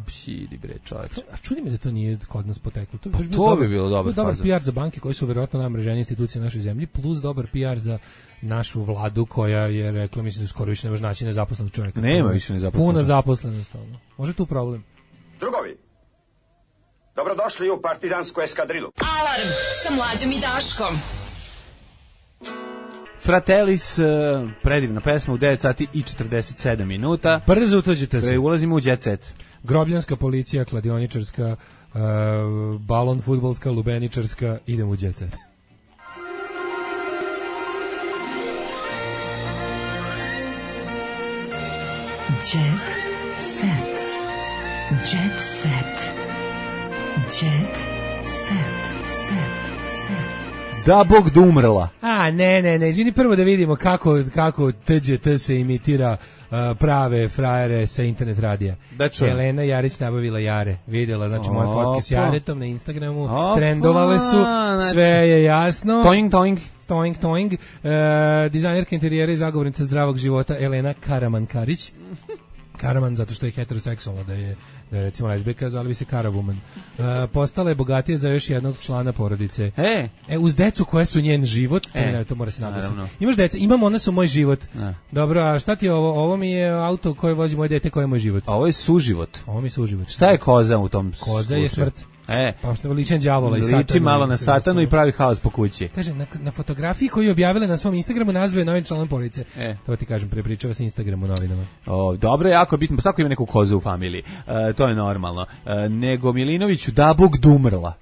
Pšidi bre, čovječ. A čudi me da to nije kod nas poteklo. To, pa bi, to bi bilo dobro. Dobar P R za banke koje su verovatno najmreženije institucije u našoj zemlji, plus dobar P R za našu vladu koja je rekla, mislim da skoro više ne može naći nezaposlenog čovjeka. Nema više nezaposlenog. Puna zaposlenost. Može tu problem. Drugovi, dobrodošli u partizansku eskadrilu. Alarm sa Mlađom i Daškom. Fratellis, predivna pesma u devet sati i četrdeset sedam minuta. Brzo utođite se. Ulazimo u jet set. Grobljanska policija, kladioničarska, uh, balon fudbalska, lubeničarska, idemo u jet set. Jet set. Jet set. Jet set. Da Bog da umrla. A, ne, ne, ne, izvini prvo da vidimo kako, kako T G T se imitira uh, prave frajere sa internet radija. Da čujem. Elena Jarić nabavila jare, vidjela, znači moje fotke s Jaretom na Instagramu, Opa. Trendovale su, znači, sve je jasno. Toing, toing. Toing, toing. Uh, dizajnerka interijera i zagovornica zdravog života Elena Karaman-Karić. Karaman zato što je heteroseksualna, da je, da je recimo lezbijka, zvali bi se Karawoman. Uh, postala je bogatija za još jednog člana porodice. E, e uz decu koje su njen život, to, e, ne, to mora se naglasiti. naravno. Imaš deca, imam, one su moj život. Ne. Dobro, a šta ti je ovo? Ovo mi je auto koje vozi moje dete, koje je moj život. A ovo je suživot. Ovo mi je suživot. Šta je koza u tom Koza slučaju? je smrt. E, pa što je ličan đavola i satanu. Liči malo na satanu i pravi haos po kući. Kaže, na, na fotografiji koju je objavila na svom Instagramu nazvao je novim članom porodice. E. To ti kažem, prepričava se Instagram u novinama. O, dobro, jako je bitno, svako ima neku kozu u familiji. E, to je normalno. E, nego Milinoviću, da Bog dumrla.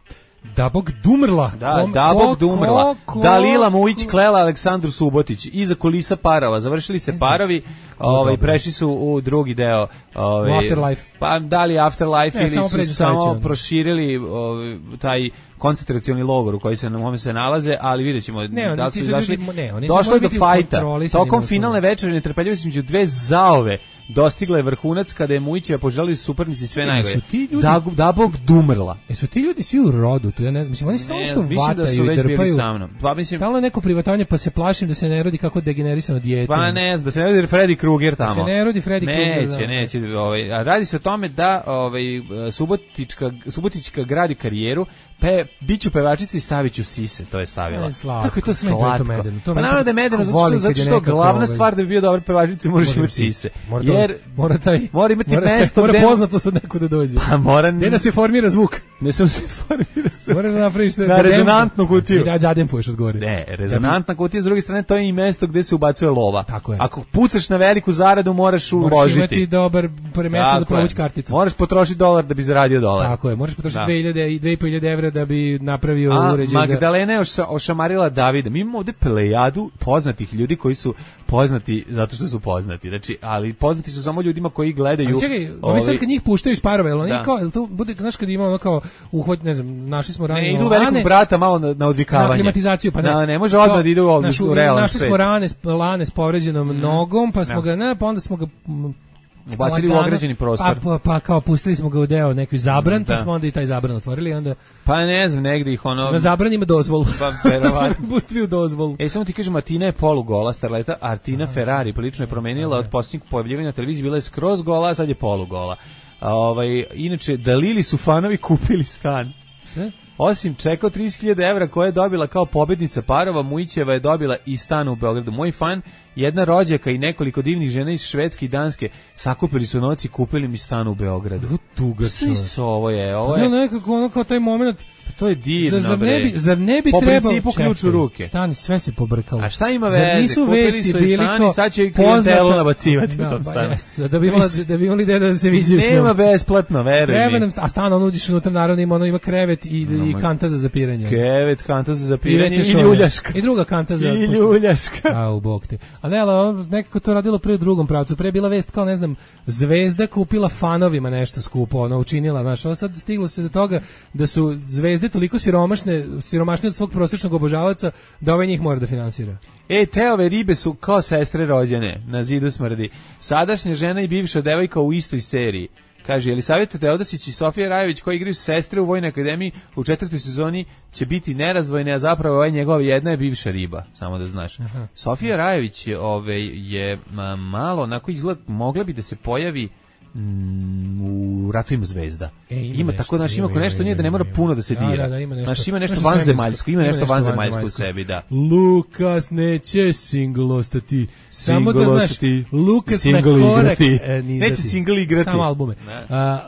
Da Bog dumrla. Da, Kom, da Bog ko, dumrla. ko, ko, Dalila Mujić klela Aleksandru Subotić. Iza kulisa parova. Završili se parovi, ovaj, prešli su u drugi deo. Ovaj, u Afterlife. Pa da li Afterlife ne, ili samo su samo proširili ovaj, taj koncentracioni logor u koji se na mome se nalaze, ali vidjećemo ne, da li su ljudi, izašli. Ne, oni došlo je do fajta. Tokom na finalne večeri netrpeljivost između dve zaove dostigla je vrhunac kada je Mujićeva poželili suparnici sve najgore. Da, da Bog dumrla. Jesu ti ljudi svi u rodu? Tu ja ne znam, mislim, oni stalno što vataju i drpaju. Pa mislim stalno neko privatanje, pa se plašim da se ne rodi kako degenerisano dijete. Pa ne znam, da se ne rodi Freddy Krueger tamo. Da se ne rodi Freddy Krueger. Neće, neće, ovaj, a radi se o tome da ovaj Subotička Subotička gradi karijeru, pe biću pevačica i staviću sise, to je stavila. Kako je to slatko? Pa naravno da je medeno, zato, zato što glavna stvar da bi bio dobar pevačica možeš imati sise. Jer mora taj mora imati mora, mesto mora gde poznato se od nekud da dođe. Pa mora gde da se formira zvuk. Ne sam se formira zvuk. Moraš da napraviš na rezonantnu kutiju. I da zadempuješ od gore. Ne, rezonantna kutija s druge strane to je i mesto gde se ubacuje lova. Tako je. Ako pucaš na veliku zaradu moraš uložiti. Moraš imati dobar mesto za provuć karticu. Moraš potrošiti dolar da bi zaradio dolar. Tako je, moraš potrošiti dve hiljade i dve hiljade evra da bi napravio A, uređaj za... Magdalena je ošamarila Davida. Mi imamo ovde plejadu poznatih ljudi koji su poznati zato što su poznati. Znači, ali poznati su samo ljudima koji gledaju. Ali čekaj, ovi sad kad njih puštaju iz parova, jel oni kao, jel to bude, znaš kad ima ono kao uhod, ne znam, našli smo rane. Ne, idu velikog brata malo na, na odvikavanje. Na klimatizaciju, pa ne. Da, ne može odmah da idu ovdje u realan našli svet. Našli smo rane, lane s povređenom mm. nogom, pa smo ja. ga, ne, pa onda smo ga... ubacili u ograđeni prostor. Pa, pa, pa kao pustili smo ga u deo neki zabran, mm, pa smo onda i taj zabran otvorili, onda... Pa ne znam, negdje ih ono... Na zabran ima dozvolu. Pa verovatno. Pustili u dozvolu. E, samo ti kažem, Martina je polugola, starleta, Artina Ferrari prilično je promenila od posljednjeg pojavljivanja na televiziji, bila je skroz gola, a sad je polugola. A, ovaj, inače, Dalili su fanovi kupili stan. Šta? Osim čeka trideset hiljada evra koje je dobila kao pobednica parova, Mujićeva je dobila i stan u Beogradu. Moj fan, jedna rođaka i nekoliko divnih žena iz Švedske i Danske sakupili su noci i kupili mi stan u Beogradu. Tuga čovječ. Ovo je, ovo je. Pa ne, nekako ono kao taj moment... To je divno, zar, zar ne bi, zar ne bi po trebalo... Po principu ključ u ruke. Stani, sve se pobrkalo. A šta ima veze? Zar nisu kupili vesti su bili stan kao i sad će i klijentelu nabacivati da, u tom stanu. Jest, da bi imali da bi imali da se viđaju s njom. Nema besplatno, veruj mi. Nam, a stan on uđeš unutra, naravno ima, ono ima krevet i, no, i kanta za zapiranje. Krevet, kanta za zapiranje i, i ljuljaška. I druga kanta za... I ljuljaška. A, u bog te. A ne, ali nekako to radilo pre u drugom pravcu. Pre je bila vest kao, ne znam, Zvezda kupila fanovima nešto skupo, ona učinila, znaš, ovo sad stiglo se do toga da su Zvezde toliko siromašne, siromašne od svog prosječnog obožavaca da ovaj njih mora da finansira. E, te ove ribe su kao sestre rođene, na zidu smrdi. Sadašnja žena i bivša devojka u istoj seriji. Kaže, Jelisaveta Teodosić i Sofija Rajović koji igraju sestre u Vojnoj akademiji u četvrtoj sezoni će biti nerazdvojne, a zapravo ovaj njegova jedna je bivša riba, samo da znaš. Aha. Sofija Rajović je, ove, je ma, malo, onako izgled, mogla bi da se pojavi mm, u Ratovima zvezda. E, ima, ima nešto, tako, znaš, ima, ima, nešto ima, nije da ne mora ima. puno da se dira. Da, da, da, ima nešto, znaš, ima nešto, nešto vanzemaljsko, ima, ima nešto, nešto vanzemaljsko u sebi, da. Lukas neće single ostati. Samo da znaš, Lukas single na korak... Igrati. E, neće single igrati. Samo albume.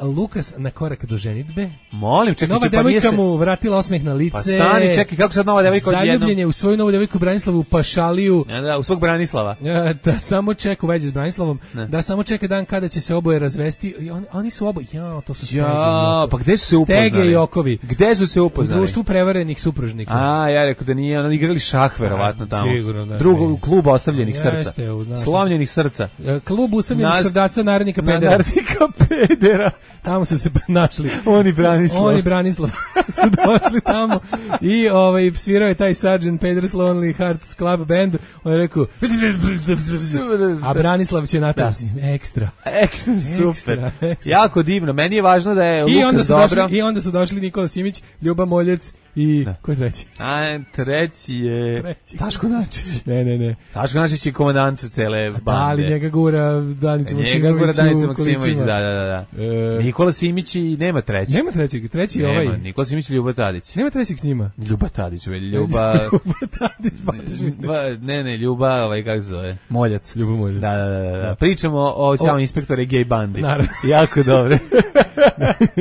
Uh, Lukas na korak do ženitbe. Molim, čekaj, nova pa devojka se... mu vratila osmeh na lice. Pa stani, čekaj, kako sad nova devojka odjednom? Zaljubljen je u svoju novu devojku Branislavu Pašaliju. Ja, da, u svog Branislava. Ja, da samo čeka u vezi s Branislavom, ne. Da samo čeka dan kada će se oboje razvesti. I on, oni su oboje, ja, to su Stege ja, i Okovi. Pa gde su se upoznali? Stege i Okovi. Gde su se upoznali? U društvu prevarenih supružnika. A, ja rekao da nije, oni igrali šah verovatno tamo. Sigurno, da. Drugo, klub ostavljenih ja, srca. Jeste, Slomljenih srca. Klub usamljenih Nas... srdaca narednika pedera. Narednika pedera. Tamo su se našli. Oni Branislav. Oni Branislav su došli tamo i ovaj, svirao je taj sergeant Pedro's Lonely Hearts Club Band. On je rekao a Branislav će natrati. Ekstra. Ekstra, super. Ekstra. Jako divno. Meni je važno da je I Lukas dobro. Došli, I onda su došli Nikola Simić, Ljuba Moljec I ko je treći? A treći je treći. Taško Načić. Ne, ne, ne. Taško Načić je komandant cele bande. Da li njega gura Danica Maksimović? Njega gura Danica Maksimović, da, da, da. E... Nikola Simić i nema treći. Nema trećeg, treći je ovaj. Nikola Simić i Ljuba Tadić. Nema trećeg s njima. Ljuba Tadić, veli, Ljuba... Ljuba Tadić, ba, ne, ne, Ljuba, ovaj, kako se zove? Moljac. Ljuba Moljac. Da, da, da, da. Pričamo o Ćao inspektore gej bandi. Naravno. Jako dobro.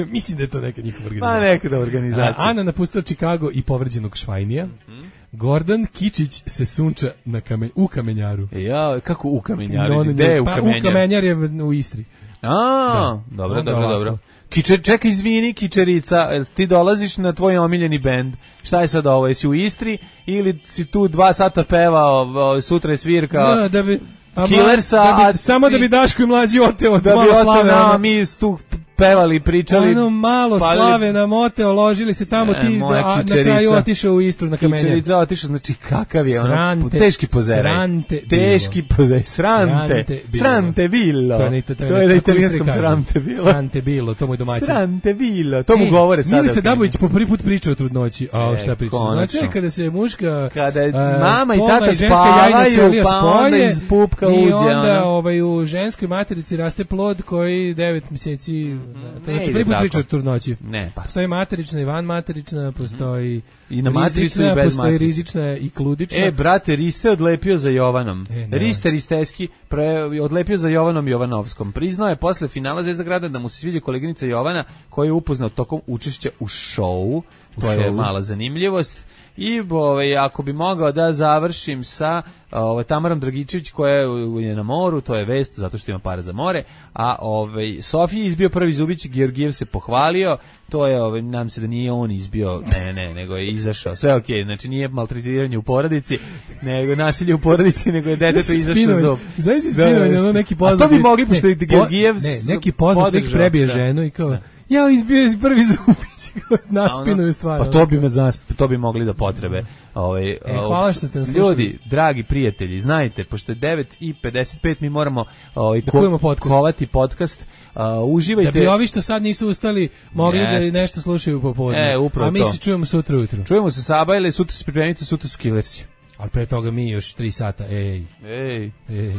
Mislim da je to neka njihova organizacija. Pa neka da organizacija. Ana napustila Chicago i povređenog Švajnija. Mm-hmm. Gordon Kičić se sunča na kamen, u Kamenjaru. Ja, kako u Kamenjaru? No, Gde je u pa, Kamenjar? U Kamenjar je u Istri. A, da. dobro, dobro, ovako. Dobro. Kičer, čekaj, izvini, Kičerica, ti dolaziš na tvoj omiljeni bend. Šta je sad ovo? Jesi u Istri ili si tu dva sata pevao, sutra je svirka? Da, da bi... Killersa, da bi, samo da bi Daško i mlađi oteo od da malo slave. Da bi oteo, mi tu pevali, pričali. Ono malo palili. Slave nam oteo, ložili se tamo, e, ti da, a, na kraju otišao u Istru na Kamenjar. Kičerica otišao, znači kakav je srante, ono, teški pozeraj. Srante teški pozeraj, srante, srante, srante bilo. To je, to, to je, to je na italijanskom srante bilo. Srante bilo, to mu je domaćin. Srante bilo, to mu e, govore sada. Milica Dabović po prvi put priča o trudnoći. A e, šta priča? Znači, kada se muška... Kada uh, mama i tata spavaju, pa onda iz pupka uđe. I onda ovaj, u ženskoj materici raste plod koji devet mjeseci... Znači, prvi put priča o trudnoći. Ne, pa. Postoji materična i vanmaterična, postoji i na matricu i bez postoji matrice. Rizična i kludična. E, brate, Riste odlepio za Jovanom. E, Riste Risteski pre, odlepio za Jovanom Jovanovskom. Priznao je posle finala Zvezda grada da mu se sviđa koleginica Jovana koja je upoznao tokom učešća u šovu. To je mala zanimljivost. I ovaj, ako bi mogao da završim sa ovaj, Tamarom Dragičević koja je na moru, to je vest zato što ima para za more, a ovaj, Sofija izbio prvi zubić, Georgijev se pohvalio, to je, ovaj, nam se da nije on izbio, ne, ne, nego je izašao, sve okej, okay, znači nije maltretiranje u porodici, nego nasilje u porodici, nego je detetu izašao zub. Znaš si spinovanje, ono neki poznat. A to bi mogli, pošto je Georgijev ne, neki poznat lik prebije ženu i kao... Da. Ja izbio iz prvi zubić, naspinuju stvar. Pa to bi me znas, to bi mogli da potrebe. Ovaj, e, hvala što ste nas slušali. Ljudi, dragi prijatelji, znajte, pošto je devet i pedeset pet mi moramo ovaj, ko, podcast. kovati podcast. Uh, uživajte. Da bi ovi što sad nisu ustali mogli yes. da nešto slušaju popodne. E, a mi to. se čujemo sutra ujutru. Čujemo se Sabajle, sutra se pripremite, sutra su Killersi. Ali pre toga mi još tri sata. Ej. Ej. Ej.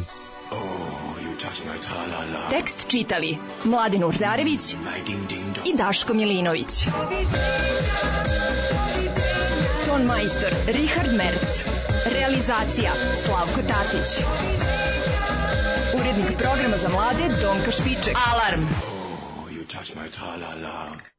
Tekst čitali Mladin Urdarević i Daško Milinović. Ton majstor Richard Merc. Realizacija Slavko Tatić. Urednik programa za mlade Donka Špiček. Alarm! Oh, you touch my tra-la-la.